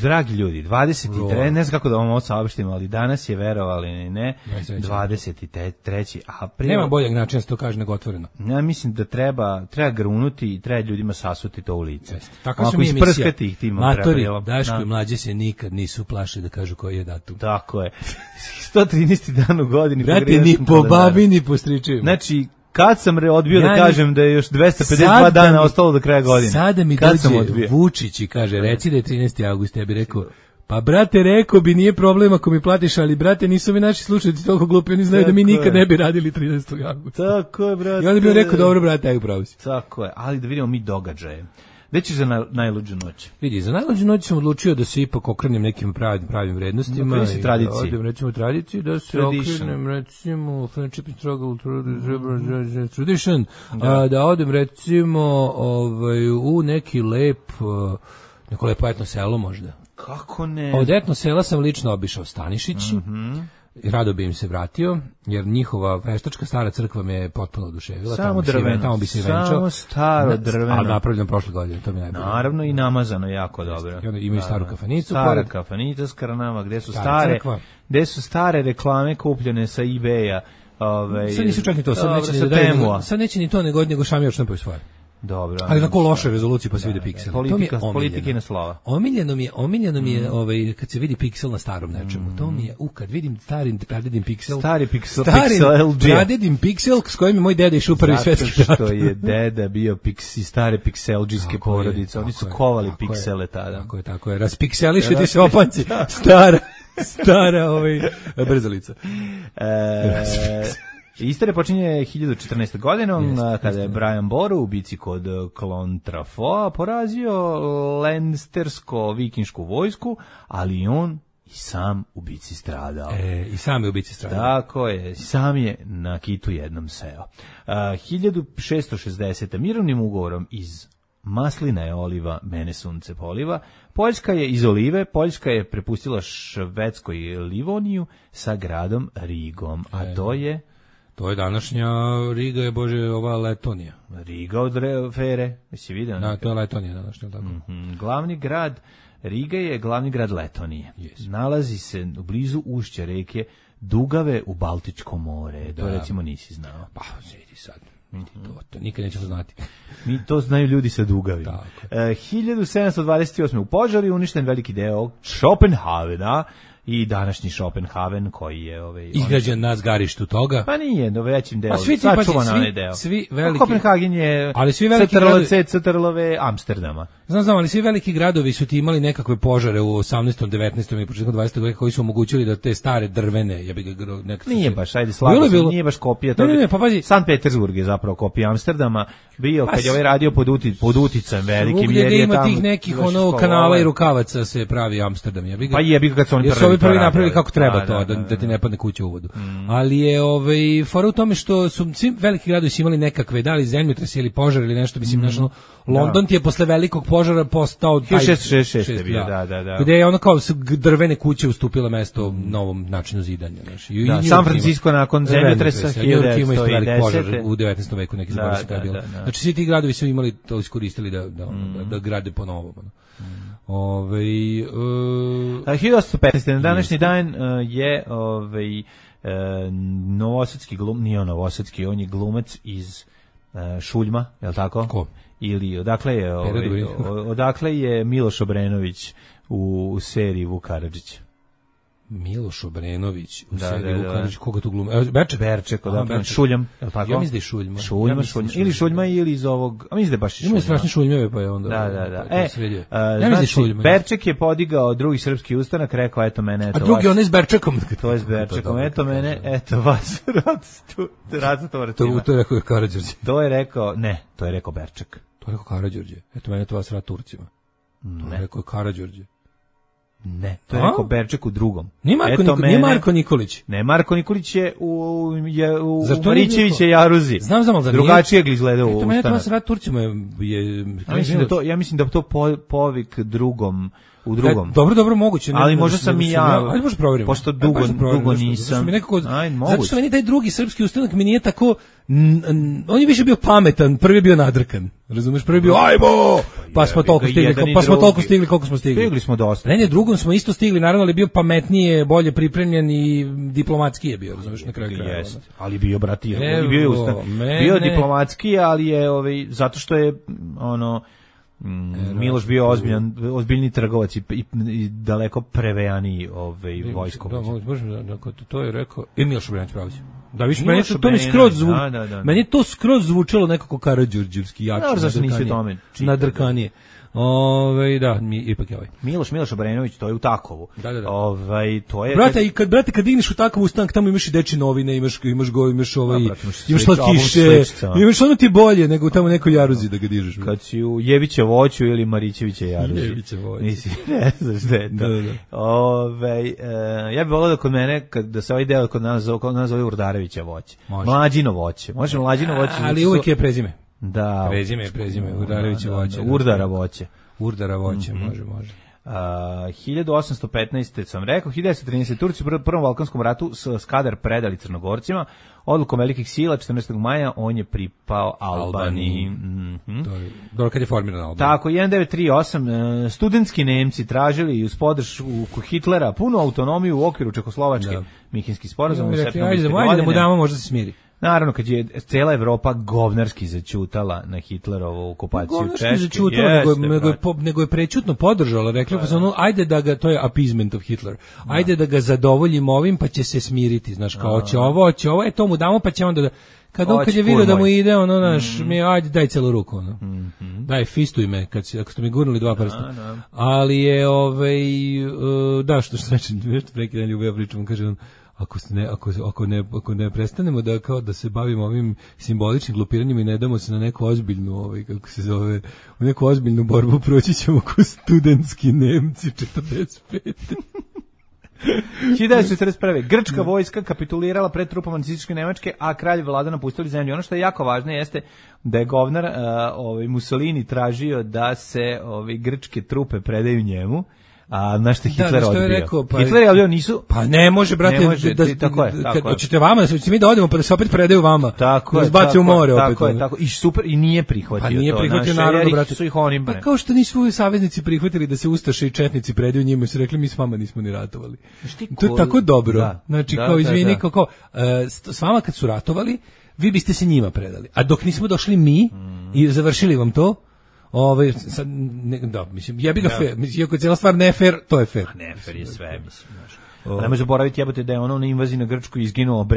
Dragi ljudi, 23. Ne znam kako da vam ovo saopštim, ali danas je, verovali ili ne, 23. april. Nema boljeg načina da se to kaže nego otvoreno. Ja mislim da treba grunuti i treba ljudima sasuti to u lice. Tako su mi emisija. Matori, Daško i Mlađe se nikad nisu plašili da kažu koji je datum. Tako je. 113. dan u godini. Brate, ni po babi, ni po stričevima. Znači, kad sam odbio da kažem da je još 252 dana ostalo do kraja godine. Sada mi dođe Vučić i kaže, reci da je 13. avgust, ja bih rekao, pa brate, rekao bi, nije problem ako mi platiš, ali brate, nisu mi naši slušalci toliko glupi, oni znaju da mi nikad ne bi radili 13. avgusta. Tako je, brate. I onda bih rekao, dobro, brate, aj upravo si. Tako je, ali da vidimo mi događaje. Gde ćeš za najluđu noć? Vidi, za najluđu noć sam odlučio da se ipak okrenem nekim pravim vrednostima. Da tradiciji. Odem recimo tradiciji, da se okrenem recimo Friendship and Struggle Tradition, da odem recimo u neki neko lepo etno selo možda. Kako ne? Od etno sela sam lično obišao Stanišić. I rado bi im se vratio, jer njihova veštačka stara crkva me potpuno oduševila. Samo drveno. Tamo bi se venčao. Samo staro drveno. Ali napravljeno prošle godine, to mi je najbolje. Naravno i namazano jako dobro. I onda imaju staru kafanicu. Stara kafanica s Karanama, gde su stare reklame kupljene sa eBaya. Sad nisu čak ni to, sad neće ni to nego šamio štampaju svoje. Dobro. Ali na loše rezolucije pa se vide pikseli. Politika na slova. Omiljeno mi je kad se vidi piksel na starom nečemu. To mi je kad vidim pradedim piksel. Stari piksel LG. Pradedim piksel s kojim je moj deda išao u Prvi svetski rat. Što je deda bio stare pikselđijske porodice. Oni su kovali piksele tada. Tako je. Raspikseliše ti se opanci. Stara brzalica. Istorija počinje 1014. godinom, kada je Brian Boru u bici kod Clontarfoa porazio lenstersko-vikinšku vojsku, ali on i sam u bici stradao. I sam je u bici stradao. Tako je, sam je na kitu jednom seo. 1660. mirovnim ugovorom iz maslina je oliva, mene sunce poliva. Poljska je iz olive, Poljska je prepustila Švedskoj Livoniju sa gradom Rigom, a to je... To je današnja Riga, je ova Letonija. Riga od Fere, jesi vidio? Da, to je Letonija današnja, tako. Glavni grad Riga je glavni grad Letonije. Yes. Nalazi se blizu ušća reke Dugave u Baltičko more. To recimo nisi znao. Pa, vidi sad. To nikad nećemo znati. Mi to znaju ljudi sa Dugavima. 1728. u požaru je uništen veliki deo Schopenhavena, i današnji Schopenhaven koji je izgrađen na zgarištu toga. Pa nije, do većim delom. Sačuvan onaj deo. Svi veliki. Kopenhagen je CTRL-V Amsterdama. Znam, ali svi veliki gradovi su ti imali nekakve požare u 18. 19. i početkom 20. veka koji su omogućili da te stare drvene, nije baš, ajde slabo, nije baš kopija toga. Ne, pa pazi. Sankt Petersburg je zapravo kopija Amsterdama bio kad je ovaj radio pod uticajem velikim, jer je tamo ima tih nekih kanala i rukavaca se pravi Amsterdam. Pa jebi kad su oni ovi prvi napravili kako treba da ti ne padne kuća u vodu. Ali je fora u tome što su svi veliki gradovi imali nekakve, da li zemljotrese ili požar ili nešto, mislim, London ti je posle velikog požara postao 1666 je bio, da. Gde je ono kao drvene kuće ustupila mesto novom načinu zidanja, znači. San Francisco nakon zemljotresa 1910 u 19. veku neki zaboravio kada je bilo. Znači svi ti gradovi su imali to iskoristili da grade po novom. 1815. na današnji dan je novosadski nije on novosadski, on je glumac iz Šuljma, je li tako? Ko? Ili odakle je Miloš Obrenović u seriji Vuk Karadžić? Miloš Obrenović u seriji Vuk Karadžić, koga tu glumi? Berček, odakle, Šuljam, je li tako? Ja mislim da je Šuljma. Ili Šuljma ili iz ovog, a mislim da je baš Šuljma. Imaju strašne Šuljmeve, pa je onda... Da. Znači, Berček je podigao drugi srpski ustanak, rekao, eto mene, eto vas. A drugi on je s Berčekom. To je s Berčekom, eto mene, eto vas. To je rekao Karađorđe. To je rekao Berček. To je rekao Karađorđe. Eto mene, to vas rat Turcima. To je rekao Karađorđe. Ne, to je rekao Berček u drugom. Nije Marko Nikolić. Ne, Marko Nikolić je u Marićeviće Jaruzi. Znam, ali drugačije izgledao u ustanak. Eto mene, to vas rat Turcima je... Ja mislim da to povik drugom. U drugom. Dobro, moguće. Ali možda sam i ja. Ajde, možda provjerimo. Pošto dugo nisam. Zato što meni taj drugi srpski ustanak mi nije tako... On je više bio pametan, prvi je bio nadrkan. Razumeš, prvi je bio ajmo! Pa smo toliko stigli koliko smo stigli. Stigli smo dosta. Ne, drugom smo isto stigli, naravno, ali bio pametnije, bolje pripremljen i diplomatski je bio, razumeš, na kraju kraja. Ali bio bratija, bio diplomatski, ali je zato što je Miloš bio ozbiljni trgovac i daleko prevejaniji vojskovođa. To je rekao Miloš Obrenović pravođe. Da, više meni to skroz zvučalo nekako Karađorđevski jače. Nadrkanije. Da, ipak je Miloš Obrenović, to je u Takovu. Da. To je... Brate, kad digneš u Takovu ustanak, tamo imaš i dečje novine, imaš slatkiše, imaš ono ti bolje nego tamo nekoj Jaruzi da ga dižeš. Kad si u Jeviće voću ili Marićeviće Jaruzi. Jeviće voću. Ne znaš da je to. Ja bih volao da kod mene, da se ovaj deo kod nas zove Urdarevića voće. Mlađino voće. Možemo Mlađino voće. Ali uvijek je prezime. Da. Prezime, Urdarevića voće. Urdara voće, može. 1815. sam rekao, 1913. Turci u Prvom Balkanskom ratu Skadar predali Crnogorcima, odlukom velikih sila 14. maja on je pripao Albaniji. Dobro, kad je formirana Albanija. Tako, 1938. Studentski Nemci tražili uz podršku Hitlera punu autonomiju u okviru Čekoslovačke. Minhenski sporazum u septembru. Ajde da mu damo, možda se smiri. Naravno, kad je cijela Evropa govnarski začutala na Hitlerovu okupaciju Češke. Govnarski začutala, nego je prečutno podržala. Rekli pa ajde da ga, to je appeasement of Hitler, ajde da ga zadovoljimo ovim, pa će se smiriti. Znaš, kao će ovo, to mu damo, pa će onda da... Kad je vidio da mu ide, ajde, daj celu ruku, daj, fistuj me, ako ste mi gurnuli dva prsta. Ali je, da, što reći, neki dan Ljubija pričam, kaže on, ako ne prestanemo da se bavimo ovim simboličnim glupiranjima i ne damo se na neku ozbiljnu u neku ozbiljnu borbu, proći ćemo ko studentski Nemci 45. 1941. Grčka vojska kapitulirala pred trupama nacističke Nemačke, a kralj Vlado napustili zemlju. Ono što je jako važno jeste da je govnar Mussolini tražio da se grčke trupe predaju njemu. A znaš što Hitler odbio? Hitler je odbio, nisu... Pa ne može, brate, tako je. Hoćete vama, da mi da odemo, pa da se opet predaju vama. Tako je. Izbaci u more opet. Tako. I super, i nije prihvatio to. Pa nije prihvatio, naravno, brate. Pa kao što nisu saveznici prihvatili da se ustaše i četnici predaju njima i su rekli, mi s vama nismo ni ratovali. To je tako dobro. Znači, kao izvini, kao s vama kad su ratovali, vi biste se njima predali. A dok nismo došli mi i završili vam to, sad, mislim, jebi ga fair, mislim, iako je cijela stvar ne fair, to je fair. Ne fair je sve, mislim, znaš. Ne može zaboraviti, jebote, da je na invaziji na Grčku izginuo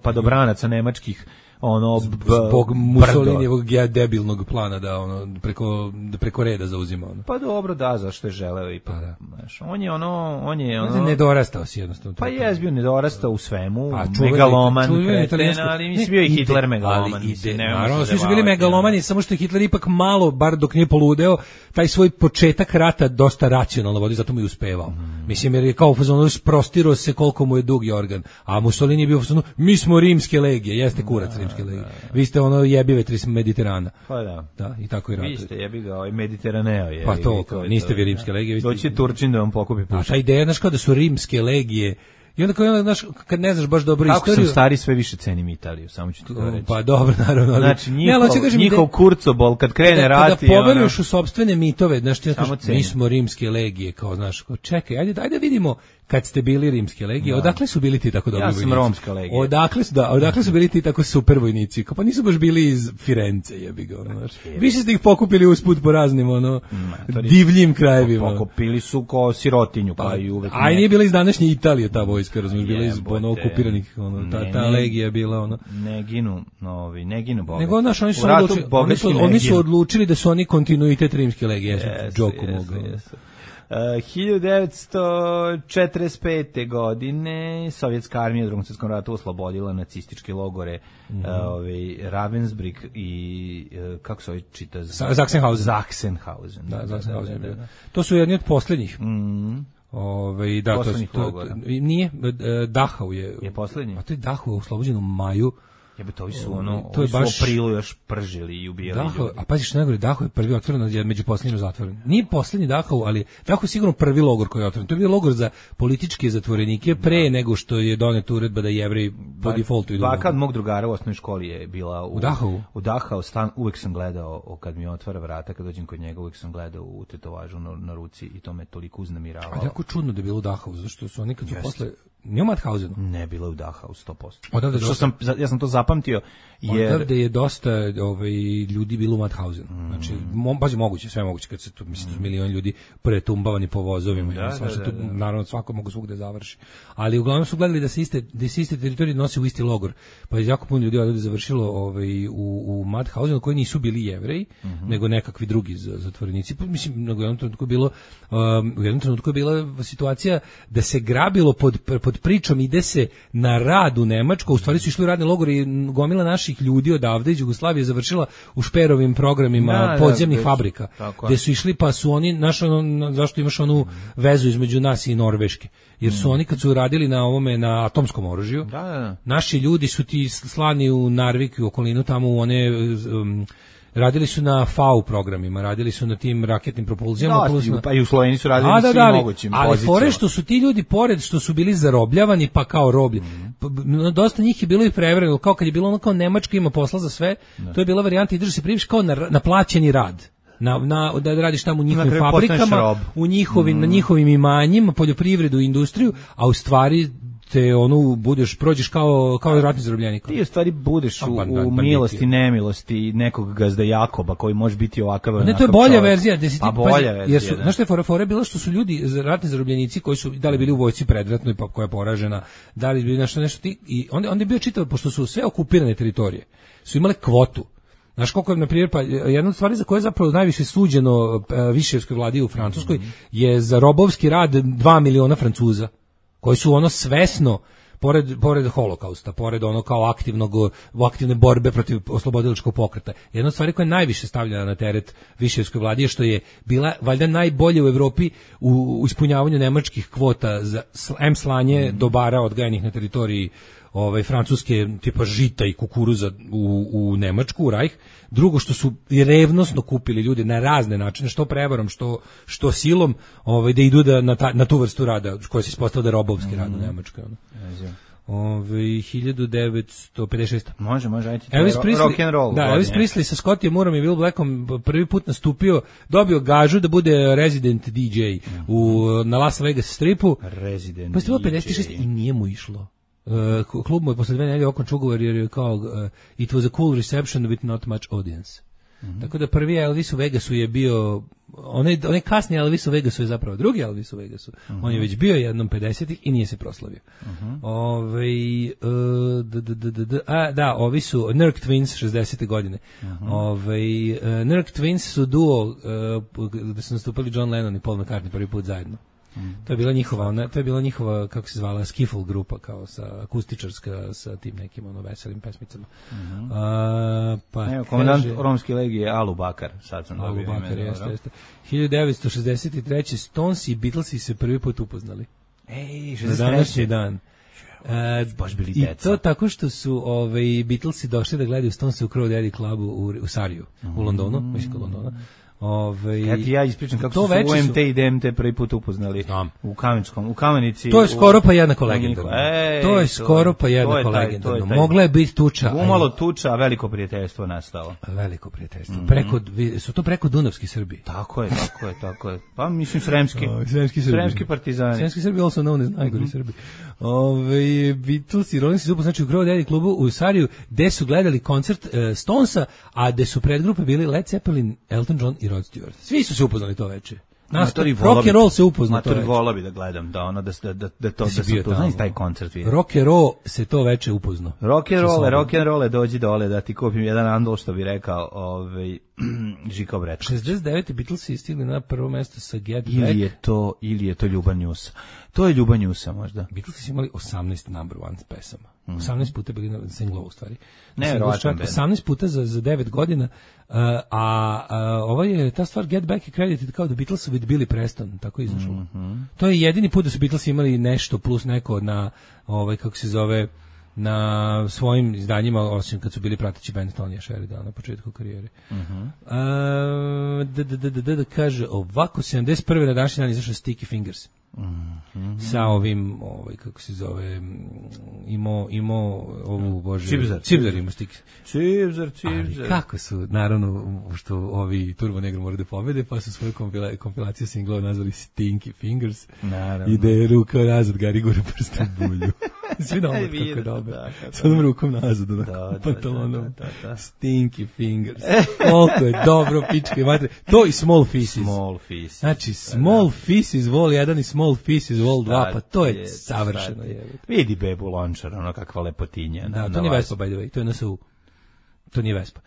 padobranaca nemačkih ono zbog Mussolinijevog debilnog plana da ono preko reda zauzima ono. Pa dobro, da, zašto je želeo i pa da. Znaš, on je nedorastao si jednostavno. Pa je bio nedorastao u svemu, megaloman, kreten, ali mislim bio i Hitler megaloman. Naravno, svi su bili megalomani, samo što je Hitler ipak malo, bar dok nije poludeo, taj svoj početak rata dosta racionalno vodi, zato mu je uspevao. Mislim, jer je kao u fazonu prostirao se koliko mu je dugi organ, a Mussolini je bio u fazonu, mi smo rimske legije, jeste kurac rimske legije. Vi ste ono jebivetri s Mediterana. Pa da. Da, i tako i ratuje. Vi ste jebi ga, Mediteraneo je. Pa to, niste vi rimske legije. Doći Turčin da vam pokupi pušak. A ta ideja, znaš, kao da su rimske legije. I onda znaš, kad ne znaš baš dobro kako istoriju... Kako sam stari, sve više cenim Italiju, samo ću ti to reći. Pa dobro, naravno. Znači, njihov kurcobol, kad krene rat... Kada poveruješ u sopstvene mitove, znaš, ti mi smo rimske legije, kao, znaš, čekaj, ajde vidimo kad ste bili rimske legije, odakle su bili ti tako dobri vojnici? Ja sam romska legija. Odakle su bili ti tako super vojnici? Pa nisu baš bili iz Firence, jebi ga, znaš. Više ste ih pokupili usput po raznim, divljim krajevima. Pokupili su kao sirotinju, pa i uvek... A nije bila iz današnje Italije ta vojska, razumiješ, bila iz okupiranih, ta legija je bila, Ne ginu boga. Nego, znaš, oni su odlučili da su oni kontinuitet rimske legije, džoku mogu. 1945. godine Sovjetska armija u Drugom svjetskom ratu oslobodila nacističke logore Ravensbrück i kako se čita? Sachsenhausen. Da. To su jedni od posljednjih. Poslednjih logora. Nije, Dachau je poslednji. A to je Dachau oslobođen u maju. To su u aprilu još pržili i ubijali ljudi. A paziš, najgore, Dachau je prvi otvoren, među posljednjim zatvoren. Nije posljednji Dachau, ali Dachau je sigurno prvi logor koji je otvoren. To je bio logor za političke zatvorenike pre nego što je doneta uredba da Jevreji po defaultu idu. Baka od mog drugara u osnovnoj školi je bila u Dachau. U Dachau stan, uvek sam gledao, kad mi otvara vrata, kad dođem kod njega, uvek sam gledao u tetovažu na ruci i to me toliko uznemiravalo. A jako čudno da je bilo u Dachau, zašto su oni kad su posle... Nije u Mauthausenu? Ne, bilo je u Dachau 100%. Ja sam to zapamtio. Odavde je dosta ljudi bilo u Mauthausenu. Znači, baš je moguće, sve moguće, kad se tu, mislim, milion ljudi pretumbavani po vozovima. Naravno, svako mogu svugde završi. Ali uglavnom su gledali da se iste teritorije nose u isti logor. Pa je jako puno ljudi odavde završilo u Mauthausenu, koji nisu bili Jevreji, nego nekakvi drugi zatvorenici. Mislim, u jednom trenutku je bila situacija da se grabilo pod pričom ide se na rad u Nemačku, u stvari su išli u radni logor i gomila naših ljudi odavde iz Jugoslavije završila u šperovim programima podzemnih fabrika, gde su išli pa su oni, zašto imaš onu vezu između nas i Norveške, jer su oni kad su radili na atomskom oružju, naši ljudi su ti slani u Narvik i okolinu tamo u one... radili su na FAU programima, radili su na tim raketnim propulzijama. Pa i u Sloveniji su radili na svim mogućim pozicijama. Ali fore što su ti ljudi, pored što su bili zarobljavani, pa kao roblje, dosta njih je bilo i prevremeno, kao kad je bilo ono kao Nemačka ima posla za sve, to je bila varijanta i drži se priviš kao na plaćeni rad. Da radiš tamo u njihovim fabrikama, na njihovim imanjima, poljoprivredu i industriju, a u stvari te prođeš kao ratni zarobljenik. Ti u stvari budeš u milosti, nemilosti nekog gazda Jakoba koji može biti ovakav. Ne, to je bolja verzija. Bolja verzija. Znaš što je fora bila što su ljudi, ratni zarobljenici koji su da li bili u vojsci predratnoj pa koja je poražena, da li bili nešto i onda je bio čitav, pošto su sve okupirane teritorije, su imale kvotu. Znaš koliko je, na primjer, pa jedna od stvari za koje je zapravo najviše suđeno Viševskoj vladi u Francuskoj je za robovski rad 2 miliona Francuza, koji su svesno, pored holokausta, pored kao aktivne borbe protiv oslobodilačkog pokreta. Jedna od stvari koja je najviše stavljena na teret Viševskoj vladi je što je bila valjda najbolje u Evropi u ispunjavanju nemačkih kvota za slanje dobara odgajanih na teritoriji francuske tipa žita i kukuruza u Nemačku, u Reich. Drugo, što su revnosno kupili ljudi na razne načine, što prevarom, što silom, da idu na tu vrstu rada koja se ispostavila da je robovski rad u Njemačkoj. 1956. Može, ajde. Rock and roll. Da, Elvis Presley sa Scottijem Moorom i Bill Blackom prvi put nastupio, dobio gažu da bude resident DJ na Las Vegas stripu. Resident pa je 56 i nije mu išlo. Klub mu je posle 2 nedelje okončao ugovor jer je kao it was a cool reception with not much audience. Tako da prvi Elvis u Vegasu je bio onaj kasni Elvis u Vegasu je zapravo drugi Elvis u Vegasu. On je već bio jednom 50-ih i nije se proslavio. Ovi su Nerk Twins 60. godine. Nerk Twins su duo da su nastupali John Lennon i Paul McCartney prvi put zajedno. To je bila njihova kako se zvala skiffle grupa kao sa akustičarska sa tim nekim veselim pesmicama. Komandant romske legije Alu Bakar, sad sam dobio ime. Bakar, jeste. 1963. Stones i Beatlesi se prvi put upoznali. Na današnji dan. Baš bili I deca. to tako što su Beatlesi došli da gledaju Stones u Crow Daddy klubu u Sariju, u Londonu, mislim kod Londona. Ja ispričam kako su UMT i DMT prvi put upoznali u Kamenici. To je skoro pa jednako legendarno. To je skoro pa jednako legendarno. Mogla je biti tuča. Umalo tuča, a veliko prijateljstvo nastalo. Veliko prijateljstvo. Su to preko Dunavski Srbi. Tako je. Pa mislim Sremski partizani. Sremski Srbi, also known as najgori Srbi. Beatles i Rolling Stones znači u Crow Daddy klubu u Sariju, gde su gledali koncert Stonesa, a gde su predgrupe bili Led Zeppelin, Elton John i Rod Stewart. Svi su se upoznali to veče. Rock and roll se upoznao to veče. Volao bi da gledam, da znaš taj koncert vidim. Rock and roll se to veče upoznao. Rock and roll, dođi dole da ti kupim jedan andol, što bi rekao Žika Brečković. 69. Beatlesi stigli na prvo mesto sa Get Back. Ili je to Ljubav Njusa. To je Ljubav Njusa možda. Beatlesi su imali 18 number one pesama. 18 puta bili na singlova u stvari. 18 puta za 9 godina. Ova je ta stvar Get Back je credited kao da Beatlesu with Billy Preston, tako je izašlo. To je jedini put da su Beatlesi imali nešto plus neko na kako se zove na svojim izdanjima, osim kad su bili prateći band Tonija Sheridana na početku karijere. Kaže ovako, 71. na današnji dan izašao Sticky Fingers. Sa ovim, kako se zove, imao ovu, bože, Cibzar ima Sticky. Cibzar. Ali kako su, naravno, što ovi Turbo Negro moraju da pobede, pa su svoju kompilaciju singlova nazvali Stinky Fingers. Naravno. I da je ruka nazad, Gari gore prstu bulju. Svi na omot kako je dobro. S onom rukom nazad, pantalonom. Stinky Fingers. Koliko je dobro, pičke i matre. To i Small Faces. Znači, Small Faces vol 1 i Small Faces vol 2, pa to je savršeno. Vidi bebu Lončar, ono kakva lepotinja. Da, to nije Vespa, by the way, to je NSU. To nije Vespa.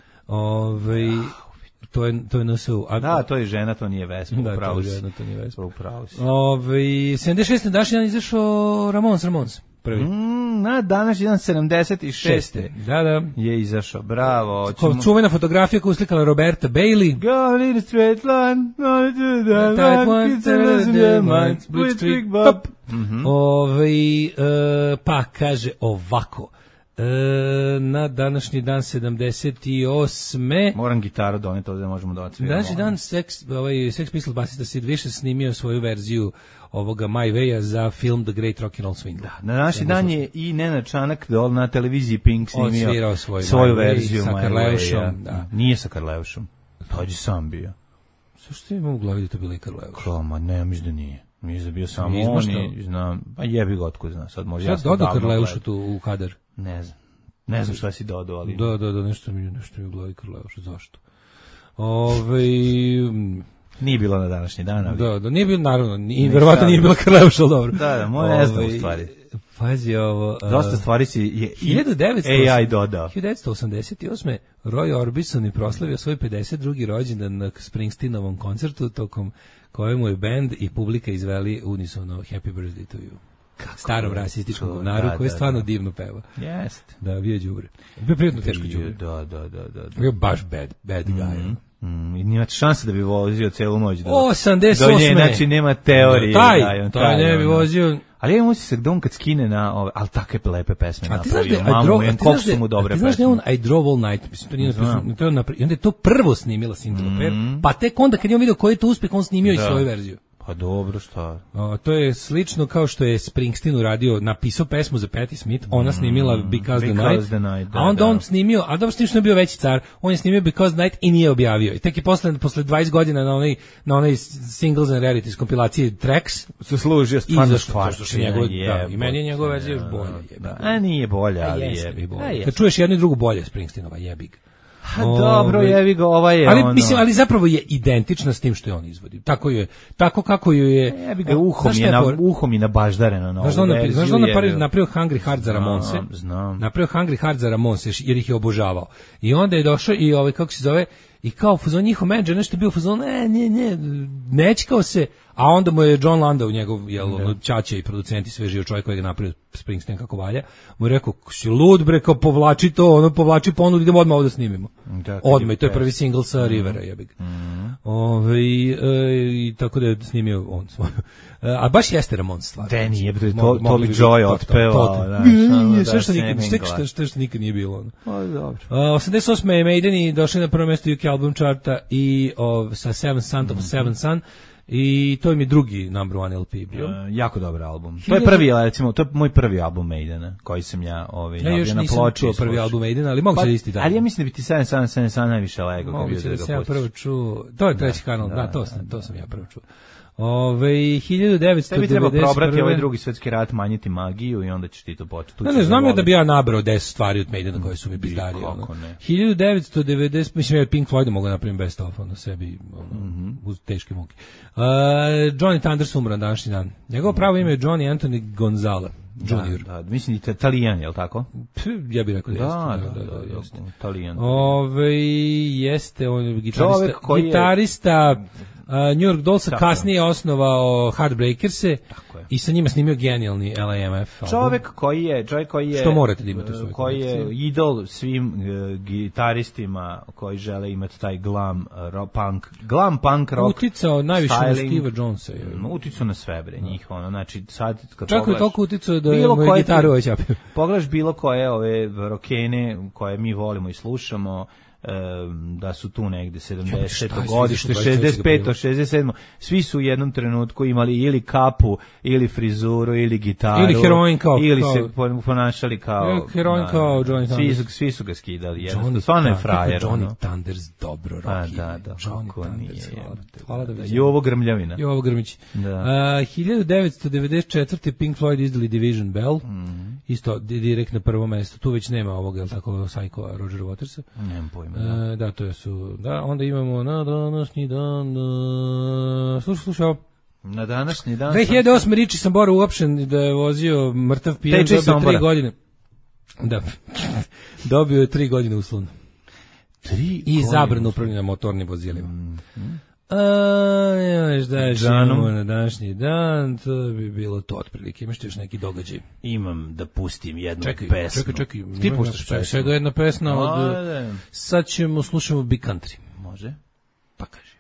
To je NSU. Da, to je žena, to nije Vespa. Da, to je žena, to nije Vespa. Upravo si. 76. na današnji dan izašao Ramones. Prvi. Na današnji dan 76. Da. Je izašao, bravo. Čuvena fotografija koju uslikala Roberta Bailey. Go in a straight line, not to the tight one, it's in your mind, blitzkrieg bop. Pa kaže ovako. Na današnji dan 78. Moram gitaru doneti ovdje da možemo da odsviramo. Današnji dan Sex Pistols basista Sid Vicious snimio svoju verziju ovoga My Way-a za film The Great Rock and Roll Swing. Da, na današnji dan je i Nenad Čanak na televiziji Pink snimio svoju verziju sa Karleušom. Da. Nije sa Karleušom. Tođi sam bio. Što imam u glavi da to bilo i Karleuš? Koma, ne, mislim da nije. Mislim da bio samo on i znam, pa jebi ga otkud znam. Sad može ja dodao Karleušu tu u kadar. Ne znam šta si dodao, ali... Da, nešto mi u glavi Karleuša, zašto? Nije bilo na današnji dan, ali... Da, nije bilo, naravno, i verovatno nije bilo Karleuša, ali dobro. Da, moja ne znam u stvari. Pazi ovo... Dosta stvari si je AI dodao. 1988. Roy Orbison je proslavio svoj 52. rođendan na Springsteenovom koncertu, tokom kojemu je band i publika izveli unisono Happy Birthday to you. Starom rasističkom govnaru koji stvarno divno peva. Jeste. Da, bio đubre. Bio prijetno teško đubre. Da. Bio baš bad guy. I nima šanse da bi vozio celu noć. 88. Znači nema teorije. Taj ne bi vozio. Ali ja musi se dom kad skine na ove, ali takve lepe pesme napravio. Mamu, koliko su mu dobre pesme. Znaš da je on I Drove All Night, mislim, to nije napravio. I onda je to prvo snimila Cindy Lauper, pa tek onda kad je on vidio koji je to uspeh, on snimio i svoju verziju. Pa dobro, šta? To je slično kao što je Springsteen uradio, napisao pesmu za Patti Smith, ona snimila Because the Night, a onda on snimio, a dobro što je bio veći car, on je snimio Because the Night i nije objavio. I tek je posle 20 godina na onaj Singles and Rarities kompilaciji Tracks se služio stvarno i meni je njegova verzija još bolja. A nije bolja, ali je. Kad čuješ jednu i drugu bolje Springsteenova, jebig. Pa dobro, jevi ga, je ali, ono. Mislim, ali zapravo je identična s tim što je on izvodi. Tako kako ju je... Jevi ga, uhom je nabaždareno na ovu verziju. Znaš da on napravio Hungry Heart za Ramonse? Znam. Napravio Hungry Heart za Ramonse, jer ih je obožavao. I onda je došao i kako se zove, i kao fuzon njihov menadžer nešto je bio fuzon, nečkao se, a onda mu je John Landau, njegov ćaća i producent i sve živo čovjek koji je napravio Springsteen kako valja, mu je rekao, si lud bre, kao povlači to, povlači ponudu, idemo odmah ovdje snimimo. Odmah, i to je prvi single sa Rivera, jebig. I tako da je snimio on svoju. A baš jeste Ramon stvar. Da nije, to bi Joy otpevao. Sve što nikad nije bilo. Dobro. 88. je Maideni došli na prvo mjesto UK album charta i sa Seven Son of Seven Son. I to im je drugi number one LP bio. Jako dobar album. To je prvi, recimo, to je moj prvi album Maidena, koji sam ja još na ploči. To prvi album Maidena, ali mogu se isti dan. Ali ja mislim da bi ti Seven Son najviše lego. Moguće da sam ja prvo čuo. To je treći kanal, to sam ja prvo čuo. 1991. Tebi treba probrati ovaj drugi svetski rat, manjiti magiju i onda ćeš ti to početi. Ne znam ja da bi ja nabrao 10 stvari od Maidena koje su mi bizdarije. 1990, mislim ja Pink Floyd mogu napraviti best of na sebi uz teške muke. Johnny Thunders umro na današnji dan. Njegovo pravo ime je Johnny Anthony Gonzalez Junior. Da, mislim da je Italijan, je li tako? Ja bih rekao da jeste. Italijan. Jeste, on je gitarista New York Dollsa, kasnije je osnovao Heartbreakers-e i sa njima snimio genijalni LAMF album. Čovjek koji je što morate da imate u svojoj koji je idol svim gitaristima koji žele imati taj glam punk rock. Uticao najviše na Steve Jonesa. Uticao na sve bre njih, znači sad kad čak je toliko uticao da je moju gitaru oćapio. Pogledaš bilo koje ove rokene koje mi volimo i slušamo, da su tu negde 70. godište, 65. 67. Svi su u jednom trenutku imali ili kapu, ili frizuru, ili gitaru, ili heroin ili se ponašali kao heroin kao Johnny Thunders. Svi su ga skidali, jednostavno. Stvarno je frajer. Johnny Thunders dobro rock. Da. Johnny Thunders, hvala da vidim. Jovo Grmljavina. Jovo Grmić. 1994. Pink Floyd izdali Division Bell. Isto direkt na prvo mesto. Tu već nema ovog, jel tako, Psycho Roger Watersa. Nemam pojma. Da, to su. Da, onda imamo na današnji dan. Slušaj. Na današnji dan. 2008. Riči Sambora uopšen da je vozio mrtav pijan, dobio 3 godine. Da. Dobio je 3 godine uslovno. 3 i zabranu upravljanja motornim vozilima. Na današnji dan, to bi bilo to otprilike. Imaš ti još neki događaj? Imam da pustim jednu pesmu. Čekaj. Ti puštaš pesmu? Svega jedna pesma od... Sad slušamo Big Country. Može. Pa kaži.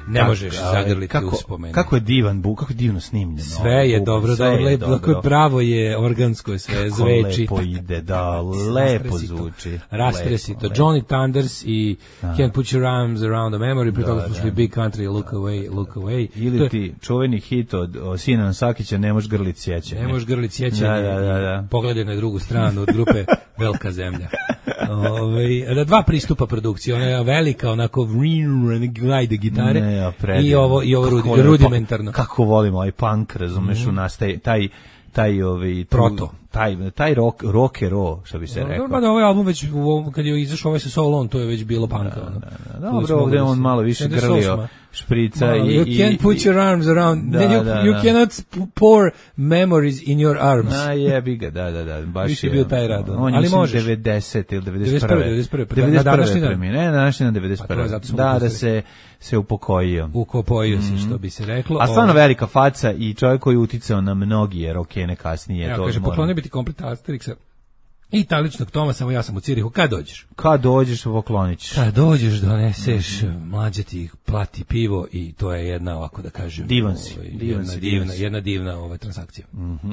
Ne možeš zagrliti uspomenu. Kako je divan buk, kako je divno snimljeno. Sve je dobro, lepo, pravo je organsko, sve zveči. Lepo ide, da, lepo zvuči. Rastresito. Johnny Thunders i Can't Put Your Arms Around the Memory, pri toga slušali Big Country, Look Away, Look Away. Ili ti čuveni hit od Sinan Sakića, Ne možeš grlit sjećanje. Ne možeš grlit sjećanje. Da. Pogledaj na drugu stranu od grupe Velika zemlja. Dva pristupa produkcije, ona je velika, onako glajde gitare i ovo rudimentarno. Kako volimo ovaj punk, razumeš, u nas taj proto, taj rockero, što bi se rekao. Da, ovaj album već, kad je izašao ovaj sa Solon, to je već bilo punka. Dobro, ovdje on malo više grlio šprica i... You can't put your arms around, you cannot pour memories in your arms. Jebi ga, da. Baš je bio taj rad. On je 90 ili 91. Na današnji dan. Ne, na današnji dan 91. Da se upokojio. Upokojio se, što bi se reklo. A stvarno velika faca i čovjek koji je uticao na mnogi rokene kasnije. Ja kaže, poklonio biti komplet Asterixa i italičnog Toma, samo ja sam u Cirihu. Kad dođeš? Kad dođeš, poklonit ćeš. Kad dođeš, doneseš, mlađe ti plati pivo i to je jedna, ovako da kažem, jedna divna transakcija.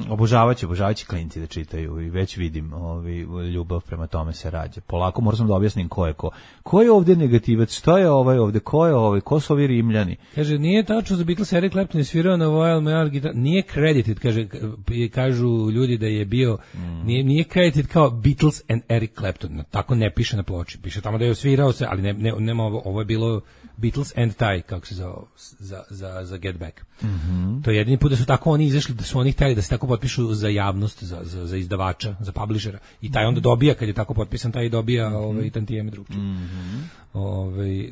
Obožavat će klinci da čitaju i već vidim ljubav prema tome se rađa. Polako moram da objasnim ko je ko. Ko je ovdje negativac? Šta je ovaj ovdje? Ko je ovaj? Ko su ovi Rimljani? Kaže, nije tačno za Beatles, Eric Clapton je svirao na Royal Mail gitar. Nije credited, kažu ljudi da je bio, nije credited kao Beatles and Eric Clapton. Tako ne piše na ploči. Piše tamo da je svirao se, ali nema ovo je bilo Beatles and Tie, kako se zove, za Get Back. To je jedini put da su tako oni izašli, da su oni htjeli da se tako potpišu za javnost, za izdavača, za publishera. I taj onda dobija, kad je tako potpisan, taj dobija tantijeme drugčije.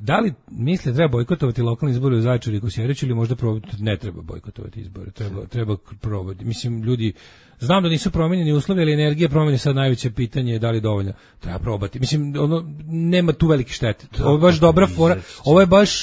Da li misle treba bojkotovati lokalni izbori u Zaječaru i Kosjeriću ili možda ne treba bojkotovati izbore? Treba probati. Mislim, ljudi, znam da nisu promenjeni uslovi, ali energija promene sad najveće pitanje je da li dovoljno. Treba probati. Mislim, nema tu velike štete. Ovo je baš dobra fora. Ovo je baš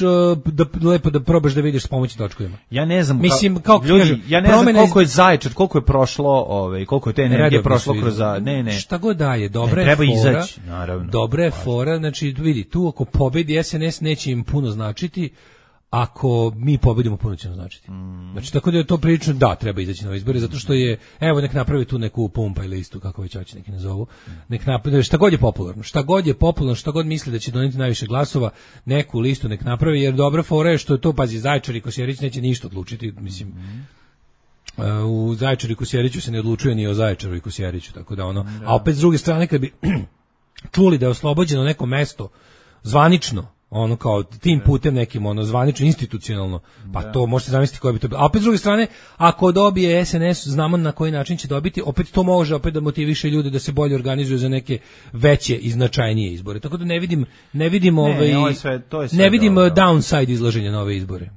lepo da probaš da vidiš s pomoći točkovima. Ja ne znam, mislim, ljudi, ja ne znam koliko je Zaječar, koliko je prošlo, koliko je te energije prošlo kroz ne. Šta god daje, dobra je fora. Izaći, naravno. Dobra je fora, znači vidi, tu ako pobedi SNS neće im puno značiti. Ako mi pobedimo, puno će nam značiti. Znači, tako da je to prilično, da, treba izaći na izbore, zato što je, evo, nek napravi tu neku pumpa ili listu, kako već hoće neki nazovu, nek napravi, šta god je popularno, šta god misli da će doneti najviše glasova, neku listu nek napravi, jer dobra fora je što je to, pazi, Zaječar i Kosjerić neće ništa odlučiti, mislim, u Zaječaru i Kosjeriću se ne odlučuje ni o Zaječaru i Kosjeriću, tako da ono, a opet s druge strane, kad bi čuli da je oslobođeno neko mesto, zvanično, ono kao tim putem nekim, ono zvanično, institucionalno, pa to možete zamisliti koje bi to bilo. A opet s druge strane, ako dobije SNS, znamo na koji način će dobiti, opet to može opet da motiviše ljude da se bolje organizuju za neke veće i značajnije izbore. Tako da ne vidim downside izlaženja na ove izbore.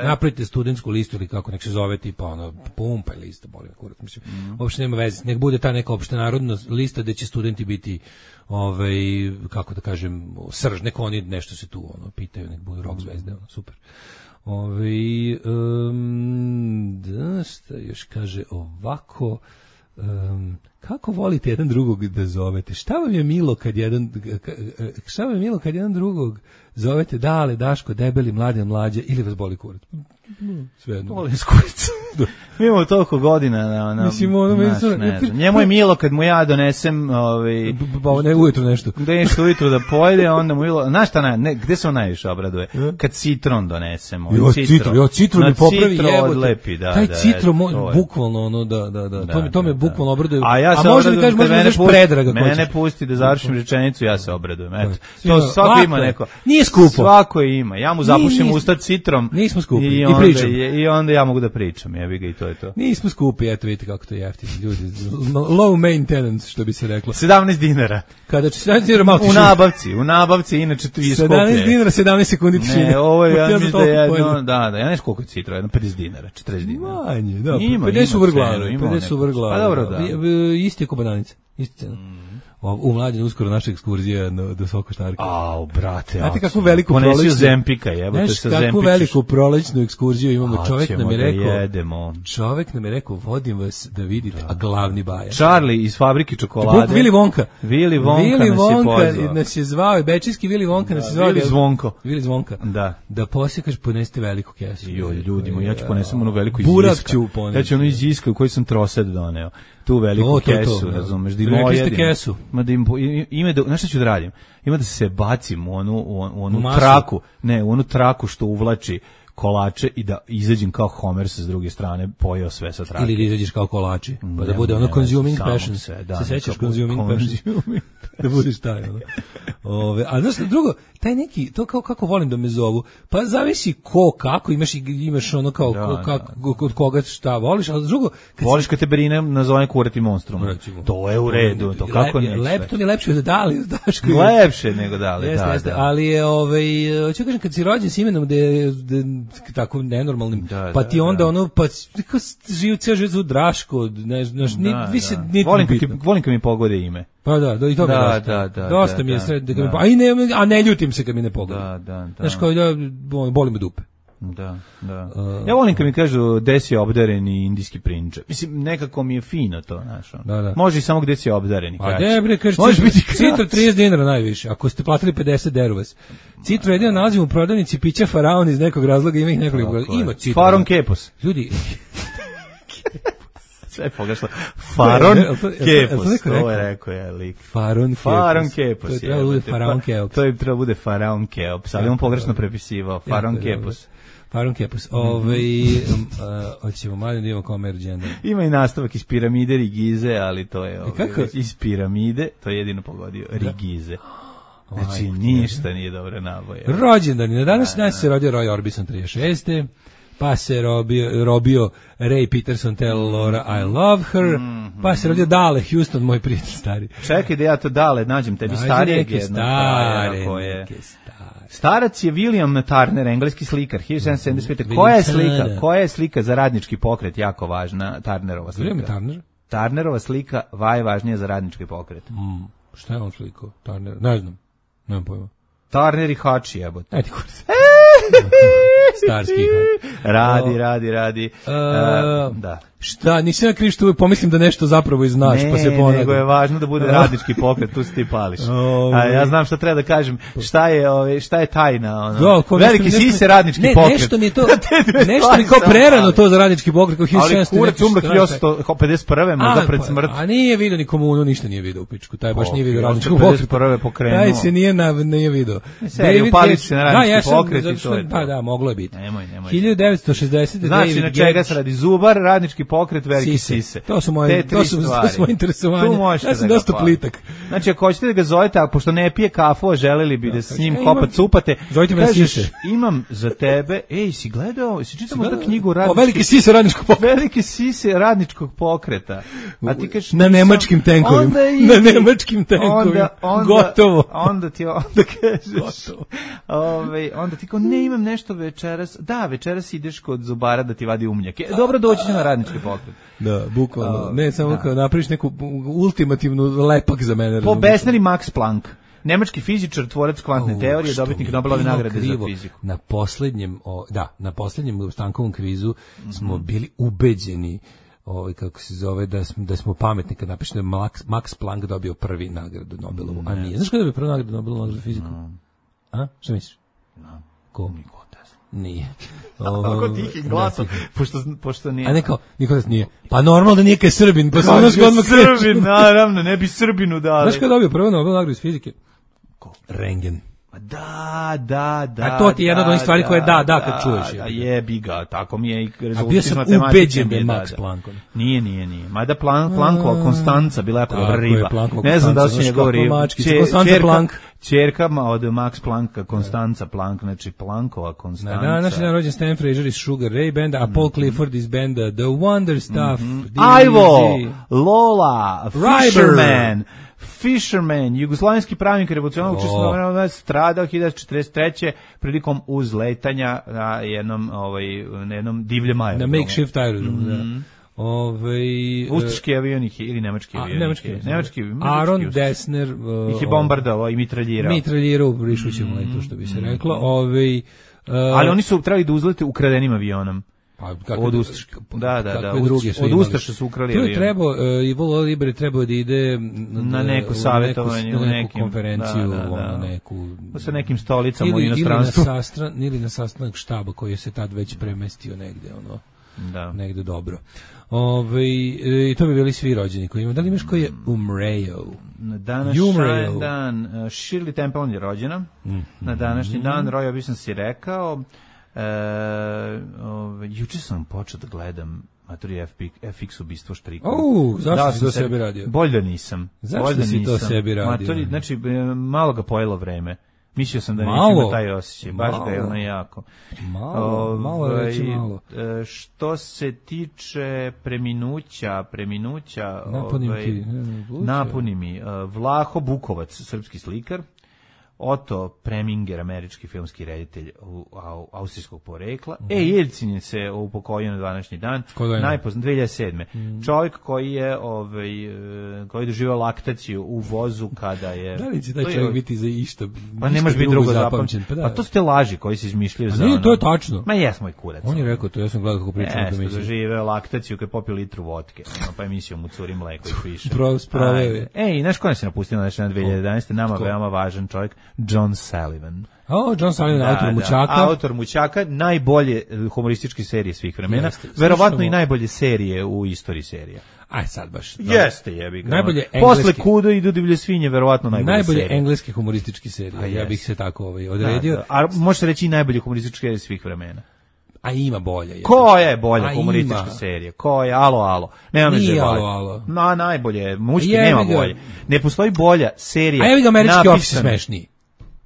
Napravite studentsku listu ili kako nek se zove, tipa ono pumpa lista, boli me kurac, mislim. Uopšte nema veze, nek bude ta neka opštenarodna lista gde će studenti biti kako da kažem, srž, neko oni nešto se tu pitaju, nek budu rock zvezde, super. Šta još kaže ovako, kako volite jedan drugog da zovete? Šta vam je milo kad jedan drugog zovete Dale, Daško, Debeli, Mladen, Mlađe ili vas boli kurac? Svejedno. Volim s kuricom. Mi imamo toliko godina njemu je milo kad mu ja donesem ujutru nešto ujutru da pojede, onda mu milo, znaš šta, gde se on najviše obraduje? Kad citron donesemo. Citron mi popravi, odlepi, taj citron bukvalno to me bukvalno obraduje. A može mi kažeš, možda daš Predraga. Mene pusti da završim rečenicu, ja se obradujem. To svako ima neko. Nije skupo. Svako ima. Ja mu zapušim usta citrom. Nismo skupi. I onda ja mogu da pričam, jebi ga, i to je to. Nismo skupi, eto vidite kako to je jeftino, ljudi. Low maintenance, što bi se reklo. 17 dinara. Kada će 17 dinara malo u nabavci, inače tu je skuplje. 17 dinara, 17 sekundi tišine. Ne, ovo je, ja mislim da je ja ne znam koliko je citra, 50 dinara, 40 dinara. Manje, da, 50 u vrglavu. Pa dobro, da. Isti je ko bananica, isti cena. U Mlađen uskoro naša ekskurzija do Sokoštarke. Brate, znate kakvu veliku prolećnu Zempika, jebote sa Zempićeš. Kakvu veliku prolećnu ekskurziju imamo. Čovjek nam je rekao, vodim vas da vidite, a glavni baja. Charlie iz fabrike čokolade. Willy Wonka. Willy Wonka nas je zvao, bečijski Willy Wonka nas je zvao. Willy Zvonka. Da posjekaš, poneste veliku kesu. Ljudi moji, ja ću ponesem onu veliku iz Iska. Ja ću onu iz Iska u kojoj sam trosed doneo. Tu veliku kesu, razumeš, da im ojedim. Kesu. Znaš šta ću da radim? Ima da se bacim u onu traku, u onu traku što uvlači kolače i da izađem kao Homer sa druge strane, pojeo sve sa trake. Ili da izađeš kao kolači, pa da bude ono consuming passion. Se sećaš consuming passion? Da budeš taj, ono. A znaš, drugo, taj neki, to kako volim da me zovu, pa zavisi kako, imaš ono kao, od koga šta voliš, ali drugo... Voliš kad te Berine nazove kurati monstrum. To je u redu, to kako neće. To mi je lepše od Dali, Daško. Lepše nego Dali, da. Ali je, ću kažem, kad si rođen s imenom da je tako nenormalnim, pa ti onda ono, pa živ cijel život zvu Draško, volim kad mi pogode ime. Pa da, i to dosta mi je sred, a ne ljutim se kad mi ne pogleda. Znaš, kao boli me dupe. Da. Ja volim kad mi kažu gde si obdareni indijski prinče. Mislim, nekako mi je fino to, znaš. Može i samo gde si obdareni. A debre, kaže, Citro 30 dinara najviše. Ako ste platili 50, deru vas. Citro jedino nalazimo u prodavnici pića Faraon iz nekog razloga, ima ih nekoliko. Ima Citro. Faron Kepos. Ljudi... Sve pogrešno. Faron Kepos. To je rekao je lik. Faron Kepos. To je trebalo bude Faraon Keops. To je trebalo bude Faraon Keops, ali on pogrešno prepisivao. Faron Kepos. Faron Kepos. Hoćemo malo da imamo kao Merđenda. Ima i nastavak iz piramide Rigize, ali to je iz piramide, to je jedino pogodio. Rigize. Znači, ništa nije dobre naboje. Rođendani. Na današnji dan se rodio Roy Orbison 36. Pa se robio Ray Peterson Tell Laura I Love Her, pa se rodio Dale Houston, moj prijatelj stari. Čekaj da ja to Dale nađem tebi starijeg jednog. Starac je William Turner, engleski slikar, 1775. Koja je slika za radnički pokret jako važna, Turnerova slika? William Turner? Turnerova slika važnija za radnički pokret. Šta je on slikao? Turner? Ne znam, nemam pojma. Turner i Hači, jebote. Ajde, kurz. Starski Radi. Da. Šta, nisam ja kriv što uvijek pomislim da nešto zapravo i znaš, pa se ponadam. Nego je važno da bude radnički pokret, tu se ti pališ. A ja znam šta treba da kažem, šta je tajna, ono. Veliki sise radnički pokret. Nešto mi je to, nešto mi kao prerano to za radnički pokret, kao 1700. Ali kurac umro 1851. možda pred smrt. A nije vidio ni komunu, ništa nije vidio u pičku, taj baš nije vidio radničkog pokreta. 1851. pokrenuo. Taj se nije vidio. Upališ se na radnički pokret i to je to. Pa da, moglo je biti. Nemoj. 1960. Znači, na čega se radi Zubar, radnički pokret, veliki sise. To su moje interesovanja. Ja sam dosta plitak. Znači, ako hoćete da ga zovete, a pošto ne pije kafu, a želeli bi da s njim kopat cupate, kažeš, imam za tebe, si gledao, si čitao možda knjigu Veliki sise radničkog pokreta. Veliki sise radničkog pokreta. A ti kažeš, na nemačkim tenkovima. Na nemačkim tenkovima. Gotovo. Onda kažeš, onda ti kao, ne imam nešto večeras. Da, večeras ideš kod zubara da ti vadi umnjake. Dobro, doći će na radnički pokret. Da, bukvalno. Ne, samo kao napraviš neku ultimativnu lepak za mene. Po Besneri Max Planck. Nemački fizičar, tvorac kvantne teorije, dobitnik Nobelove nagrade za fiziku. Na poslednjem Stankovom kvizu smo bili ubeđeni kako se zove, da smo pametni kad napišemo da Max Planck dobio prvi nagradu Nobelovu, a nije. Znaš kada dobio prvi nagradu Nobelovu za fiziku? A? Šta misliš? Ko? Nije. Ako tihim glasom, pošto nije. A ne kao, Nikolas nije. Pa normalno da nije kaj Srbin, pa sam odmah Srbin, naravno, ne bi Srbinu dali. Znaš kada dobio prvo nagradu iz fizike? Ko? Rengen. Da. A to ti je jedna od onih stvari koje kad čuješ. A jebi ga, tako mi je i rezultat iz matematike. A bio sam ubeđen da je Max Planck. Nije. Mada Planckova Konstanca bila jako dobra riba. Ne znam da su njegov riba. Čerka od Max Plancka, Konstanca Planck, znači Planckova Konstanca. Na današnji dan rođen Stan Fraser iz Sugar Ray Banda, a Paul Clifford iz benda The Wonder Stuff. Ivo, Lola, Fisherman, jugoslovenski pravnik revolucionarnog učestvovanja stradao 1943. prilikom uzletanja na jednom divljem aerodromu. Na makeshift aerodromu, da. Ustaški avion ili nemački avion? Nemački. Aaron Dessner ih je bombardovao i mitraljirao u prišućem letu, što bi se reklo. Ali oni su trebali da uzlete ukradenim avionom. Od Ustaša. Da. Od Ustaša su ukrali avion. Ivo Libre trebao da ide na neku savjetovanje, na neku konferenciju, sa nekim stolicama u inostranstvu. Ili na sastanak štaba koji se tad već premestio negde, negde dobro. I to bi bili svi rođeni koji imaju. Da li imaš koji je umreo? Na današnji dan Shirley Temple je rođena. Na današnji dan Roy Orbison si rekao. Juče sam počeo da gledam Maturi FX ubistvo štrikom. Zašto si to sebi radio? Bolje da nisam. Zašto si to sebi radio? Maturi, znači, malo ga pojelo vreme. Mislio sam da neću ima taj osjećaj. Baš ga je ono jako. Malo reći malo. Što se tiče preminuća napuni mi. Vlaho Bukovac, srpski slikar. Otto Preminger, američki filmski reditelj austrijskog porekla. Jeljcin je se upokojio na današnji dan. Najpoznat 2007. Čovjek koji je koji doživio laktaciju u vozu kada je... Da li će taj čovjek biti za išta? Pa nemaš biti drugo zapamćen. Pa to su te laži koji se izmišljaju za ono. Nije, to je tačno. Ma jes moj kurac. On je rekao to, ja sam gledao kako pričam da misli. Doživio laktaciju kad je popio litru vodke. Pa emisiju mu curi mleko i piše. I znaš ko nas je napustio na 2011. Nama veoma važan čovjek. John Sullivan. John Sullivan, autor Mućaka. Autor Mućaka, najbolje humorističke serije svih vremena. Verovatno i najbolje serije u istoriji serija. Aj sad baš. Jeste, jebi ga. Najbolje engleske. Posle Kudo i do Divlje svinje, verovatno najbolje engleske humorističke serije. Ja bih se tako odredio. A može se reći i najbolje humorističke serije svih vremena. A ima bolje. Koja je bolja humoristička serija? Koja je? Alo. Nema me nije alo. Najbolje, muški nema bolje. Ne postoji bolja serija. A jebi ga, američki Office smešniji.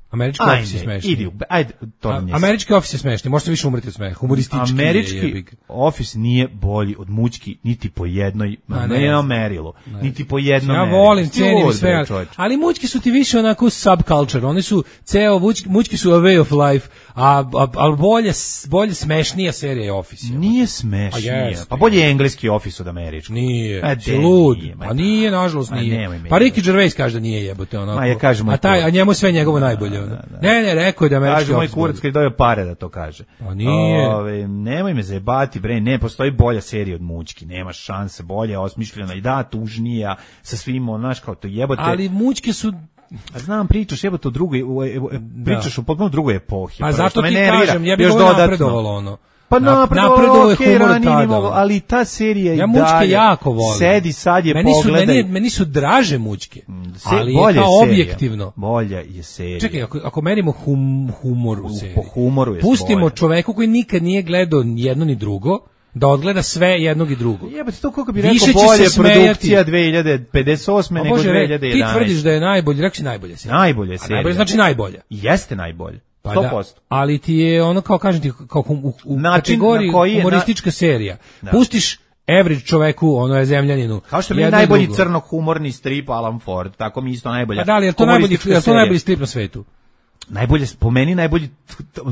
Američki Office je smešni. Ajde, to nije. Američki Office je smešni, možete više umreti od smeha. Humoristički Američki Office nije bolji od mućki niti po jednoj, ne merilu, niti po jednom merilu. Ja volim, cenim sve, ali mućki su ti više onako subculture, oni su mućki su a way of life, a bolje smešnija serija je Office. Nije smešnija, pa bolje je engleski Office od američkog. Nije, lud, pa nije, nažalost nije. Pa Ricky Gervais kaže da nije jebote onako. A njemu sve njegovo najbolje. Ne, rekao je da američki kaže moj kurac kad dobio pare da to kaže. Pa nije. Nemoj me zajebati, bre, ne postoji bolja serija od mućki, nema šanse, bolje osmišljena i tužnija sa svim, znaš, kao to jebote. Ali mućke su znam, pričaš jebote o drugoj, pričaš o potpuno drugoj epohi. Pa zato ti kažem, ja bih ovo napredovalo ono. Pa napredovalo je humor tada, ali ta serija ja mućke jako volim. Sedi sad je pogledaj. Meni su draže mućke, ali je kao objektivno. Bolja je serija. Čekaj, ako merimo humor u seriji, po humoru je pustimo bolja. Čoveku koji nikad nije gledao jedno ni drugo, da odgleda sve jednog i drugog. Jebate, to kako bi rekao bolje produkcija 2058 nego 2011. Ti tvrdiš da je najbolje, rekao si najbolje serija. Najbolje serija. Najbolje znači najbolje. Jeste najbolje. 100%. Da, ali ti je ono kao kažem ti kao u kategoriji humoristička serija. Da. Pustiš average čoveku, ono je zemljaninu. Kao što mi je najbolji crno-humorni strip Alan Ford, tako mi isto najbolja. Pa da li je to najbolji strip na svetu? Najbolje, po meni najbolji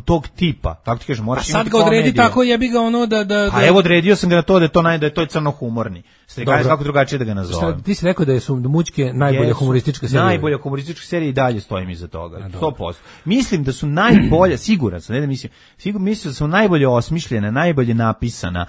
tog tipa, tako ti kažem, moraš imati komediju. A sad ga odredi tako, jebi ga ono da... A evo odredio sam ga na to da je to crno-humorni. Kako drugačije da ga nazovem. Ti si rekao da su mućke najbolja humoristička serija. Najbolja humoristička serija i dalje stojim iza toga. 100%. Mislim da su najbolje, siguran sam, mislim da su najbolje osmišljene, najbolje napisana,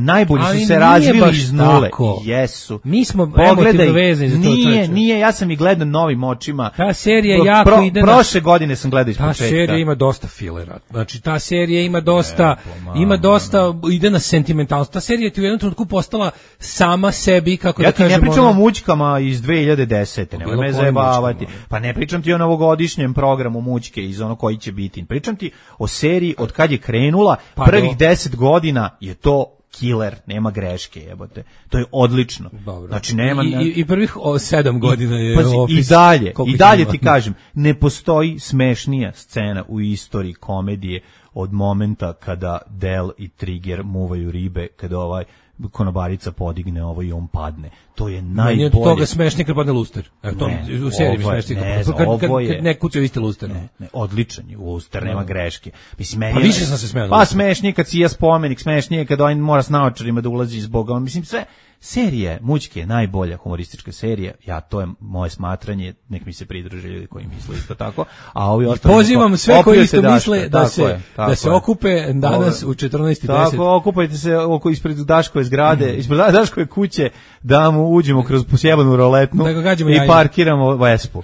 najbolje su se razvili iz nule. Jesu. Mi smo emotivno vezani za to. Nije, ja sam i gledao novim očima. Ta serija jako ide na... Prošle godine sam gledao iz početka. Ta serija ima dosta filera. Znači, ta serija ima dosta, ide na sentimentalnost. Ta serija ti u jednom trenutku postala sama sebi, kako da kažemo... Ja ti ne pričam o mućkama iz 2010. Nemoj me zajebavati. Pa ne pričam ti o novogodišnjem programu mućke iz ono koji će biti. Pričam ti o seriji od kad je krenula, prvih 10 godina je to killer, nema greške, jebote. To je odlično. Dobro. Znači nema i prvih 7 godina je Office. I dalje ti kažem, ne postoji smešnija scena u istoriji komedije od momenta kada Del i Trigger muvaju ribe, kada konobarica podigne i on padne. To je najbolje. Meni od toga smešnije kad padne luster. To u seriji mi smešnije. Kad ne kucaju isti luster. Ne, odličan je luster, nema greške. Mislim, meni pa više sam se smeo. Pa smešnije kad sija spomenik, smešnije kad on mora s naočarima da ulazi zbog, mislim sve. Serija mućke je najbolja humoristička serija. To je moje smatranje, nek mi se pridruže ljudi koji misle isto tako. A ovi ostali pozivam sve koji isto misle da se okupe danas u 14:10. Tako, okupajte se ispred Daškove zgrade, ispred Daškove kuće, da mu uđemo kroz posjebanu roletnu i parkiramo Vespu.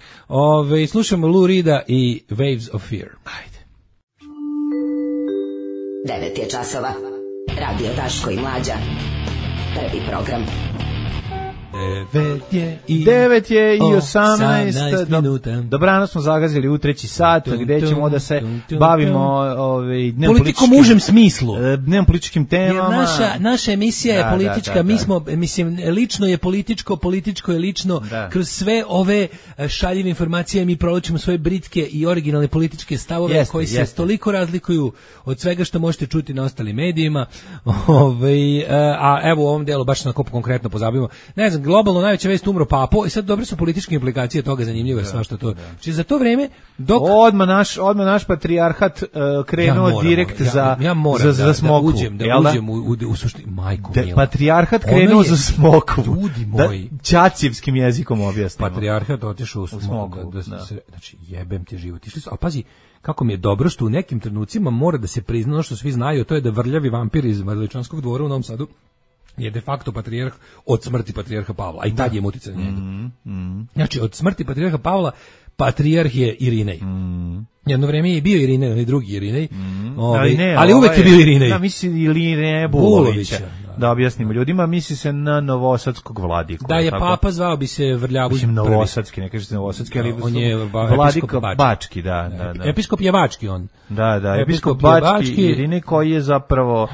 Slušamo Lou Reeda i Waves of Fear. Ajde. 9 je časova. Radio Daško i Mlađa. Prvi program. 9 je i 18 minuta. Dobrano smo zagazili u 3. sat, gde ćemo da se bavimo politikom u užem smislu. Dnevnom političkim temama. Naša emisija je politička, mi smo, mislim, lično je političko je lično. Kroz sve ove šaljive informacije mi provlačimo svoje britke i originalne političke stavove koji se toliko razlikuju od svega što možete čuti na ostalim medijima. A evo u ovom delu baš na kopu konkretno pozabavimo. Ne znam, globalno najveća vest umro Papo i sad dobre su političke implikacije toga, zanimljivo je svašta to. Znači za to vreme dok odmah naš patrijarhat krenuo direkt za Smokvu. Da uđem u suštini majku mila. Patrijarhat krenuo za Smokvu. Ljudi moji, ćacivskim jezikom objasnimo. Patrijarhat otišao u Smokvu. Znači jebem ti život. Išli su, a pazi kako mi je dobro što u nekim trenucima mora da se prizna ono što svi znaju, to je da vrljavi vampir iz Veličanskog dvora u Novom Sadu je de facto patrijarh od smrti patrijarha Pavla, a i tad je uticaj na njega. Znači, od smrti patrijarha Pavla, patrijarh je Irinej. Jedno vreme je bio Irinej, onaj drugi Irinej, ali uvek je bio Irinej. Da, misli Irinej Bulovića. Da objasnimo ljudima, misli se na novosadskog vladiku. Da je papa zvao bi se Vrljavu. Mislim novosadski, ne kažete novosadski, ali on je vladika Bački, da. Episkop je Bački on. Da, episkop Bački Irinej koji je zapravo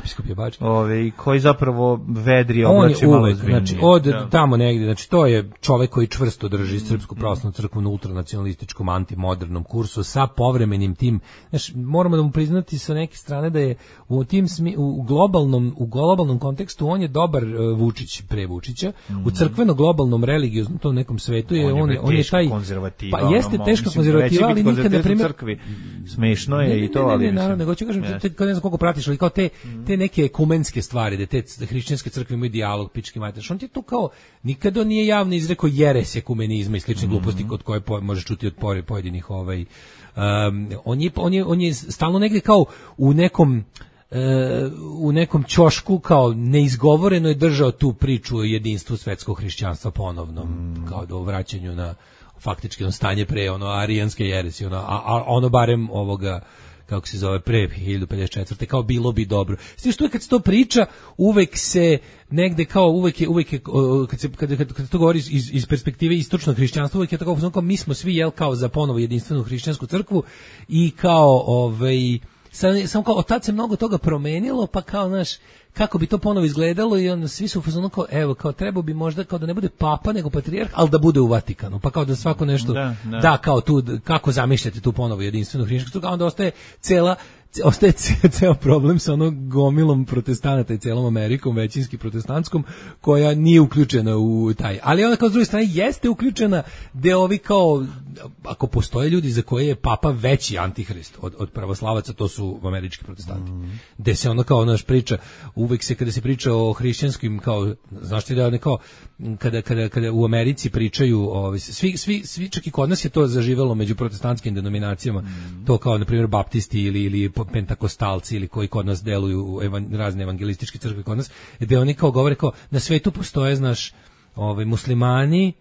koji zapravo vedri oblači malo ozbiljnije. Znači od tamo negdje, znači to je čovjek koji čvrsto drži Srpsku pravoslavnu crkvu na ultranacionalističkom antimodernom kursu sa povremenim tim, znači moramo da mu priznati sa neke strane da je u tim u globalnom kontekstu on je dobar Vučić pre Vučića, u crkveno globalnom religioznom tom nekom svetu je on je taj konzervativa. Pa jeste teška konzervativa, ali nikad na primjer crkvi smešno je i to, ali naravno, nego ću kažem kad ne znam koliko pratiš, ali kao te neke ekumenske stvari, da te hrišćanske crkve imaju dijalog, pički mater. On ti to kao nikad on nije javno izrekao jeres ekumenizma i slične gluposti kod koje možeš čuti od pojedinih on je stalno negdje kao u nekom ćošku kao neizgovoreno je držao tu priču o jedinstvu svetskog hrišćanstva ponovnom, kao do vraćanju na faktički stanje pre arijanske jeresi, a ono barem ovoga kako se zove pre 1054. kao bilo bi dobro. Sve što kad se to priča, uvek se negde kao uvek je kad to govori iz perspektive istočnog hrišćanstva, uvek je tako kao mi smo svi kao za ponovo jedinstvenu hrišćansku crkvu i kao samo kao od tad se mnogo toga promenilo, pa kao kako bi to ponovo izgledalo i onda svi su u fazonu kao evo kao trebao bi možda kao da ne bude papa nego patrijarh, ali da bude u Vatikanu, pa kao da svako nešto da kao tu kako zamišljate tu ponovo jedinstvenu hrišćansku crkvu, a onda ostaje ceo problem sa gomilom protestanata i celom Amerikom, većinski protestantskom, koja nije uključena u taj. Ali ona kao s druge strane jeste uključena gde ovi kao, ako postoje ljudi za koje je papa veći antihrist od pravoslavaca, to su američki protestanti. Gde se ono kao priča, uvek se kada se priča o hrišćanskim, kao, znaš ti da ne kao, kada u Americi pričaju, svi čak i kod nas je to zaživelo među protestantskim denominacijama, to kao, na primjer, baptisti ili pentakostalci ili koji kod nas deluju u razne evangelističke crkve kod nas, gde oni kao govore kao na svetu postoje, znaš, muslimani,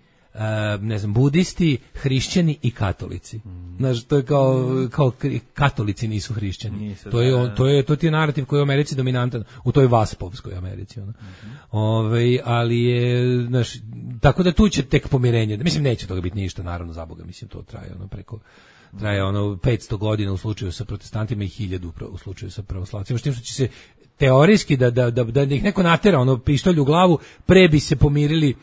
ne znam, budisti, hrišćani i katolici. Znaš, to je kao katolici nisu hrišćani. To ti je narativ koji je u Americi dominantan, u toj vaspovskoj Americi. Ali je, znaš, tako da tu će tek pomirenje. Mislim, neće toga biti ništa, naravno, za Boga, mislim, to traje traje 500 godina u slučaju sa protestantima i 1000 u slučaju sa pravoslavcima, što će se teorijski da ih neko natera pištolj u glavu, pre bi se pomirili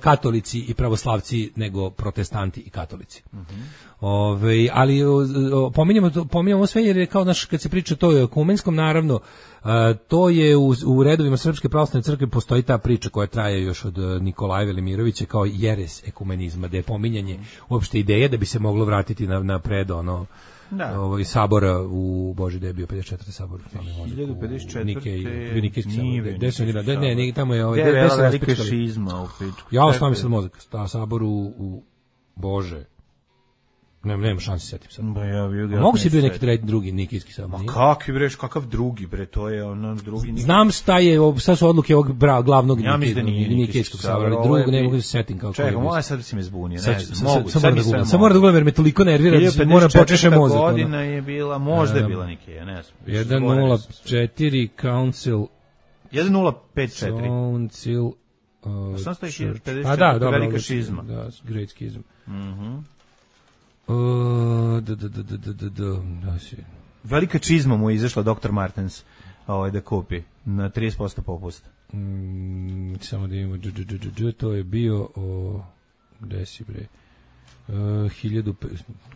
katolici i pravoslavci nego protestanti i katolici. Ali pominjamo sve jer je kao kad se priča to o ekumenskom, naravno to je u redovima Srpske pravoslavne crkve postoji ta priča koja traje još od Nikolaja Velimirovića kao jeres ekumenizma, da je pominjanje uopšte ideje da bi se moglo vratiti na pred sabora u Boži, da je bio 54. sabor 1054. Nikejski sabor. Ne, tamo je gde je velika šizma u pičku. Ja stavim sad mozak, sabor u Bože. Nema šanse setim sad. Mogu si bio neki drugi nikijski sabor. Kakav drugi bre, to je drugi. Znam šta su odluke ovog glavnog nikijskog sabora, ali drugog ne mogu se setim kako je. Čekaj, moja sad si me zbunio, ne znam. Samo moram da gledam jer me toliko nervira, moram počeše mozak. 54. godina je bila, možda je bila Nikija, ne znam. 104 Council 1054. Council Sam stoji 54. Velika šizma. Da, Great Schism. Velika čizma mu je izašla Dr. Martens da kupi na 30% popusta. Samo da imamo to je bio gde si bre 1000,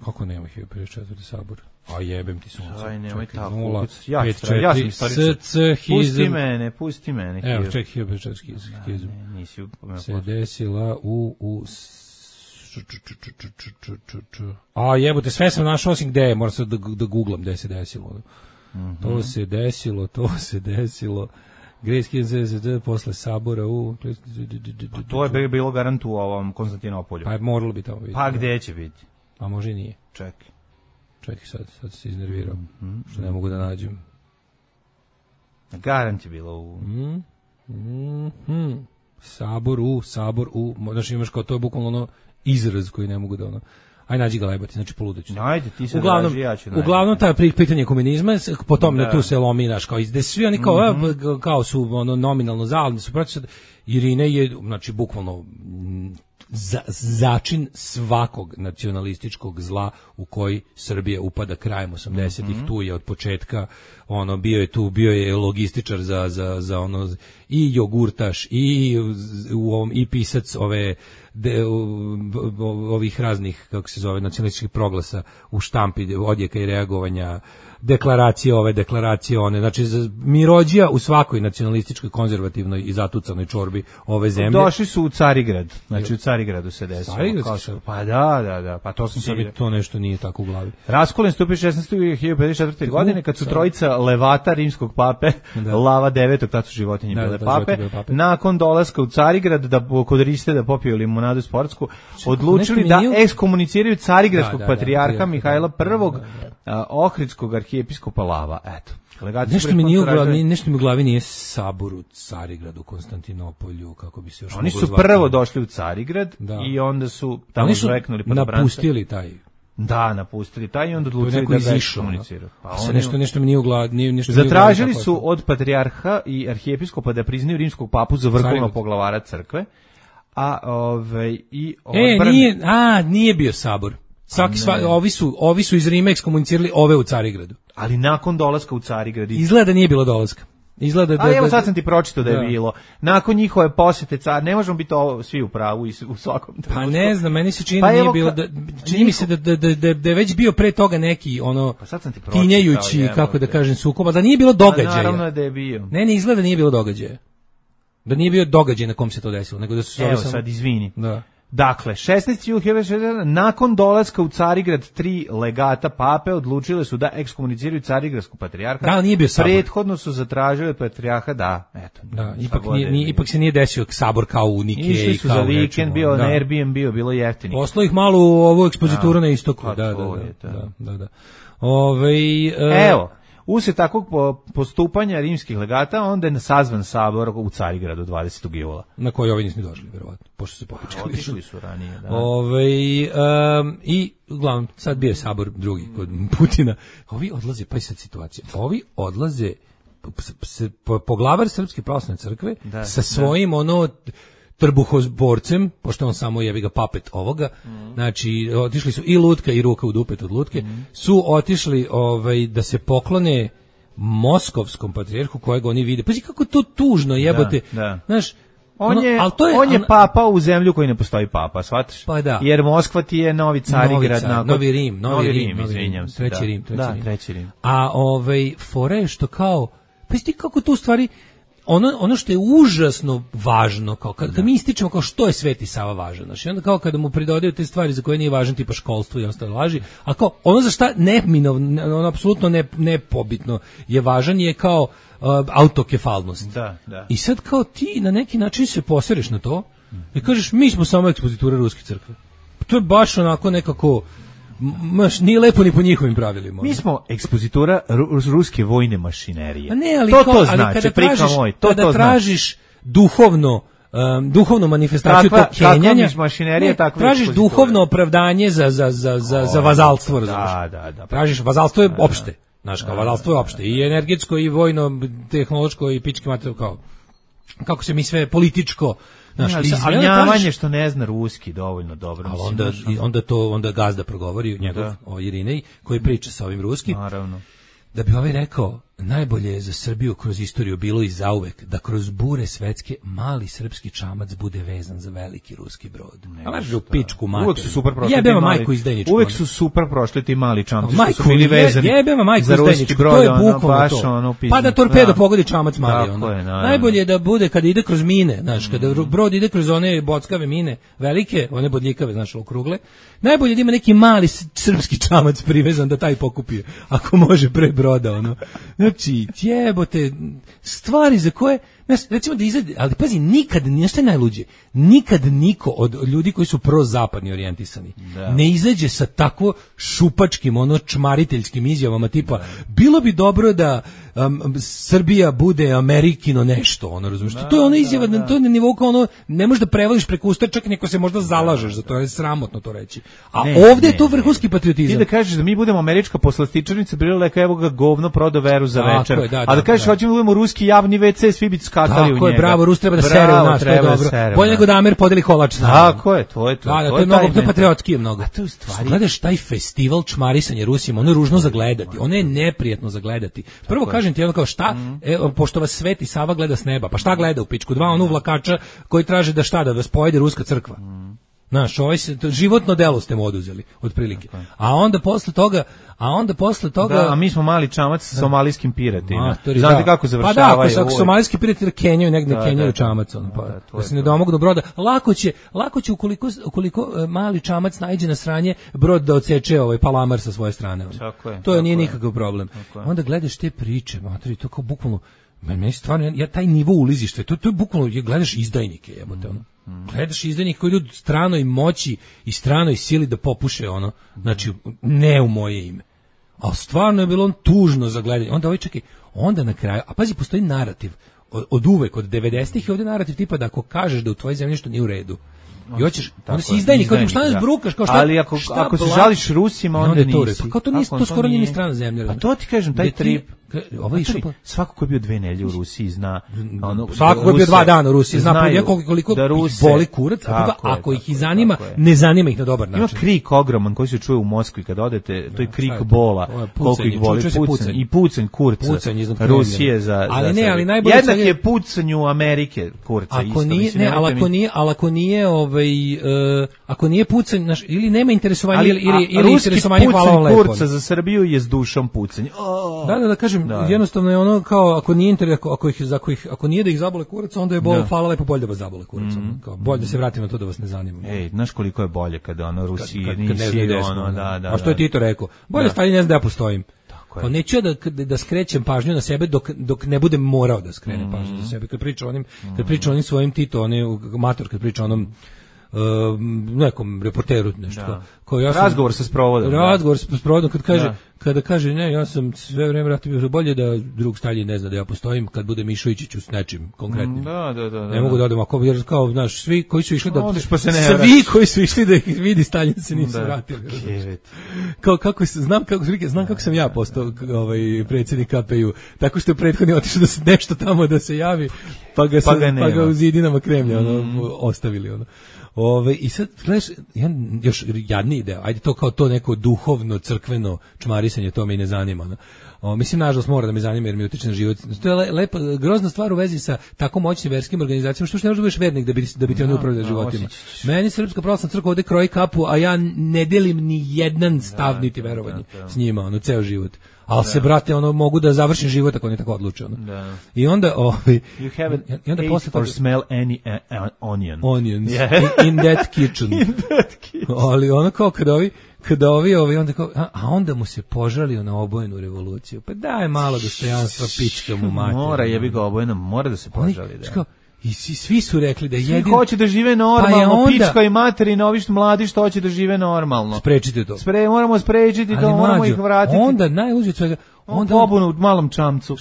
kako nema 1054. sabor, a jebem ti sunce. Aj, nemoj tako. Ja sam istoričar. Pusti mene. Evo, ček, 1054. Schism se desila u a jebote, sve sam našao osim gde je, moram sad da googlam gde se desilo. To se desilo. Great Schism posle sabora to je bilo garant u ovom Konstantinopolju. Pa moralo bi tamo biti. Pa gde će biti? A može i nije. Čekaj sad se iznervirao. Što ne mogu da nađem. Garant je bilo u Sabor u, znači imaš kao to je bukvalno izraz koji ne mogu da Aj nađi ga lebati, znači poludeću. Ajde, ti se uglavnom, draži, ja ću naći. Uglavnom, taj pitanje komunizma, potom tu se lomi, naš, kao izde svi oni kao su ono, nominalno za, ali su protiv. Irina je, znači, bukvalno začin svakog nacionalističkog zla u koji Srbija upada krajem 80-ih, tu je od početka, ono, bio je logističar za ono, i jogurtaš, i pisac ovih raznih, kako se zove, nacionalističkih proglasa u štampi, odjeka i reagovanja, deklaracije one, znači mirođija u svakoj nacionalističkoj, konzervativnoj i zatucanoj čorbi ove zemlje. Došli su u Carigrad, znači u Carigradu se desilo. Pa da, pa to sam se... To nešto nije tako u glavi. Raskolen stupio 16.1054. godine, kad su trojica levata rimskog pape, Lava IX, tad su životinje bile pape, nakon dolaska u Carigrad, kod Riste da popiju limunadu sportsku, odlučili da ekskomuniciraju carigradskog patrijarha Mihajla I, Ohridskog arhijepiskopa Lava, eto. Nešto mi u glavi nije sabor u Carigradu, Konstantinopolju, kako bi se još... Oni su prvo došli u Carigrad i onda su tamo zveknuli podobranca. Napustili taj... Da, napustili taj i onda odlučili da ga ekskomuniciraju. Nešto mi nije u glavi... Zatražili su od patrijarha i arhijepiskopa da priznaju rimskog papu za vrhovnog poglavara crkve, nije bio sabor. Ovi su iz Rima ekskomunicirali ove u Carigradu. Ali nakon dolaska u Carigrad... Izgleda da nije bilo dolaska. Evo sad sam ti pročitao da je bilo. Nakon njihove posete ne možemo biti svi u pravu i u svakom trenutku. Pa ne znam, meni se čini nije bilo čini mi se da je već bio pre toga neki ono tinjajući, kako da kažem, sukob, da nije bilo događaja. Naravno da je bio. Ne, izgleda da nije bilo događaja. Da nije bio događaj na kom se to desilo, nego da su sad izvini. Da. Dakle, 16. nakon dolaska u Carigrad 3 legata pape odlučile su da ekskomuniciraju carigradskog patrijarha. Da, nije bio sabor. Prethodno su zatražili od patrijarha ipak se nije desio sabor kao u Nikeji. Išli su za vikend, bio na Airbnb, bilo jeftini. Poslao ih malo u ovu ekspozituru na istoku. Da. Evo, uslijed takvog postupanja rimskih legata, onda je sazvan sabor u Carigradu 20. jula. Na koji ovi nismo došli, verovatno, pošto se popičkali. Otišli su ranije, da. I, uglavnom, sad bio je sabor drugi kod Putina. Ovi odlaze, pa i sad situacija, ovi odlaze, poglavar Srpske pravoslavne crkve sa svojim trbuhozborcem, pošto on samo jebi ga papet ovoga, znači otišli su i lutka i ruka u dupet od lutke, su otišli da se poklone moskovskom patrijarhu kojeg oni vide. Pazi kako to tužno jebote. Znaš, on je papa u zemlju koji ne postoji papa, shvataš? Pa da. Jer Moskva ti je Novi Carigrad, Novi Rim, izvinjam se. Treći Rim. A fora je što kao, pa ti kako to u stvari ono što je užasno važno, kao kad mi ističemo kao što je Sveti Sava važan, znači onda kao kada mu pridodaju te stvari za koje nije važan, tipa školstvo i ostale laži, a kao ono za šta ono apsolutno nepobitno je važan je kao autokefalnost. Da. I sad kao ti na neki način se posereš na to i kažeš mi smo samo ekspozitura Ruske crkve. To je baš onako nekako nije lepo ni po njihovim pravilima. Mi smo ekspozitura ruske vojne mašinerije. To znači, kada tražiš duhovnu manifestaciju tog kenjanja, tražiš duhovno opravdanje za vazalstvo, razumiješ? Da. Tražiš, vazalstvo je opšte. Znaš, kao vazalstvo je opšte. I energetsko, i vojno, tehnološko, i pički materiju, kao kako se mi sve političko. Izvinjavanje što ne zna ruski dovoljno dobro. Ali onda gazda progovori njegov o Irinej koji priča sa ovim ruskim. Naravno. Da bi ovaj rekao, najbolje je za Srbiju kroz istoriju bilo i zauvek da kroz bure svetske mali srpski čamac bude vezan za veliki ruski brod. U pičku mater. Uvek su super prošli Uvek su super prošli ti mali čamci što su bili vezani za ruski brod. To je bukvalno to. Pa da torpedo pogodi čamac mali. Najbolje je da bude kada ide kroz mine, znaš, kada brod ide kroz one bockave mine, velike, one bodljikave, znaš, okrugle. Najbolje da ima neki mali srpski čamac privezan da taj pokupio, ako može pre broda, ono. Znači, jebote, stvari za koje, znaš, recimo da izgleda, ali pazi, nikad, nešto je najluđe, nikad niko od ljudi koji su prozapadni orijentisani ne izađe sa takvo šupačkim, čmariteljskim izjavama tipa, bilo bi dobro da Srbija bude Amerikino nešto, ono, razumiješ? To je ona izjava, to je na nivou kao ono, ne možeš da prevališ preko usta, čak neko se možda zalažeš za to, je sramotno to reći. A ovdje je to vrhunski patriotizam. Ti da kažeš da mi budemo američka poslastičarnica, bila evo ga govno prodao veru za večer. A da kažeš hoćemo da budemo ruski javni WC, svi bi skakali u njega. Tako je, bravo, Rus treba da sere u nas, to je dobro. Bolje nego da Amer podeli kolač. Tako je, to je to. To je mnogo patriotski mnogo. A to u stvari gledaš taj festival čmarisanja Rusima, ono je ružno za gledati, ono je neprijetno za gledati. Prvo kažem ti ono kao šta, pošto vas Sveti Sava gleda s neba, pa šta gleda u pičku? Dva onu vlakača koji traže da šta, da vas pojede ruska crkva. Znaš, životno delo ste mu oduzeli, otprilike. A onda posle toga... Da, a mi smo mali čamac sa somalijskim piratima. Znate kako završavaju? Pa da, ako somalijski pirati kenjaju negde, kenjaju čamac. Da se ne domognu broda. Lako će ukoliko mali čamac naiđe na sranje, brod da odseče palamar sa svoje strane. To nije nikakav problem. Onda gledaš te priče, materi, to kao bukvalno... Meni stvarno, taj nivo ulizišta, to je bukvalno, gledaš izdajnike, jebote, ono. Gledaš izdajnike koji idu stranoj moći i stranoj sili da popuše, ono, znači, ne u moje ime. A stvarno je bilo on tužno za gledanje. Onda na kraju, a pazi, postoji narativ, od uvek, od 90-ih je ovdje narativ tipa da ako kažeš da u tvojoj zemlji nešto nije u redu, i hoćeš, onda si izdajnik, šta nas brukaš, kao šta... Ali ako se žališ Rusima, onda nisi. Pa kao to skoro nije ni strana zemlja. Pa to ti kažem, taj trip... Svako ko je bio 2 nedelje u Rusiji zna... Svako ko je bio 2 dana u Rusiji zna koliko boli kurac, ako ih i zanima, ne zanima ih na dobar način. Ima krik ogroman koji se čuje u Moskvi kad odete, to je krik bola, koliko ih boli, i pucanj kurca Rusije za... Jednak je pucanju Amerike kurca isto. Ako nije pucanj, ili nema interesovanja, ili interesovanje, hvala vam lepo. Ruski pucanj kurca za Srbiju je s dušom pucanj. Da kažem, jednostavno je ono kao ako nije ako nije da ih zabole kurac, onda je hvala lepo, bolje da vas zabole kurac. Kao bolje da se vratim na to da vas ne zanima. Znaš koliko je bolje kada ono Rusiji nisi ono, da. A što je Tito rekao? Bolje Stalin ne zna da ja postojim. Pa neću da skrećem pažnju na sebe dok ne budem morao da skrenem pažnju na sebe. Kad priča onim svojim Tito, mator, kad priča onom nekom reporteru nešto. Razgovor sa sprovodom. Razgovor sa sprovodom kada kaže ne, ja sam sve vreme ratio, bolje da drug Stalin ne zna da ja postojim kad bude Mišovićić s nečim konkretnim. Da. Ne mogu da odem jer kao, znaš, svi koji su išli da ih vidi Stalin se nisu vratili. Kao znam kako sam ja postao predsjednik KPU, tako što je prethodni otišao da se nešto tamo da se javi, pa ga u zidinama Kremlja ostavili. I sad, gledaš, još jadniji deo, ajde to kao to neko duhovno, crkveno čmarisanje, to me i ne zanima. Mislim, nažalost, mora da me zanima jer mi utiče na život. To je lepa, grozna stvar u vezi sa tako moćnim verskim organizacijama, što ne možeš da budeš vernik da bi ti oni upravljali životima. Meni Srpska pravoslavna crkva ovde kroji kapu, a ja ne delim ni jedan stav niti verovanje s njima, ceo život. Ali se, brate, mogu da završim život ako ne tako odluče. I onda, you haven't ate or smell any onions in that kitchen. Ali kao kada ovi onda kao, a onda mu se požalio na obojenu revoluciju. Pa daj malo dostojanstva, pička mu mater. Mora, jebi ga obojena, mora da se požali. I svi su rekli da svi hoće da žive normalno, pička i materina, ovi mladi što hoće da žive normalno. Sprečite to. Moramo sprečiti to, moramo ih vratiti. Onda najluđe od svega, pobunu u malom čamcu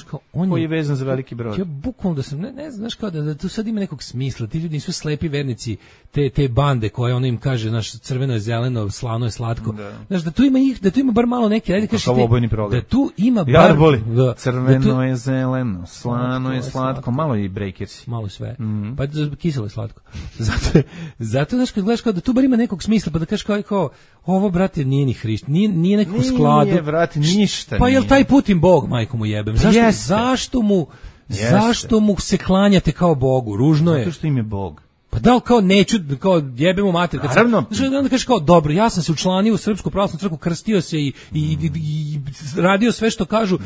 koji je vezan za veliki brod. Ja bukvalno da sam, ne znaš kao da tu sad ima nekog smisla, ti ljudi nisu slepi vernici, te bande koje ono im kaže, znaš, crveno je zeleno, slano je slatko. Znaš, da tu ima bar malo neke, ajde kažeš da tu ima bar... Crveno je zeleno, slano je slatko, malo i Breakersi. Malo sve, pa kiselo je slatko. Zato, znaš, kad gledaš kao da tu bar ima nekog smisla, pa da kažeš kao ovo, brate, nije ni Hrišt, nije nekako skladu. Nije, brate, ništa. Pa jel taj Putin Bog, majko mu jebem? Zašto mu se klanjate kao Bogu? Ružno je. Zato što im je Bog. Pa da li kao neću, kao jebemo mater. Naravno. Onda kažeš kao, dobro, ja sam se učlanio u Srpsku pravoslavnu crkvu, krstio se i radio sve što kažu,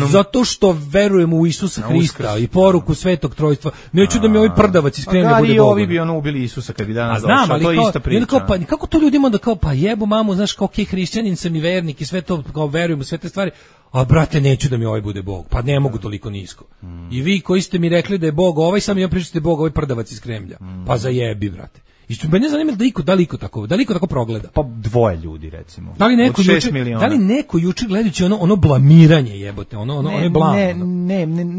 zato što verujem u Isusa Hrista i poruku Svetog Trojstva. Neću da mi ovaj prdavac iz Kremlja bude Bogom. Ovi bi ubili Isusa kad bi danas došao, to je ista priča. Kako to ljudima da kao, pa jebo mamu, znaš, kao hrišćanin sam i vernik i sve to, kao verujem u sve te stvari, a brate, neću da mi ovaj bude Bog, pa ne mogu toliko nisko. I vi koji ste mi rekli da je Bog ovaj, sam ja pričate Bog ovaj prdavac iz Kremlja, pa zajebi, brate. I mene zanima da li iko tako progleda. Pa 2 ljudi recimo. Da li neko juče gledajući ono blamiranje jebote, ono je blam.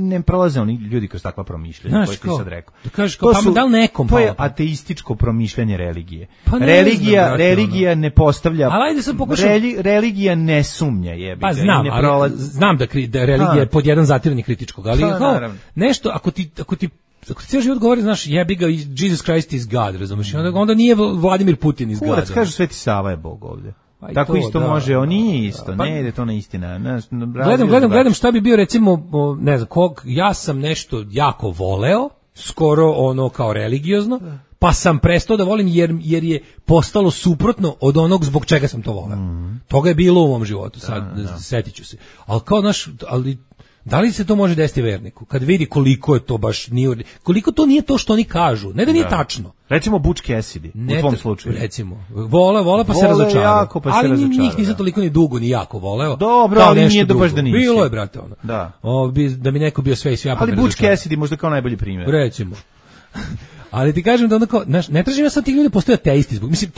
Ne prolaze oni ljudi kroz takva promišljanja, koje ti sad rekao. Da kažeš kao pa da li nekom to je ateističko promišljanje religije. Pa religija ne postavlja. Ali ajde sad pokušam. Religija ne sumnja jebi ga. Pa znam da religija je pod jedan zatiranje kritičkog, ali nešto ako ti cijeli život govori, znaš, jebi ga, Jesus Christ is God, razumiješ? Onda nije Vladimir Putin is God. Kurac, kažu Sveti Sava je Bog ovdje. Tako isto može, on nije isto, ne ide to na istina. Gledam šta bi bio, recimo, ne znam, ja sam nešto jako voleo, skoro ono kao religiozno, pa sam prestao da volim jer je postalo suprotno od onog zbog čega sam to voleo. Toga je bilo u mom životu, sad setit ću se. Ali kao, znaš, da li se to može desiti verniku? Kad vidi koliko je to baš nije, koliko to nije to što oni kažu. Ne da nije tačno. Recimo Butch Cassidy, u tvom slučaju. Recimo. Vola pa se razočarao. Ali njih nisam toliko ni dugo ni jako voleo. Dobro, ali nije baš da nisi. Bilo je, brate, ono. Da mi neko bio sve i sve. Ali Butch Cassidy možda kao najbolji primjer. Recimo. Ali ti kažem da onako, ne tražim ja sad tih ljudi postoje ateisti zbog. Mislim,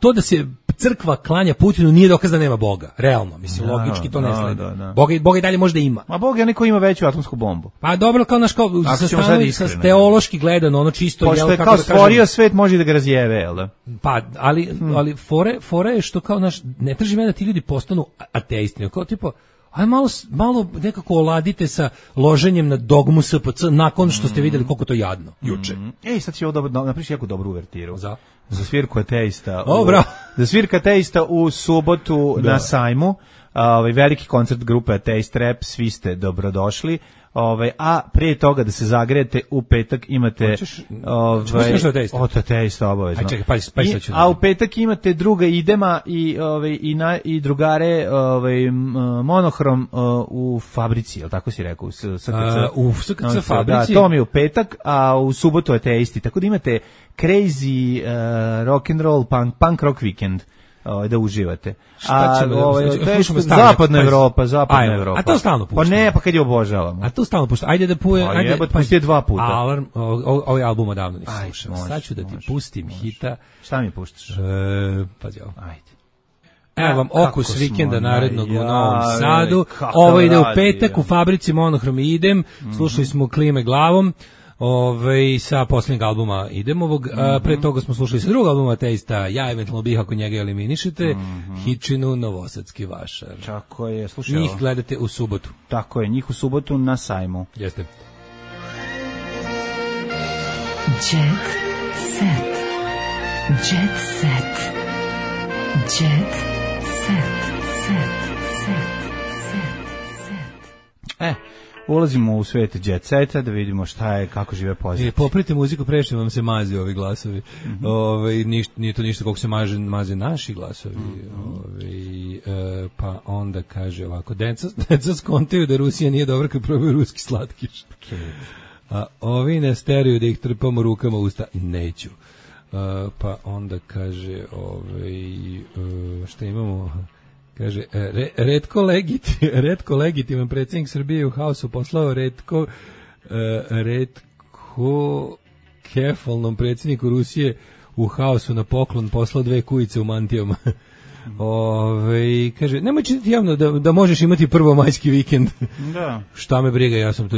to da se crkva klanja Putinu nije dokaz da nema Boga. Realno, mislim, logički to ne sledi. Boga i dalje možda ima. A Bog je neko ima veću atomsku bombu. Pa dobro, kao sa teološki gledano, ono čisto... Pošto je kao stvorio svet, može da ga razjeve, jel da? Pa, ali fore je što kao, ne tražim ja da ti ljudi postanu ateisti, kao tipo... Aj malo nekako oladite sa loženjem na dogmu SPC nakon što ste vidjeli koliko to jadno juče. Sad će ovo napriš jako dobru uvertiru. Za svirku ateista. Za svirku ateista u subotu na sajmu. Veliki koncert grupe Ateist Rap, svi ste dobrodošli. A prije toga da se zagrejete, u petak imate ateista obavezno. A u petak imate druga Idema i drugare Monohrom u Fabrici, jel tako si rekao? U SKC Fabrici. To mi je u petak, a u subotu ateisti. Tako da imate crazy rock and roll punk rock weekend. Da uživate. Zapadna Evropa. A to stalno pušta. Pa ne, pa kad je obožavamo. A to stalno pušta. Ajde da pusti 2 puta. Alarm, ovaj album odavno nisam slušao. Sad ću da ti pustim hita. Šta mi puštaš? Pazi ovo. Ajde. Evo vam okus vikenda narednog u Novom Sadu. Ovo ide u petak u Fabrici Monohrom i idem. Slušali smo Klime glavom. Sa posljednjeg albuma Idemovog, pre toga smo slušali sa drugog albuma Ateista, ja eventualno bih ako njega eliminišete, Hitchinu, Novosadski vašar. Tako je, slušaj. Njih gledate u subotu. Tako je, njih u subotu na sajmu. Jeste. Jet set. Jet set. Jet set. Ulazimo u svijet jet seta da vidimo šta je, kako žive pozicije. Poprite muziku, prešli vam se mazi ovi glasovi. Nije to ništa koliko se maze naši glasovi. Pa onda kaže ovako, deca skontaju da Rusija nije dobra kad probaju ruski slatkiš. A ovi ne steriju da ih trpamo rukama usta. Neću. kaže, šta imamo? Kaže, retko legitiman predsjednik Srbije u haosu poslao retko kefalnom predsjedniku Rusije u haosu na poklon poslao 2 kujice u mantijama. Kaže, nemoj čitati javno da možeš imati prvomajski vikend. Da. Šta me briga, ja sam to,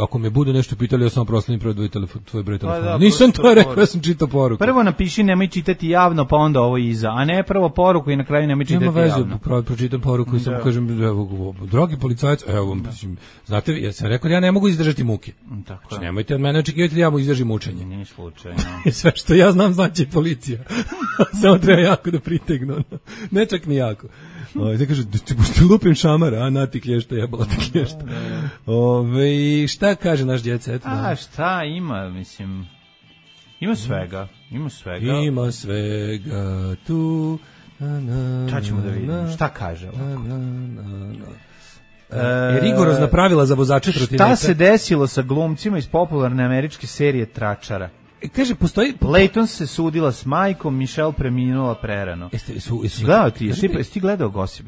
ako me budu nešto pitali, ja sam proslim tvoj broj telefona. Nisam to rekao, ja sam čitao poruku. Prvo napiši nemoj čitati javno, pa onda ovo iza, a ne prvo poruku i na kraju nemoj čitati javno. Nema vezu, pročitam poruku i samo kažem, evo, dragi policajac, evo, znate, ja sam rekao da ja ne mogu izdržati muke. Tako znači, nemojte od mene očekivati da ja mu izdržim mučenje. Nije slučajno. Sve što ja znam znači policija. Samo treba jako da pritegnu. Ne čak ni jako. Da kaže, ti lupim šamara, a na ti klješta, jebala ti klješta. Šta kaže naš djece? Šta ima, mislim, ima svega. Ima svega tu. Šta ćemo da vidimo? Šta kaže? Rigorozna pravila za vozače trotineta. Šta se desilo sa glumcima iz popularne američke serije Tračara? Kaže, postoji... Leighton se sudila s majkom, Michelle preminula prerano. Gledao ti, jesi ti gledao Gossip?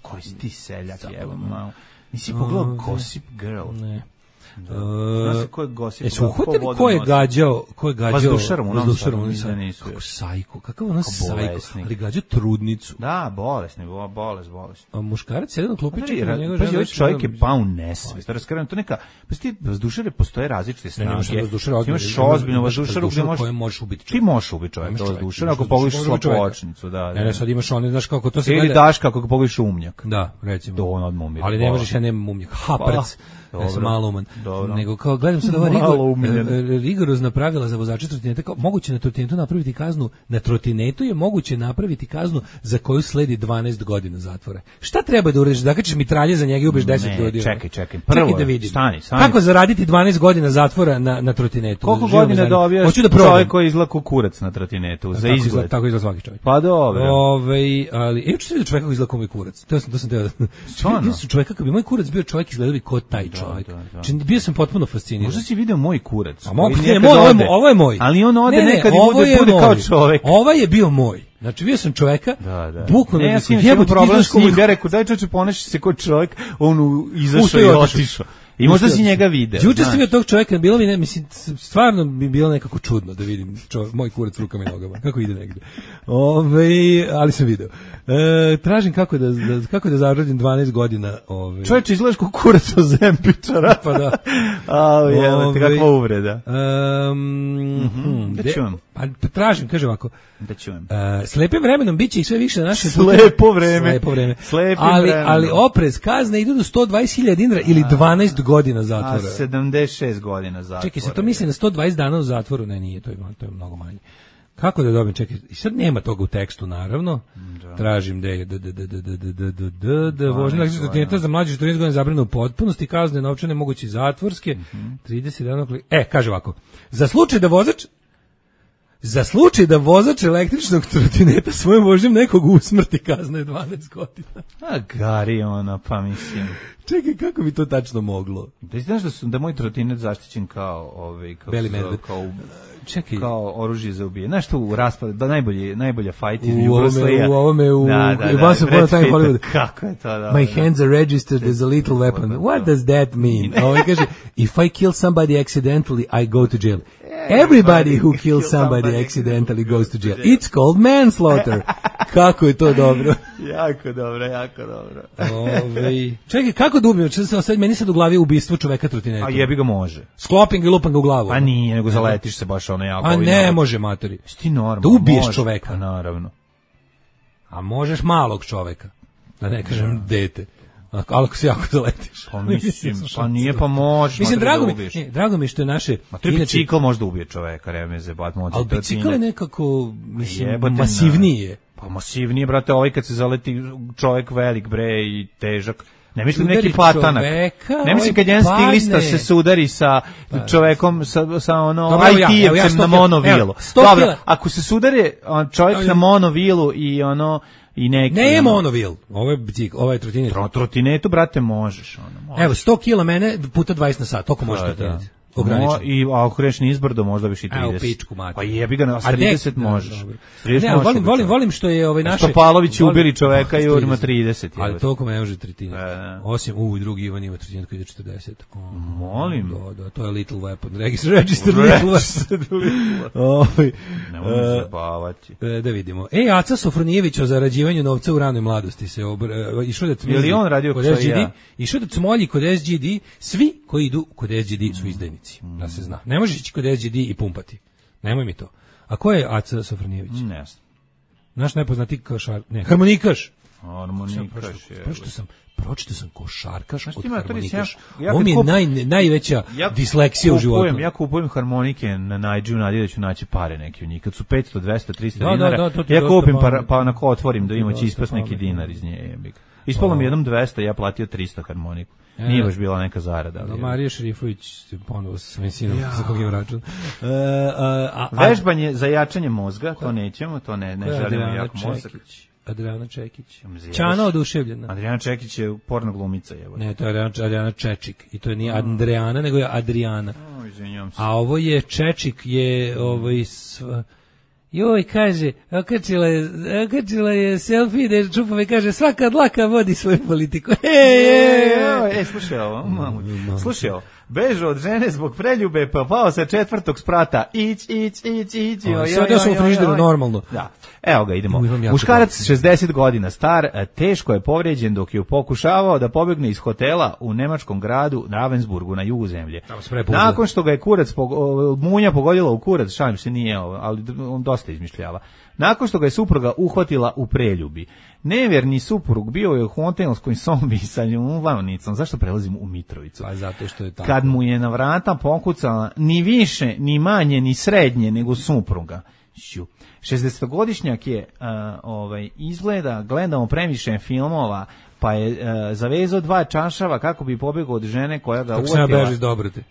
Koji si ti seljak, evo malo. Nisi pogledao Gossip Girl? Ne. Zna se ko je gosio. Su uhvatili ko je gađao vazdušarom u Novom Sadu, kako sajko, kakav ono sajko, ali gađao trudnicu. Da, bolesni. A muškarac jedan u klupi čeka njegov žena. Pa čovjek je pao u nesvest. Raskaram, to neka, pa ti vazdušare postoje različite snage. Imaš ozbiljno vazdušaru gde možeš ubiti. Ti možeš ubiti čovjeka vazdušara ako pogledaš slapočnicu, da. Ne, sad imaš one, znaš kako to se gleda. Ili daška ako pogledaš umnjak. Da, recimo. To on odmah umire. Ali ne možeš, ja nemam umnjak. Haprc. Ja sam malo uman. Nego kao gledam sad ova rigorozna pravila za vozače trotineta, kao moguće na trotinetu napraviti kaznu, na trotinetu je moguće napraviti kaznu za koju sledi 12 godina zatvora. Šta treba da uradiš? Zakačiš mitralje za njega i ubiješ 10 ljudi. Čekaj. Prvo da vidim. Stani. Kako zaraditi 12 godina zatvora na trotinetu? Koliko godina dobijaš čovjek koji izlako kurac na trotinetu za izgled? Tako izgleda svaki čovjek. Pa dobro. Ali juče sam vidio čovjeka koji izgleda kao moj kurac. To sam teo. Vidio sam čovjeka, kako bi moj kurac bio čovjek, izgledao bi kao taj čovjek. Znači, bio sam potpuno fasciniran. Možda si video moj kurac. Ovo je moj. Ali on ode nekad i bude kao čovjek. Ovo je bio moj. Znači, bio sam čovjeka, bukvalno ja sam imao problem s njim, ja rekao, daj čoče, ponaši se kao čovjek, on izašao i otišao. I možda si njega video. Juče sam vidio tog čovjeka, bilo mi, mislim, stvarno bi bilo nekako čudno da vidim moj kurac rukama i nogama, kako ide negde. Ali sam video. Tražim kako da zaradim 12 godina. Čovječe, izgledaš kao kurac od Zempičara. Pa da. Kakva uvreda. Da čujem. Pa tražim, kaže ovako. Da čujem. Slepim vremenom biće ih sve više na našem Slepo vreme. Ali oprez, kazne idu do 120.000 dinara ili 12 godina zatvora. 76 godina zatvora. Čekaj, se to misli na 120 dana u zatvoru? Ne, nije, to je mnogo manje. Kako da dobijem, čekaj, i sad nema toga u tekstu, naravno. Tražim da vožnja električnog trotineta za mlađe 14 godina zabranjeno u potpunosti, kazne novčane moguće zatvorske, 30 dana. Kaže ovako, za slučaj da vozač električnog trotineta svojom vožnjom nekog usmrti, kazna je 12 godina. Gari pa mislim. Čekaj, kako bi to tačno moglo? Da znaš da moj trotinet zaštićen kao Beli medved. Kao oružje za ubije. Znaš tu u raspadu, da najbolja fight iz U ovome Once Upon a Time Hollywood. Kako je to? My hands are registered as a lethal weapon. What does that mean? Ovo kaže, if I kill somebody accidentally, I go to jail. Everybody who kills somebody accidentally goes to jail. It's called manslaughter. Kako je to dobro. Jako dobro. Čekaj, kako da ubijem? Meni sad u glavi je ubistvo čoveka trotinetom. A jebi ga može. Sklopim ga i lupam ga u glavu. Pa nije, nego zaletiš se baš ono jako. A ne može, matori. Ti normalno. Da ubiješ čoveka. Pa naravno. A možeš malog čoveka. Da ne kažem dete. Ali ako se jako zaletiš. Pa mislim, pa nije, pa možeš. Mislim, drago mi što je naše... Ma to je bicikl možda ubije čoveka, remeze, bat moći. Ali bicikl je nekako, mislim, masivnije. Pa masivnije, brate, ovaj kad se zaleti čovek velik, bre, i težak. Ne mislim neki patanak. Ne mislim kad jedan stilista se sudari sa čovekom, sa ono IT-evcem na monovilu. Dobro, ako se sudari čovjek na monovilu i ono... Ne je monovil, ovo je bicikl, ovo je trotinet. Trotinetu, brate, možeš. Evo, 100 kg mene puta 20 na sat, toliko može trotinet. I ako kreneš nizbrdo, možda biš i 30. Evo, pičku mati. Pa jebi ga, a 30 možeš. Ne, volim što je naše... Stopalović ubili čoveka i urima 30. Ali toliko me ne može trotinet. Osim, drugi Ivan ima trotinet koji ide 40. Molim. Da, to je little weapon. Register little weapon. Ne možeš zabavati. Da vidimo. Aca Sofronijević o zarađivanju novca u ranoj mladosti se išao da cmolji. Je li on radio kod SGD? Išao da cmolji kod SGD. Svi koji idu kod SGD su izdajnici. Da se zna. Ne možeš ići kod SGD i pumpati. Nemoj mi to. A ko je Aca Sofronijević? Ne znam. Naš najpoznatiji košarkaš. Ne, harmonikaš. Pročitao sam košarkaš od harmonikaš. Ovo mi je najveća disleksija u životu. Ja kupujem harmonike na Najdžiju, nadje da ću naći pare neke u njih. Kad su 500, 200, 300 dinara, ja kupim pa onako otvorim da ima će ispast neki dinar iz nje. Ispalo mi jednom 200, ja platio 300 harmoniku. Nije baš bila neka zarada. Marija Šerifović ponovo sa svojim sinom za kog je račun. Vežbanje za jačanje mozga, to nećemo, to ne želimo jak mozak. Adriana Čekić. Ćana oduševljena. Adriana Čekić je porno glumica. Ne, to je Adriana Čečik. I to nije Adriana, nego je Adriana. A ovo je Čečik, je joj, kaže, okačila je selfie da čupove, kaže, svaka dlaka vodi svoju politiku. Slušaj ovo, Bežao od žene zbog preljube, pa pao sa 4. sprata. Ić. Sve da su u frižideru normalno. Da. Evo ga, idemo. Muškarac 60 godina star, teško je povrijeđen dok je pokušavao da pobegne iz hotela u nemačkom gradu Ravensburgu na jugu zemlje. Nakon što ga je munja pogodila u kurac, šalim se, nije ovo, ali on dosta izmišljava. Nakon što ga je supruga uhvatila u preljubi. Nevjerni suprug bio je u hotelskoj sobi sa ljubavnicom. Zašto prelazim u Mitrovicu? Pa zato što je tako. Kad mu je na vrata pokucala ni više, ni manje, ni srednje nego supruga. 60-godišnjak je izgleda, gledamo previše filmova, pa je zavezao 2 čašava kako bi pobegao od žene koja ga uvatila. Kako se beži dobrote.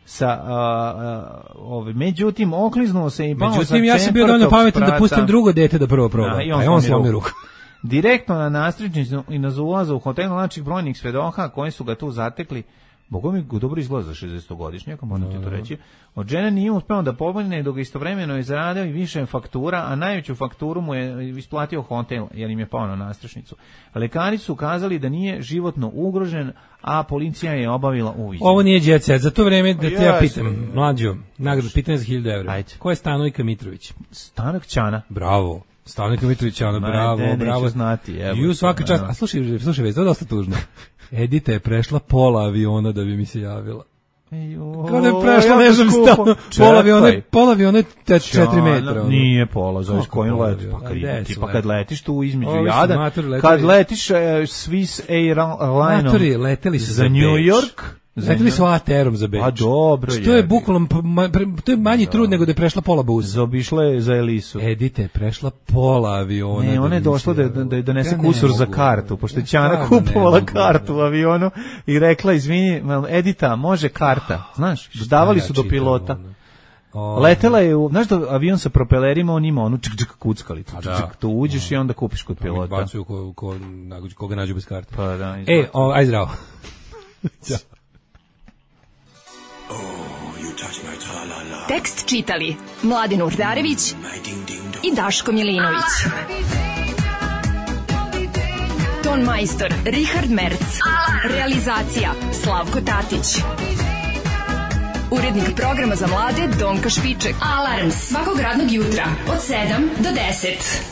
Međutim, okliznuo se i pao sa 4. sprata. Ja sam bio dovoljno pametan da pustim drugo dete da prvo proba. I on slomi ruku. Direktno na nastričnicu i na ulaza u hotel naših brojnih svedoka koji su ga tu zatekli. Boga mi dobro izgleda za 60-godišnjaka, moram ti to reći. Od žene nije uspeo da pobegne dok istovremeno je zaradio i više faktura, a najveću fakturu mu je isplatio hotel, jer im je pao na nastrešnicu. Lekari su ukazali da nije životno ugrožen, a policija je obavila uviđaj. Ovo nije jet set. Za to vreme da te ja pitam, mlađo, nagradu, pitanje za 1000 evra. Ajde. Ko je Stanojka Mitrović? Stanak Ćana. Bravo. Stanojka Mitrović, bravo. Znati, I svaka čast. A slušaj, već, to je dosta tužno. Edita je prešla pola aviona da bi mi se javila. Kada je prešla, ne znam stavno, pola aviona je 4 metra. Nije pola, zoveš kojim leti. Pa kad letiš tu između Jadan, kad letiš Swiss Airlineom za New York, leteli su ATR-om za Beč. A dobro je. Što je bukvalno, to je manji trud nego da je prešla pola buza. Zaobišla je za Elisu. Edita je prešla pola aviona. Ne, ona je došla da je donese kusur za kartu, pošto je Ćana kupovala kartu u avionu i rekla, izvini, Edita, može karta. Znaš, davali su do pilota. Letela je, znaš da avion sa propelerima, on ima onu kuckalicu. Tu uđeš i onda kupiš kod pilota. Bacuju koga nađu bez karte. Pa da. Aj zdravo. Ćao. Tekst čitali Mladen Urdarević i Daško Milinović. Ton majstor Richard Merc. Realizacija Slavko Tatić. Urednik programa za mlade Donka Špiček. Alarms svakog radnog jutra od 7 do 10.